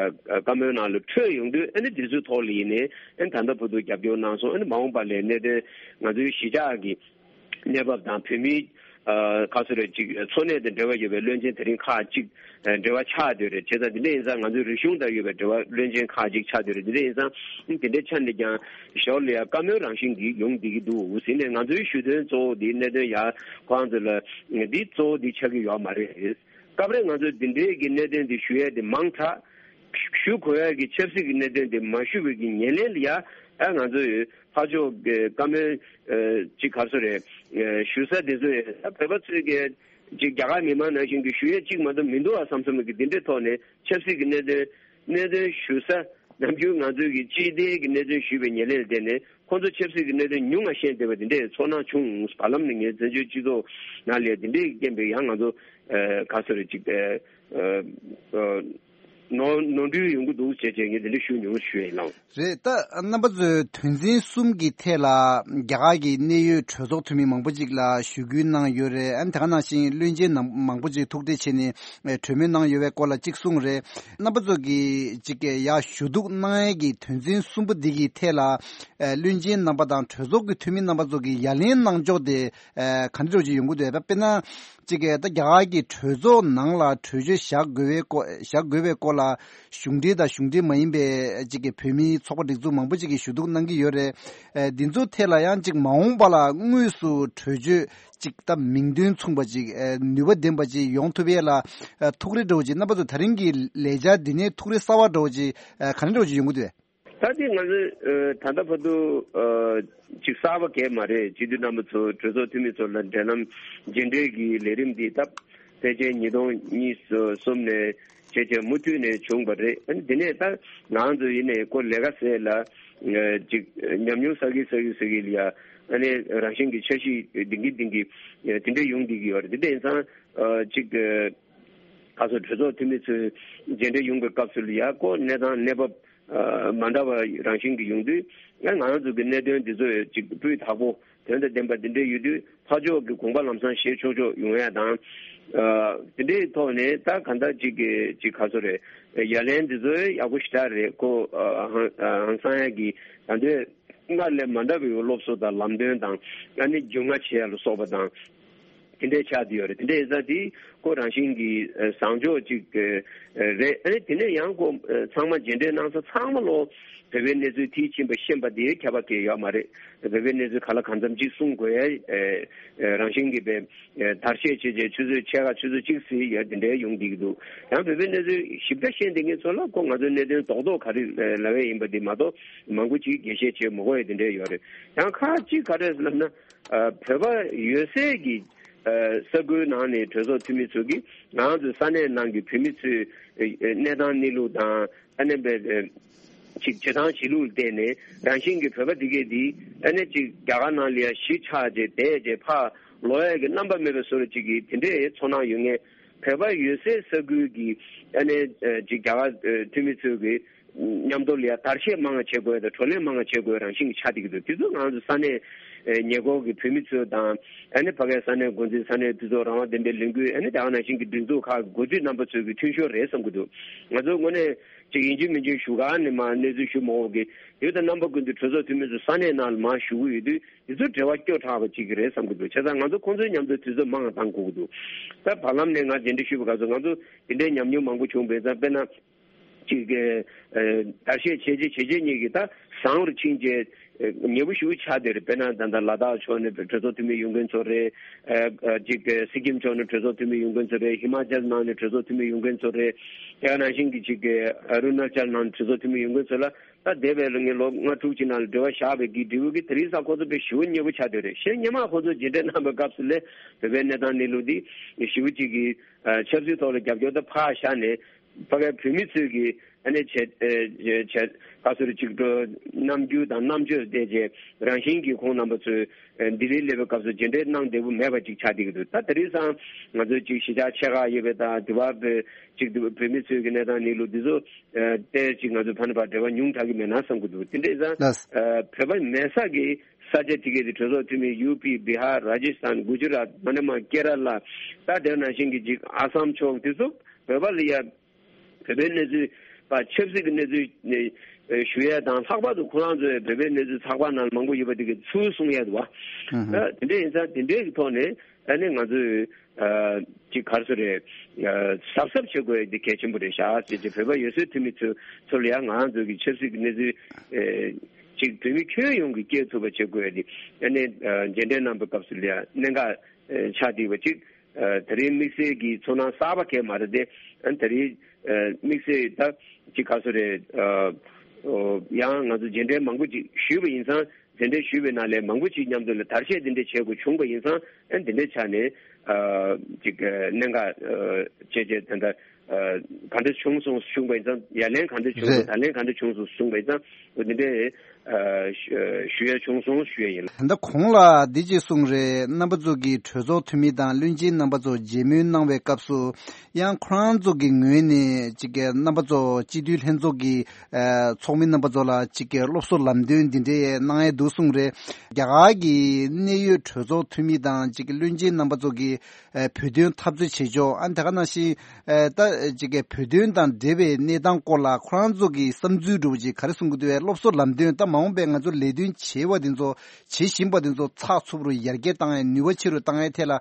བཀའ་མོལ་ནང་ལ་འཕྲོད་ཡོང་དུས་ཨ་ནི་དེ་ཚོའི་ཐོག་ལ་ཡིན་ནའི་ཨ་ནི་ད་ལྟ་བར་དུ་རྒྱབ་སྐྱོར་གནང་སོང་། ཨ་ནི་མ་འོངས་པ་ལ་གནད་དོན་ང་ཚོའི་གཞིས་ཆགས་ཀྱི་གནས་བབ་དང་བོད་མིའི་ཨ་ག་ཚོད་རེད་ཅིག་འཚོ་གནས་དང་འབྲེལ་བ་ཡོད་པའི་བློན་ཆེན་དེ་རིང་ཁག་ཅིག་ཨ་འབྲེལ་བ་ཆགས་བསྡད་རེད། བྱས་ཙང་དེ་འདྲ་ཡིན་ཙང་ང་ཚོའི་རིག་གཞུང་དང་ཡོད་པའི་འབྲེལ་བ་བློན་ཆེན་ཁག་ཅིག་ཆགས་བསྡད་རེད། དེ་འདྲ་ཡིན་ཙང་དེ་འདྲའི་ཆ་ནས་ཀྱང་ཞོར་ལ་ཡ་བཀའ་མོལ་རང་བཞིན་གྱིས་ཡོང་བསྡད་ཀྱི་འདུག་ཟེར་ནས་ང་ཚོའི་ཞུ་དོན་གཙོ་བོ་དེ་གནད་དོན་ཡ་ཁོང་ཚོ་ལ་འདི་གཙོ་བོ་འདི་ཆགས་ཀྱི་ཡོད་མ་རེད། སྐབས་རེ་ང་ཚོས་འདི་འདྲའི་གི་གནད་དོན་འདི་ཞུ་ཡས་དེ་མང་དྲགས། ཞུ་དགོས་ཡ་གི་ཆབ་སྲིད་ཀྱི་གནད་དོན་དེ་མ་ཞུ་བའི་གི་ཉེར་ལེན་ལ་ཡ་ཨ་ང་ཚོ་ཡོད་ཕར་ཕྱོགས་ཀྱི་བཀའ་མོལ་ཨ་ཅིག་ག་རེ་ཟེར་རེད། ཨ་ཞུ་ས་དེ་ཚོ་ཡོད་ད་བོད་པ་ཚོས་ཀྱི་ཅིག་རྒྱ་གར་མི་མང་ནང་བཞིན་གྱི་ཞུ་ཡས་གཅིག་མ་གཏོགས་མི་འདུག་ཨ་བསམ་བསམ་གི་འདི་འདྲའི་ཐོག་ནས་ཆབ་སྲིད་ཀྱི་གནད་དོན་གནད་དོན་ཞུ་ས་ནམ་རྒྱུན་ང་ཚོས་ཀྱི་སྤྱི་བདེ་གི་གནད་དོན་ཞུས་པའི་ཉེར་ལེན་ལ་བརྟེན་ནས་ཁོང་ཚོ་ཆབ་སྲིད་ཀྱི་གནད་དོན་ཉུང་ང་ཤེས་བསྡད་པ་འདི་འདྲའི་ཚོར་སྣང་བྱུང་། བར་ལམ་ནས་ངས་བཙན་བྱོལ་སྤྱི་ཚོགས་ནང་ལ་འདི་འདྲའི་རྐྱེན་པས་ཡང་ང་ཚོ་ཨ་ག་རེ་ཟེར་རེད་ཅིག་ཨ་ཨ་ནོར་ནོར་འཁྲུལ་ཡོང་གི་འདུག་ཅེས་བྱས་ངས་འདི་འདྲ་ཞུ་མྱོང་ཞུ་ཡས་ལགས། རེད། ད་རྣམ་པ་ཚོས་དོན་ཚན་གསུམ་གྱི་ཐད་ལ་རྒྱ་གར་གྱི་གནད་ཡོད་གྲོས་ཚོགས་འཐུས་མི་མང་པོ་ཅིག་ལ་ཞུ་སྐུལ་གནང་ཡོད་རེད། ཨ་ནི་དེ་ག་ནང་བཞིན་བློན་ཆེན་ནང་མང་པོ་ཅིག་ཐུག་འཕྲད་བྱས་ནས་ཨེ་གྲོས་མོལ་གནང་ཡོད་པའི་སྐོར་ལ་གཅིག་གསུངས་རེད། རྣམ་པ་ཚོ་གིས་ཅིག་ཡར་ཞུ་གཏུག་གནང་ཡས་ཀྱི་དོན་ཚན་གསུམ་པོ་འདི་གི་ཐད་ལ་ཨེ་བློན་ཆེན་རྣམ་པ་དང་གྲོས་ཚོགས་ཀྱི་འཐུས་མི་རྣམ་པ་ཚོ་གིས་ཡ་ལན་གནང་ཕྱོགས་དེ་ཨེ་ག་འདྲ་འདྲ་བོ་ཅིག་ཡོང་གི་འདུག་ད་དཔེར་ན། གཅིག་གིས་ད་རྒྱ་གར་གྱི་གྲོས་ཚོགས་ནང་ལ་གྲོས་ཆོད་བཞག་དགོས་པའི་སྐོར་བཞག་དགོས་པའི་སྐོར་ལ་གཞུང་འབྲེལ་དང་གཞུང་འབྲེལ་མ་ཡིན་པའི་གཅིག་གི་བོད་མིའི་ཚོགས་པ་སྒྲིག་འཛུགས་མང་པོ་ཅིག་གིས་ཞུ་གཏུག་གནང་གི་ཡོད་རེད། ཨེ་འདི་ཚོ་ཐད་ལ་ཡང་གཅིག་མ་འོངས་པ་ལ་དངོས་སུ་གྲོས་ཆོད་གཅིག་ད་མིང་དོན་མཚུངས་པ་ཅིག་ཨེ་ནུས་པ་ལྡན་པ་ཅིག་ཡོང་ཐུབ་ཡས་ལ་ཨེ་ཐུགས་རེ་འདྲ་བོ་ཅིག་རྣམ་པ་ཚོ་ད་རིང་གི་ལས་འཆར་འདི་ནས་ཐུགས་རེ་གསར་བ་འདྲ་བོ་ཅིག་ཨེ་ག་འདྲ་འདྲ་བོ་ཅིག་ཡོང་གི་འདུག་ད་ལྟའི་ང་ཚོས་ཨ་ད་ལྟ་བར་དུ་ཨ་ཅིག་གསར་པ་གང་ཡང་མ་རེད། སྤྱི་འཐུས་རྣམ་པ་ཚོ་གྲོས་ཚོགས་འཐུས་མི་ཚོ་ལ་འབྲེལ་ལམ་རྗེས་འབྲེལ་གྱི་ལས་རིམ་འདི་སྟབས་ཕལ་ཆེར་ཉིས་སྟོང་ཉི་ཤུ་གསུམ་ནས་བྱས་བྱས་མུ་མཐུད་ནས་བྱུང་བ་རེད། ཨ་ནི་འདི་ནས་ད་ང་ཚོ་ཡིན་ནའི་ཁོ་ལས་ཀ་ཟེར་ལ་ཨ་ཅིག་ཉམས་མྱོང་བསགས་ཀྱི་བསགས་ཀྱི་བསགས་ཀྱི་ལ་ཡ་ཨ་ནི་རང་བཞིན་གྱི་འཆར་གཞི་ལྡིང་གི་ལྡིང་གི་དེ་འདྲ་ཡོང་བསྡད་ཀྱི་ཡོད་རེད། དེ་འདྲ་ཡིན་ཙང་ཨ་ཅིག་ཨ་ག་ཚོད་གྲོས་ཚོགས་འཐུས་མི་ཚོའི་མཇལ་འཕྲད་ཡོང་བའི་སྐབས་སུ་ལ་ཡ་ཁོ་གནས་སྟངས་གནས་བབ་ཨ་མ་འདྲ་བ་རང་བཞིན་གྱི་ཡོང་དུས་ང་ང་རང་ཚོ་གི་གནད་དོན་འདི་ཚོ་ཅིག་སྤུས་དག་པོ་དོན་དང་ལྡན་པ་འདི་འདྲ་ཡོད་དུས་ཕར་ཕྱོགས་ཀྱི་དགོངས་པ་ལམ་སང་བཞེས་ཆོག་ཆོག་ཡོང་ཡ་དང་། ཨ་དེ་འདྲའི་ཐོག་ནས་ད་གང་ལྟར་ཅིག་གི་ཅིག་ག་ཚོད་རེད། ཡ་ལན་འདི་ཚོ་ཡག་པོ་ཞེ་དྲག་རེད། ཁོ་ཨ་ཧང་ཨ་ཧང་སང་ཡ་གི་ད་འདོད་སྔར་ལས་མ་འདྲ་བའི་སློབ་གསོ་དང་ལམ་སྟོན་དང་ཨ་ནི་རྒྱུས་མངའ་བྱེད་ཡ་ལ་སོགས་པ་དང་། དེ་འདྲའི་ཆགས་བསྡད་ཡོད་རེད། དེ་འདྲའི་ཡིན་ཙང་དེ་ཁོ་རང་བཞིན་གྱི་ཨ་བཟང་ཕྱོགས་ཅིག་ཨ་རེད། ཨ་ནི་དེ་ནས་ཡང་ཁོ་ཨ་ཚང་མ་མཇལ་འཕྲད་གནང་ས་ཚང་མ་ལོ་བོད་པའི་གནས་ཚུལ་མཐིལ་ཕྱིན་པ་ཤེས་པ་དེའི་ཁྱད་པར་གང་ཡང་ཡོད་མ་རེད། བོད་པའི་གནས་ཚུལ་ག་ལ་གང་འཚམ་ཅིག་གསུང་དགོས་ཡ་ཨ་རང་བཞིན་གྱི་བའི་ཨ་བརྡར་ཤ་བྱས་བྱས་ཆུ་ཚོད་ཕྱེད་ཀ་ཆུ་ཚོད་གཅིག་ཙམ་ཡ་དེ་འདྲའི་ཡོང་བསྡད་ཀྱི་འདུག་ཡང་བོད་པའི་གནས་ཚུལ་ཞིབ་ཕྲ་ཤེས་བསྡད་མཁན་ཚོ་ལ་ཁོ་ང་ཚོའི་གནད་དོན་རྡོག་རྡོག་ག་རེ་ལབ་ཡ་ཡིན་པ་དེ་མ་གཏོགས་མང་པོ་ཅིག་རྒྱས་བཤད་བྱེད་མི་དགོས་ཡ་དེ་འདྲའི་ཡོད་རེད། ཡང་ཁག་ཅིག་ག་རེ་ལབ་ན། ཨ་བོད་པ་ཡོད་སའི་གི་ཨ་ས་ཁུལ་ནང་ནས་གྲོས་ཚོགས་འཐུས་མི་ཚོ་གིས་ང་ཚོའི་ས་གནས་ནང་གི་བོད་མི་ཚོའི་ཨ་གནས་སྟངས་གནས་ལུགས་དང་ཨ་ནི་བའི་ཨ་ཅིག་བྱེད་སྟངས་བྱེད་ལུགས་ལ་བལྟས་ནས་རང་བཞིན་གྱི་བོད་པ་འདི་གས་འདི་ཨ་ནི་ཅིག་རྒྱ་གར་ནང་ལ་ཡ་གཞིས་ཆགས་བྱས་བསྡད་བྱས་ཕར་ལོག་ཡ་གི་རྣམ་པ་མེད་པའི་བཟོ་འདྲ་ཅིག་གི་དེ་འདྲའི་ཚོར་སྣང་ཡོད་མཁན་བོད་པ་ཡོད་སའི་ས་ཁུལ་གི་ཨ་ནི་ཨ་ཅིག་རྒྱ་གར་ཨ་འཐུས་མི་ཚོའི་གི་མཉམ་དུ་ལ་ཡ་བརྡར་ཤ་མང་བ་བྱེད་དགོས་དང་བགྲོ་གླེང་མང་བ་བྱེད་དགོས་རང་བཞིན་གྱི་ཆགས་བསྡད་ཀྱི་འདུག་དེ་ཚོ་ང་ཚོ་ས་གནས་ཨེ་ཉེ་འཁོར་གྱི་བོད་མི་ཚོ་དང་ཨ་ནི་ཕ་གའི་ས་གནས་འགོ་འཛིན་ས་གནས་འཐུས་ཚོགས་རང་དབང་ལྡན་པའི་ལས་འགུལ་ཨ་ནི་ད་ག་ནང་བཞིན་གྱི་སྒྲིག་འཛུགས་ཁག་གི་འགོ་ཁྲིད་རྣམ་པ་ཚོའི་གི་མཐུན་ཤོག་རེད་བསམ་གྱི་འདུག་ང་ཚོ་དངོས་གནས་ཅིག་ཡིན་གཅིག་མིན་གཅིག་ཞུ་ག་ནས་མ་གནས་ཚུལ་ཞུ་མ་འོག་གི་དེ་དང་རྣམ་པ་ཀུན་ཏུ་གྲོས་ཚོགས་འཐུས་མི་ཚོ་ས་གནས་ནང་ལ་མ་ཞུ་གི་ཡོད་དུས་དེ་ཚོ་འབྲེལ་བ་སྐྱོ་དྲགས་པ་ཅིག་གི་རེད་བསམ་གྱི་འདུག་བྱས་ཙང་ང་ཚོ་ཁོང་ཚོའི་མཉམ་དུ་དུས་ཚོད་མང་བ་བཏང་དགོས་ཀྱི་འདུག་ད་བར་ལམ་ནས་ང་མཇལ་འཕྲད་ཞུས་པ་ག་ཚོད་ང་ཚོ་དེ་འདྲའི་ཉམས་མྱོང་མང་པོ་བྱུང་བས་ཙང་དཔེར་ན། ཅིག་གི་ཨ་བརྡར་ཤ་བྱས་རྗེས་བྱས་རྗེས་གཉིས་ཀྱི་ད་བཟང་བར་ཕྱིན་རྗེས་ཨ་ཉེ་པོ་ཞེ་པོ་ཆགས་བསྡད་རེད། དཔེར་ན་ད་ལྟ་ལ་དྭགས་ཕྱོགས་ནས་གྲོས་ཚོགས་འཐུས་མི་ཡོང་མཁན་ཚོ་རེད། ཨ་ཨ་ཅིག་གི་སི་ཀིམ་ཕྱོགས་ནས་གྲོས་ཚོགས་འཐུས་མི་ཡོང་མཁན་ཚོ་རེད། ཧི་མ་ཅལ་ནང་ནས་གྲོས་ཚོགས་འཐུས་མི་ཡོང་མཁན་ཚོ་རེད། དེ་ག་ནང་བཞིན་གྱི་ཅིག་གི་ཨ་རུ་ན་ཅལ་ནང་ནས་གྲོས་ཚོགས་འཐུས་མི་ཡོང་མཁན་ཚོ་ལ་ད་འདས་པའི་ལོ་ངོ་ལྔ་དྲུག་ཅིག་ནང་ལ་འབྲེལ་བ་བཞག་པའི་གི་འབྲས་བུ་གི་དེ་རིང་སང་ཁོ་ཚོ་དཔེ་ཞེ་པོ་མཉེས་པོ་ཆགས་བསྡད་རེད། གཞན་སྔོན་མ་ཁོ་ཚོ་མཇལ་འཕྲད་གནང་བའི་སྐབས་སུ་ལས་བོད་པའི་གནས་སྟངས་གནས་ལུགས་འདི་ཞེ་པོ་ཅིག་གི་ཨ་ཆབ་སྲིད་ཐོག་ལ་རྒྱབ་སྐྱོར་ད་ཕར་བཞག་ནས། ཕ་གའི་བོད་མི་ཚོས་ཀྱི་ཨ་ནི་བྱས་ཨེ་བྱས་བྱས་ག་ཚོད་ཅིག་འགྲོ་རྣམ་འགྱུར་དང་རྣམ་དཔྱོད་བལྟས་རྗེས་རང་བཞིན་གྱིས་ཁོང་རྣམ་པ་ཚོས་ཨེ་ལྡི་ལིར་སླེབས་པའི་སྐབས་སུ་མཇལ་འཕྲད་གནང་བདེ་པོ་མེད་པ་ཅིག་ཆགས་བསྡད་ཀྱི་འདུག་ད་དེ་རིང་སང་ང་ཚོའི་ཅིག་གཞིས་ཆགས་ཆེ་ཁག་ཡོད་པའི་དང་དེ་བ་བོད་ཅིག་བོད་མི་ཚོའི་གི་གནས་སྟངས་གནས་ལུགས་འདི་ཚོ་ཨེ་བལྟས་ཅིག་ང་ཚོ་ཕ་ནས་ཕར་འབྲེལ་བ་ཉུང་དྲགས་ཀྱི་མེད་ན་བསམ་གྱི་འདུག་དེ་འདྲ་ཡིན་ཙང་ལགས། ཨེ་བོད་པ་མེད་ས་གི་ས་ཆ་དེ་གའི་དེ་གྲོས་ཚོགས་འཐུས་མི་ཡུ་པི་བི་ཧར་ར་ཇི་སི་ཐན་གུ་ཇུ་རཱད་མ་ནི་མ་ཀེ་ར་ལ་ད་དེ་ནང་བཞིན་གྱི་ཅིག་ཨ་སམ་ཕྱོགས་དེ་ཚོ་བོད་པ་ལ་ཡ། བོད་པའི་གནས་ཚུལ་པ་ཆབ་སྲིད་ཀྱི་གནས་ཚུལ་ནས་ཨེ་ཞུ་ཡས་དང་ལྷག་པར་དུ་ཁོ་རང་ཚོའི་བོད་པའི་གནས་ཚུལ་ཚགས་པར་ནང་ལ་མང་པོ་ཡོད་པ་དེ་གའི་ཚུར་གསུང་ཡས་འདུག་བ། ཨ་དེ་འདྲ་ཡིན་ཙང་དེ་འདྲའི་གི་ཐོག་ནས་ཨ་ནི་ང་ཚོས་ཨ་ཅིག་ག་རེ་ཟེར་རེད། ཨ་གཟབ་གཟབ་བྱེད་དགོས་ཡས་དེ་གལ་ཆེན་པོ་རེད་ཤག་ཟེར་ཅིག་བོད་པ་ཡོད་སའི་འཐུས་མི་ཚོ་ཚོ་ལ་ཡང་ང་རང་ཚོ་གི་ཆབ་སྲིད་ཀྱི་གནས་ཚུལ་ཨེ་ཅིག་བོད་མི་ཁྱོན་ཡོངས་ཀྱིས་སྐྱེལ་ཐུབ་པ་བྱེད་དགོས་ཡས་དེ་ཨ་ནི་ཨ་མཇལ་འཕྲད་གནང་བའི་སྐབས་སུ་ལ་ཡང་གནད་འགག་ཨེ་ཆགས་བསྡད་པ་ཅིག་ཨ་དེ་རིང་དམིགས་བསལ་གྱི་ཚོར་སྣང་གསར་པ་གང་ཡང་མ་རེད་དེ། ཨ་དེ་རིང་ཨ་དམིགས་བསལ་ད་ཅིག་ག་ཚོད་རེད། ཨ་ཨོ་ཡང་ང་ཚོ་མཇལ་འཕྲད་མང་པོ་ཅིག་ཞུས་པ་ཡིན་ཙང་མཇལ་འཕྲད་ཞུས་པའི་ནང་ལས་མང་པོ་ཅིག་མཉམ་དུ་ལ་བརྡར་ཤ་འདི་འདྲ་བྱེད་དགོས་བྱུང་པ་ཡིན་ཙང་ཨ་འདི་འདྲ་ཆགས་ནས་ཨ་ཅིག་ཨ་གནད་འགག་ཨ་བྱས་བྱས་ད་ལྟ་ཨ་ག་འདྲ་བྱུང་སོང་གསུངས་པ་ཡིན་ཙང་ཡ་ལན་ག་འདྲ་བྱུང་སོང་རེད། ད་ལན་ག་འདྲ་བྱུང་སོང་གསུངས་པ་ཡིན་ཙང་འོ་འདི་འདྲའི་ཨ་ཞུ་ཞུ་ཡ་བྱུང་སོང་ཞུ་ཡ་ཡིན། ད་ལྟ་གོང་ལ་འདི་ཅིག་གསུངས་རེད། རྣམ་པ་ཚོ་གིས་གྲོས་ཚོགས་འཐུས་མི་དང་བློན་ཆེན་རྣམ་པ་ཚོ་མཇལ་མོལ་གནང་བའི་སྐབས་སུ་ཡང་ཁོ་རང་ཚོ་གི་ངོས་ནས་ཅིག་གི་རྣམ་པ་ཚོ་སྤྱི་འཐུས་ལྷན་ཚོགས་ཀྱི་ཨ་ཚོགས་མི་རྣམ་པ་ཚོ་ལ་ཅིག་གི་སློབ་གསོ་ལམ་སྟོན་འདི་འདྲའི་གནང་ཡས་འདུག་གསུངས་རེད། རྒྱ་གར་གྱི་གནད་ཡོད་གྲོས་ཚོགས་འཐུས་མི་དང་ཅིག་གི་བློན་ཆེན་རྣམ་པ་ཚོ་གིས་ཨ་བོད་དོན་འཐབ་རྩོད་བྱེད་ཕྱོགས་ཨ་ནི་དེ་ག་ནང་བཞིན་ཨ་ད་ཅིག་གི་བོད་དོན་དང་འབྲེལ་བའི་གནས་སྟངས་སྐོར་ལ་ཁོ་རང་ཚོ་གི་བསམ་ཚུལ་འདྲ་བོ་ཅིག་ག་རེ་གསུང་གི་འདུག་བས། སློབ་གསོ་ལམ་སྟོན་ད་མ་འོངས་པའི་ང་ཚོ་ལས་དོན་བྱེད་པ་དེ་ཚོ་བྱེད་བཞིན་པ་དེ་ཚོ་ཚགས་ཚུད་པོ་རུ་ཡར་རྒྱས་བཏང་ཡས་ནུས་པ་ཆེ་རུ་བཏང་ཡས་ཐད་ལ་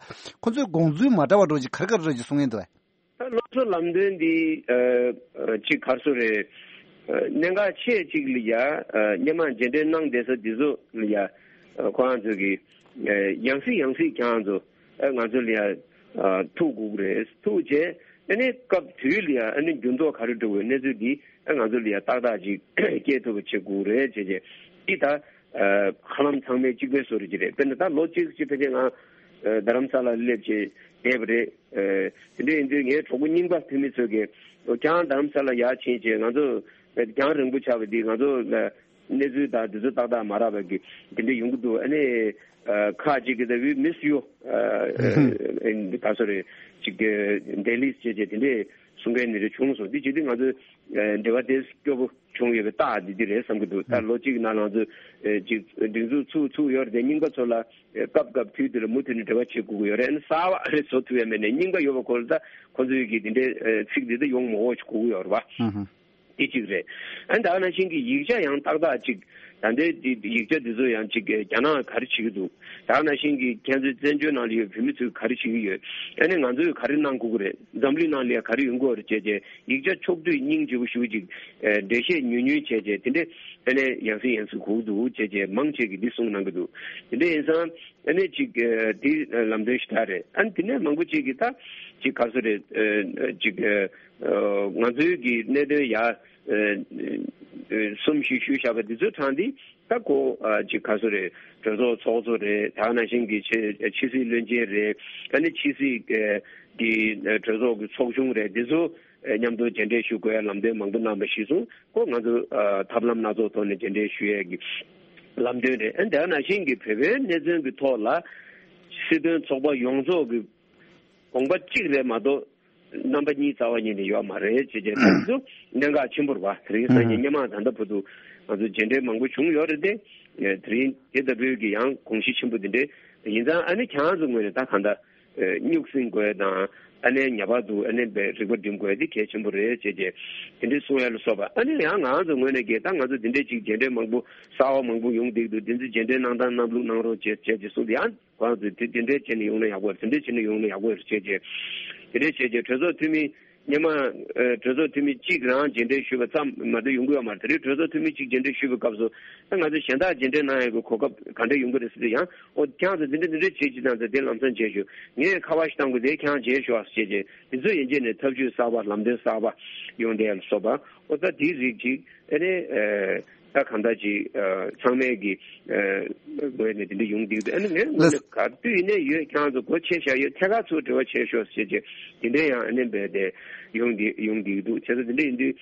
ཁོ་ཚོའི་དགོངས་ཚུལ་མ་འདྲ་བ་འདྲ་བོ་ཅིག་ག་རེ་ག་རེ་འདྲ་ཅིག་གསུང་ཡས་འདུག་བས། ད་སློབ་གསོ་ལམ་སྟོན་འདི་ཨ་ཅིག་ག་རེ་ཟེར་རེད། ཨ་གནད་འགག་ཆེ་ཅིག་ལ་ཡ་ཨ་སྔོན་མ་མཇལ་འཕྲད་གནང་བསྡད་ས་འདི་ཚོ་ལ་ཡ་ཨ་ཁོ་རང་ཚོ་གི་ཨ་ཡང་སེ་ཡང་སེ་ཁྱེད་རང་ཚོ་ཨ་ང་ཚོ་ལ་ཡ་ཨ་ཐུག་དགོས་ཀྱི་རེད། ཐུག་རྗེས་ཨ་ནི་སྐབས་དུས་ལ་ཡ་ཨ་ནི་འགྱུར་ལྡོག་ག་རེ་འགྲོ་དགོས་གནས་ཚུལ་འདི་ཨ་ང་ཚོ་ལ་ཡ་ཏག་ཏག་ཅིག་སྐྱེལ་ཐུབ་པ་བྱེད་དགོས་རེད་བྱས་རྗེས་འདི་ད་ཨ་ཧ་ལམ་ཚང་མས་གཅིག་པའི་བཟོ་འདྲ་ཅིག་རེད། དཔེར་ན་ད་ལོ་གཅིག་ཅིག་ཕལ་ཆེར་ང་ཨ་རྡ་རམ་ས་ལ་སླེབས་བྱས་བསྡད་པ་རེད། ཨ་དེ་འདྲ་ཡིན་དུས་ངའི་གྲོགས་པོ་རྙིང་པ་ཕེབས་མི་ཚོས་ཀྱིས་ཨོ་ཁྱེད་རང་རྡ་རམ་ས་ལ་ཡར་ཕྱིན་བྱས་ང་ཚོ་རྒྱང་རིང་པོ་ཆགས་པ་འདི་ང་ཚོ་ལ་གནས་ཚུལ་དང་དེ་ཚོ་ཏག་ཏག་མ་རག་པ་གི་དེ་འདྲ་ཡོང་གི་འདུག་ཨ་ནི་ཨ་ཁག་ཅིག་གིས་ད་we miss you ཨ་ད་སོ་རེ་ཅིག་གི་འདེ་ལིས་བྱས་བྱས་དེ་འདྲས་གསུང་མཁན་ནི་རེ་བྱུང་སོང་། འདི་བྱེད་དུས་ང་ཚོ་ཨ་འབྲེལ་བ་དེ་སྐྱོ་པོ་བྱུང་ཡོད་པའི་རྟགས་འདི་འདི་རེད་བསམ་གྱི་འདུག་ད་ལོ་གཅིག་ནང་ལ་ང་ཚོ་ཨ་ཅིག་སྒྲིག་འཛུགས་ཚུགས་ཚུགས་ཡོད་རེད་དེ་རྙིང་པ་ཚོ་ལ་ཨ་སྐབས་སྐབས་དུས་དུས་ལ་མུ་མཐུད་ནས་འབྲེལ་བ་བྱེད་དགོས་ཀྱི་ཡོད་རེད། ཨ་ནི་གསར་པ་རེ་བཟོ་ཐུབ་ཡ་མེད་ནས་རྙིང་པ་ཡོད་པ་ཁོ་ལ་ད་ཁོ་ཚོའི་གི་དེ་འདྲའི་ཨ་ཚིག་འདི་ད་ཡོང་མ་འོག་ཅིག་དགོས་ཀྱི་ཡོད་རེད་བ། དེ་གཅིག་རེད། ཨ་ནི་ད་ག་ནང་བཞིན་གྱི་ཡིག་ཆ་ཡང་ཏག་ཏག་ཅིག་ ད་ལྟའི་འདི་ཡིག་ཆ་འདི་ཚོ་ཡང་ཅིག་རྒྱ་ནག་ག་རེ་བྱེད་ཀྱི་འདུག་ད་ག་ནང་བཞིན་གྱི་ཁྱེད་ཚོའི་བཙན་བྱོལ་ནང་ལ་ཡོད་བོད་མི་ཚོས་ག་རེ་བྱེད་ཀྱི་ཡོད། ཨ་ནི་ང་ཚོས་ག་རེ་གནང་དགོས་ཀྱི་རེད། འཛམ་གླིང་ནང་ལ་ཡང་ག་རེ་ཡོང་གི་ཡོད་རེད་བྱས་བྱས་ཡིག་ཆ་ཕྱོགས་བསྡུས་སྙིང་རྗེ་པོ་ཞེ་པོ་ཅིག་ཨ་འགྲེལ་བཤད་ཉུང་ཉུང་བྱས་བྱས་དེ་འདྲས་ཨ་ནི་ཡང་སེ་ཡང་སེ་དགོས་ཀྱི་འདུག་བྱས་བྱས་མང་ཆེ་གིས་འདི་གསུངས་གནང་གི་འདུག་དེ་འདྲས་ཡིན་ཙང་ཨ་ནི་ཅིག་ཨ་འདི་ལམ་སྟོན་ཞིག་ད་རེད། ཨ་ནི་དེ་ནས་མང་པོ་ཅིག་གིས་ད་ཅིག་ག་རེ་ཟེར་རེད། ཨ་ཅིག་ཨ་ང་ཚོའི་གི་གནད་དོན་ཡ་ཨ་གསུམ་བཞི་ཞུས་བཞག་པ་འདི་ཚོའི་གྲས་འདི་ད་ཁོ་ཨ་ཅིག་ག་རེ་ཟེར་རེད། གྲོས་ཚོགས་ཚོགས་གཙོ་རེད། ད་ག་ནང་བཞིན་གྱི་ཕྱི་ཕྱི་སྲིད་བློན་ཆེན་རེད། ཨ་ནི་ཕྱི་སྲིད་ཨ་གི་ཨ་གྲོས་ཚོགས་ཀྱི་ཚོགས་ཆུང་རེད། འདི་ཚོ་ཨ་མཉམ་དུ་མཇལ་འཕྲད་ཞུ་དགོས་ཡ་ལམ་སྟོན་མང་པོ་གནང་བ་གཞིར་བཟུང་ཁོ་ང་ཚོ་ཨ་ཐབས་ལམ་སྣ་ཚོགས་ཐོག་ནས་མཇལ་འཕྲད་ཞུ་ཡས་ཀྱི་ལམ་སྟོན་རེད། ཨ་ནི་ད་ག་ནང་བཞིན་གྱི་བོད་པའི་གནད་དོན་གྱི་ཐོག་ལ་སྲིད་དོན་ཚོགས་པ་ཡོངས་རྫོགས་ཀྱི་དགོངས་པ་གཅིག་རེད་མ་གཏོགས། རྣམ་པ་གཉིས་རྩ་བ་ཉིད་ནས་ཡོད་མ་རེད་ཅེས་བྱས་ཙང་ཚོ་གནད་འགག་ཆེན་པོ་རེད་བ། དེ་རིང་སང་ཉིན་སྔོན་མ་ད་ལྟ་བར་དུ་ང་ཚོ་མཇལ་འཕྲད་མང་པོ་བྱུང་ཡོད་རེད་དེ། དེ་རིང་དེ་ལྟ་བུའི་གི་ཡང་དགོངས་གཞི་ཆེན་པོ་འདི་འདྲས་ཡིན་ཙང་ཨ་ནི་ཁྱེད་རང་ཚོ་ངོས་ནས་ད་གང་ལྟར་སྨྱུག་སྲིང་དགོས་དང་ཨ་ནི་ངེས་པར་དུ་ཨ་ནི་རིག་པ་སྒྲིམ་དགོས་དེ་གལ་ཆེན་པོ་རེད་ཅེས་བྱས་དེ་འདྲས་གསུང་ཡ་ལ་སོགས་པ། ཨ་ནི་ཡང་ང་རང་ཚོ་ངོས་ནས་གི་ད་ང་ཚོ་འདི་འདྲས་ཅིག་མཇལ་འཕྲད་མང་པོ་གསར་བ་མང་པོ་ཡོང་བསྡད་འདུག་དེ་ཚོ་མཇལ་འཕྲད་གནང་སྟངས་གནང་ལུགས་གནང་རོགས་བྱེད་བྱས་ཅེས་གསུངས་ཏེ་ཡང་། ཁོང་ཚོས་དེ་དེ་འདྲས་བྱས་ནས་ཡོང་ན་ཡག་པོ་རེད། དེ་འདྲས་བྱས་ནས་ཡོང་ན་ཡག་པོ་རེད་ཅེས་བྱས། དེ་འདྲས་བྱས་བྱས་གྲོས་ཚོགས་འཐུས་མི་སྔོན་མ་ཨ་གྲོས་ཚོགས་འཐུས་མི་གཅིག་རང་མཇལ་འཕྲད་ཞུས་པ་ཙམ་མ་གཏོགས་ཡོང་གི་ཡོད་མ་རེད། དེ་རིང་གྲོས་ཚོགས་འཐུས་མི་གཅིག་མཇལ་འཕྲད་ཞུས་པའི་སྐབས་སུ་ཨ་ང་ཚོ་གཞན་དག་མཇལ་འཕྲད་གནང་ཡག་གི་གོ་སྐབས་ག་འདྲས་ཡོང་གི་རེད་ཟེར་དུས་ཡང་ཨོ་ཁྱེད་ཚོ་འདི་འདྲས་འདི་འདྲས་བྱེད་ཅིག་དང་ཚེ་དེ་ལམ་སང་མཇལ་ཞུ་ངས་ཁ་པར་ཞིག་བཏང་དགོས་དེ་ཁྱེད་མཇལ་ཞུ་ཨ་ཞེས་བྱས་དེ་ཚོ་ཡན་ཆད་ནས་ཐབས་ཇུས་གསར་པ་ལམ་སྟོན་གསར་པ་ཡོང་བསྡད་ཡ་ལ་སོགས་པ་ཨོ་ད་དེའི་རིགས་ཅིག་ཨ་ནི་ཨ། ད་གང་ལྟར་ཅིག་ཨ་ཚང་མས་ཀྱི་ཨ་ངོས་ནས་དེ་འདྲ་ཡོང་བསྡད་འདུག་ཨ་ནི་ངས་ངོས་ལགས། ནས་ག་དུས་ཡིན་ནའི་ཡོད་ཁྱེད་རང་ཚོ་སྒོ་ཕྱེ་བཞག་ཡོད་ཐད་ཀར་ཚུར་འབྲེལ་བ་བྱས་ཤོག་ཟེར་བྱས་དེ་འདྲ་ཡང་ཨ་ནི་འབད་དེ་ཡོང་བསྡད་ཡོང་བསྡད་འདུག་བྱས་ཙང་དེ་འདྲ་ཡིན་དུས་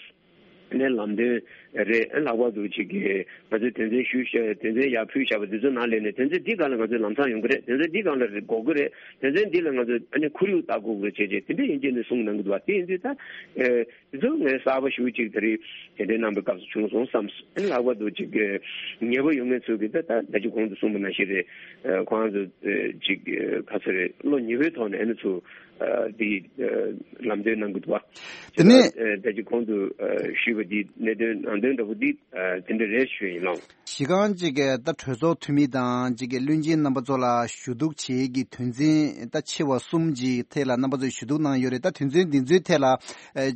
ཨ་ནི་ལམ་སྟོན་རེད། ཨ་ལྷག་པར་དུ་ཅིག་གི་ང་ཚོས་དོན་ཚན་ཞུས་བཞག་དོན་ཚན་ཡར་ཕུལ་བཞག་པ་འདི་ཚོ་ནང་ལས་ནས་དོན་ཚན་འདི་སྒང་ལ་ང་ཚོས་ལམ་སང་ཡོང་གི་རེད། དོན་ཚན་འདི་སྒང་ལ་དགོས་ཀྱི་རེད། དོན་ཚན་འདི་ལ་ང་ཚོས་ཨ་ནི་ཁོར་ཡུག་ལྟ་དགོས་ཀྱི་རེད་བྱས་བྱས་དེ་འདྲ་ཡིན་གཅིག་ནས་གསུངས་གནང་གི་འདུག་བ། དེ་ཡིན་དུས་ད་ཨ། དེ་ཚོ་ངས་གསར་པ་ཞུ་གཅིག་ད་རེས་དེ་འདྲའི་གནང་པའི་སྐབས་སུ་བྱུང་སོང་བསམ། ལྷག་པར་དུ་ཅིག་ཉེ་པོ་ཡོང་མཁན་ཚོས་ཀྱི་ད་ད་ད་ཅི་གོང་དུ་གསུངས་པ་ནང་བཞིན་རེད། ཁོང་ཚོ་ཅིག་ག་ཚོད་རེད་བློ་ཉེ་པོའི་ཐོག་ནས་ཨ་ནི་ཚོ་འདི་ལམ་སྟོན་གནང་གི་འདུག་བ། དེ་ནས་ད་ཅི་གོང་དུ་ཞུས་པ་འདི་གནད་དོན་ནང་དོན་འདྲ་པོ་འདི་དེ་འདྲ་རེད་ཞུ་ཡིན་ལགས། གཞི་རྐང་གཅིག་གི་ད་གྲོས་ཚོགས་འཐུས་མི་དང་གཅིག་གི་བློན་ཆེན་རྣམ་པ་ཚོ་ལ་ཞུ་གཏུག་བྱེད་ཀྱི་དོན་ཚན་ད་ཆེ་བ་གསུམ་གྱི་ཐད་ལ་རྣམ་པ་ཚོས་ཞུ་གཏུག་གནང་ཡོད་རེད། ད་དོན་ཚན་འདི་ཚོའི་ཐད་ལ་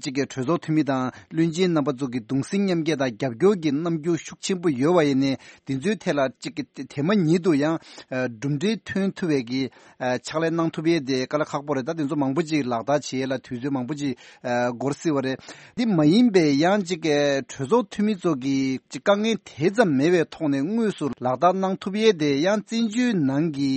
གཅིག་གི་གྲོས་ཚོགས་འཐུས་མི་དང་བློན་ཆེན་རྣམ་པ་ཚོ་གི་གདུང་སེམས་མཉམ་སྐྱེད་དང་རྒྱབ་སྐྱོར་གྱི་རྣམ་འགྱུར་ཤུགས་ཆེན་པོ་ཡོད་པ་ཡིན་ནའི་འདི་ཚོའི་ཐད་ལ་གཅིག་གི་དེ་མ་ཉིད་དུ་ཡང་གྲུབ་འབྲས་ཐོན་ཐུབ་པའི་གི་ཕྱག་ལས་གནང་ཐུབ་ཡས་དེ་དཀའ་ལས་ཁག་པོ་རེད། ད་དེ་ཚོ་མང་པོ་ཅིག་ལག་བསྟར་བྱེད་ཡས་ལ་དུས་ཚོད་མང་པོ་ཅིག་འགོར་སྲིད་པ་རེད། འདི་མ་ཡིན་པའི་ཡང་ཅིག་གྲོས་ཚོགས་འཐུས་མི་ཚོ་གི་ཅིག་དཀའ་ངལ་དེ་ཙམ་མེད་པའི་ཐོག་ནས་དངོས་སུ་ལག་བསྟར་གནང་ཐུབ་ཡས་དེ་ཡང་བཙན་བྱོལ་ནང་གི་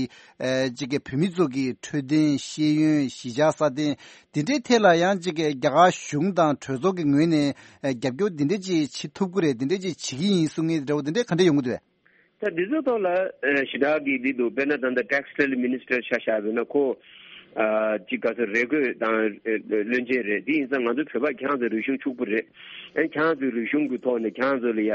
ཅིག་བོད་མི་ཚོ་གི་འཕྲོད་བསྟེན་ཤེས་ཡོན་གཞིས་ཆགས་སྲ་བརྟན་དེ་འདྲའི་ཐད་ལ་ཡང་ཅིག་རྒྱ་གར་གཞུང་དང་གྲོས་ཚོགས་ཀྱི་ངོས་ནས་རྒྱབ་སྐྱོར་དེ་འདྲ་ཅིག་བྱེད་ཐུབ་ཀྱི་རེད། དེ་འདྲ་ཅིག་བྱེད་ཀྱི་ཡིན་གསུང་མཁན་འདྲ་བོ་དེ་འདྲ་ག་འདྲ་ཡོང་གི་འདུག་ད་འདི་ཚོའི་ཐོག་ལ་ཨ་ཞེ་དྲག་གི་འདི་འདུག་དཔེར་ན་ད་ལྟ་Textile Minister ཆ་བཞག་པ་ཡིན་ན་ཁོ་ཨ་ཅིག་ག་ཚོད་རེ་དགོས་དང་ཨ་བློན་ཆེན་རེད། དེ་ཡིན་ཙང་ང་ཚོ་བོད་པ་ཁྱེད་རང་ཚོ་རིག་གཞུང་ཕྱུག་པོ་རེད། ཨ་ཁྱེད་རང་ཚོའི་རིག་གཞུང་གི་ཐོག་ནས་ཁྱེད་རང་ཚོ་ལ་ཡ་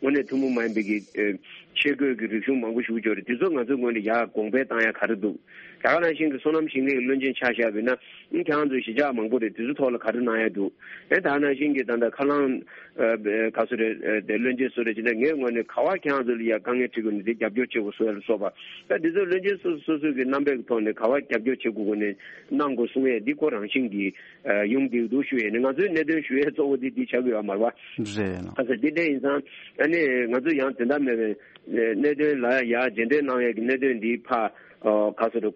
དངོས་གནས་ཐུན་མོང་མ་ཡིན་པའི་གི་ཨ་ཆས་གོས་ཀྱི་རིག་གཞུང་མང་པོ་ཞིག་ཡོད་རེད། དེ་ཚོ་ང་ཚོའི་ངོས་ནས་ཡ་དགོངས་པ་བཏང་ཡ་ག་རེ་འདུག་ད་ག་ནང་བཞིན་གྱི་སོ་ནམ་ཞིང་ལས་ཀྱི་བློན་ཆེན་ཆ་བཞག་པ་ཡིན་ན་ཨ་ཁྱེད་རང་ཚོའི་གཞིས་ཆགས་མང་པོ་རེད། དེ་ཚོའི་ཐོག་ལ་ག་རེ་གནང་ཡ་འདུག་ཨ་ད་ག་ནང་བཞིན་གྱི་ད་ལྟ་ཁ་རླངས་ཨ་ག་སུ་རེད། ཨ་དེ་བློན་ཆེན་སུ་རེད་ཅེ་ན་ངའི་ངོས་ནས་ག་བ་ཁྱེད་རང་ཚོ་ལ་ཡ་དཀའ་ངལ་འཕྲད་དགོས་ན་དེ་རྒྱབ་སྐྱོར་བྱེད་དགོས་སུ་ཡ་ལ་སོགས་པ། ད་དེ་ཚོ་བློན་ཆེན་སོ་སོ་སོ་སོའི་གི་རྣམ་པའི་ཐོག་ནས་ག་བ་རྒྱབ་སྐྱོར་བྱེད་དགོས་དགོས་ནས་གནང་དགོས་གསུང་ཡས་འདི་ཁོ་རང་བཞིན་གྱི་ཨ་ཡོང་བསྡད་འདུག་ཞུ་ཡས་ནས་ང་ཚོའི་གནད་དོན་ཞུ་ཡས་གཙོ་བོ་དེ་འདི་ཆགས་ཀྱི་ཡོད་མ་རེད་བ། རེད་ལགས། ཨ་ས་དེ་འདྲ་ཡིན་ཙང་ཨ་ནི་ང་ཚོ་ཡང་དེ་འདྲ་མེད་པའི་གནད་དོན་ལ་ཡ་རྗེས་འདེད་གནང་ཡས་ཀྱི་གནད་དོན་འདི་ཕ་ག་སུ་རེད།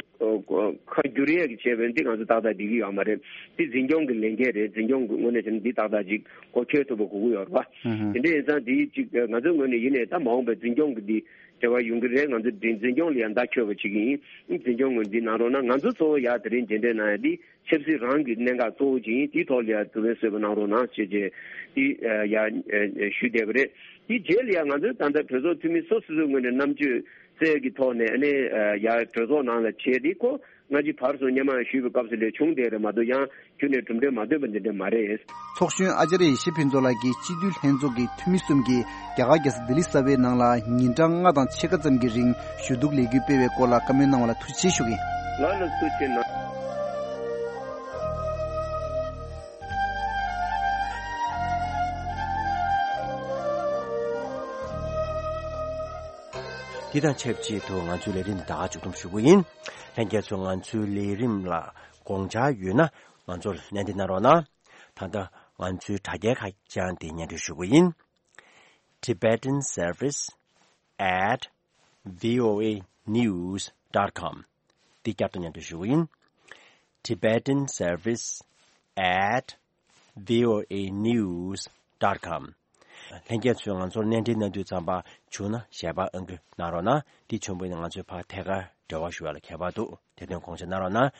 ཁ་བསྒྱུར་ཡས་ཀྱི་བྱས་པས་འདི་ང་ཚོ་ཏག་ཏག་འགྲིག་གི་ཡོད་མ་རེད། འདི་འཛིན་སྐྱོང་གི་ལས་འགན་རེད། འཛིན་སྐྱོང་གི་ངོས་ནས་བྱས་ན་འདི་ཏག་ཏག་ཅིག་གོ་ཆོད་ཐུབ་པ་དགོས་ཀྱི་ཡོད་རེད་བ། ཨུ་ཧུ། དེ་འདྲ་ཡིན་ཙང་འདི་ཅིག་ང་ཚོའི་ངོས་ནས་ཡིན་ནའི་ད་མ་འོངས་པའི་འཛིན་སྐྱོང་གི་འདི་འབྲེལ་བ་ཡོང་གི་རེད། ང་ཚོ་འདི་འཛིན་སྐྱོང་ལ་ཡང་བརྡ་འཁྱོལ་བ་བྱེད་ཀྱི་ཡིན། འཛིན་སྐྱོང་ངོས་འདི་གནང་རོགས་གནང་། ང་ཚོ་གཙོ་བོ་ཡ་དེ་རིང་མཇལ་འཕྲད་གནང་ཡ་འདི་ཆབ་སྲིད་རང་གི་གནད་འགག་གཙོ་བོ་ཅིག་ཡིན། དེའི་ཐོག་ལ་ཡ་ཐུགས་ཕན་གསོས་པ་གནང་རོགས་གནང་ཞེས་བྱས་འདི་ཡ་ཞུས་བསྡད་པ་རེད། དེའི་རྗེས་ལ་ཡ་ང་ཚོའི་ད་ལྟ་གྲོས་ཚོགས་འཐུས་མི་སོ་སོ་སོའི་ངོས་ནས་རྣམ་དཔྱོད་རྩལ་གྱི་ཐོག་ནས་ཨ་ནི་ཡ་གྲོས་ཚོགས་ནང་ལ་བྱས་ཏེ་ཁོ་སྔ་ཕྱི་བར་གསུམ་སྔོན་མ་ཞུས་པའི་སྐབས་སུ་ལས་བྱུང་བསྡད་རེད་མ་གཏོགས་ཡང་ཁྱོན་ནས་གྲུབ་འབྲས་མ་ཐོན་པ་འདི་འདྲ་མ་རེད། ཚོགས་གཞོན་ཨ་ཅཱརྱ་ཡེ་ཤེས་ཕུན་ཚོགས་ལགས་ཀྱིས་སྤྱི་འཐུས་ལྷན་ཚོགས་ཀྱི་འཐུས་མི་གསུམ་གྱིས་རྒྱ་གར་རྒྱལ་ས་ལྡི་ལི་གསར་པའི་ནང་ལ་ཉིན་གྲངས་ལྔ་དང་ཕྱེད་ཀ་ཙམ་གྱི་རིང་ཞུ་གཏུག་ལས་འགུལ་སྤེལ་བའི་སྐོར་ལ་བཀའ་མོལ་གནང་བ་ལ་ཐུགས་རྗེ་ཆེ་ཞུ་གི་ཡིན། ལགས་ལ་ཐུགས་རྗེ་གནང་། དེ་དང་ཆབས་ཅིག་ཏུ་ང་ཚོའི་ལས་རིམ་ད་ག་མཇུག་བསྡོམས་ཞུ་གི་ཡིན། ལྷན་རྒྱས་ཚོ་ང་ཚོའི་ལས་རིམ་ལ་དགོངས་འཆར་ཡོད་ན་ང་ཚོར་སྣེ་འདྲེན་གནང་རོགས་གནང་། ད་ལྟ་ང་ཚོའི་དྲ་རྒྱའི་ཁ་བྱང་དེ་སྙན་སྒྲོན་ཞུ་གི་ཡིན། Tibetan service at voanews dot com། འདི་བསྐྱར་དུ་སྙན་སྒྲོན་ཞུ་གི་ཡིན། Tibetan service at voanews dot com། ལྷན་རྒྱས་ཚོས་ང་ཚོར་སྣེ་འདྲེན་གནང་དུས་ཙམ་པ་བྱུང་ན་ཞལ་པར་ཨང་ཀི་གནང་རོགས་གནང་། འདི་བྱུང་བ་ཡིན་ན་ང་ཚོས་ཕར་ཐད་ཀར་འབྲེལ་བ་ཞུ་བ་ལ་ཁྱད་པར་འདུག་དེ་དོན་དགོངས་འཆར་གནང་རོགས་གནང་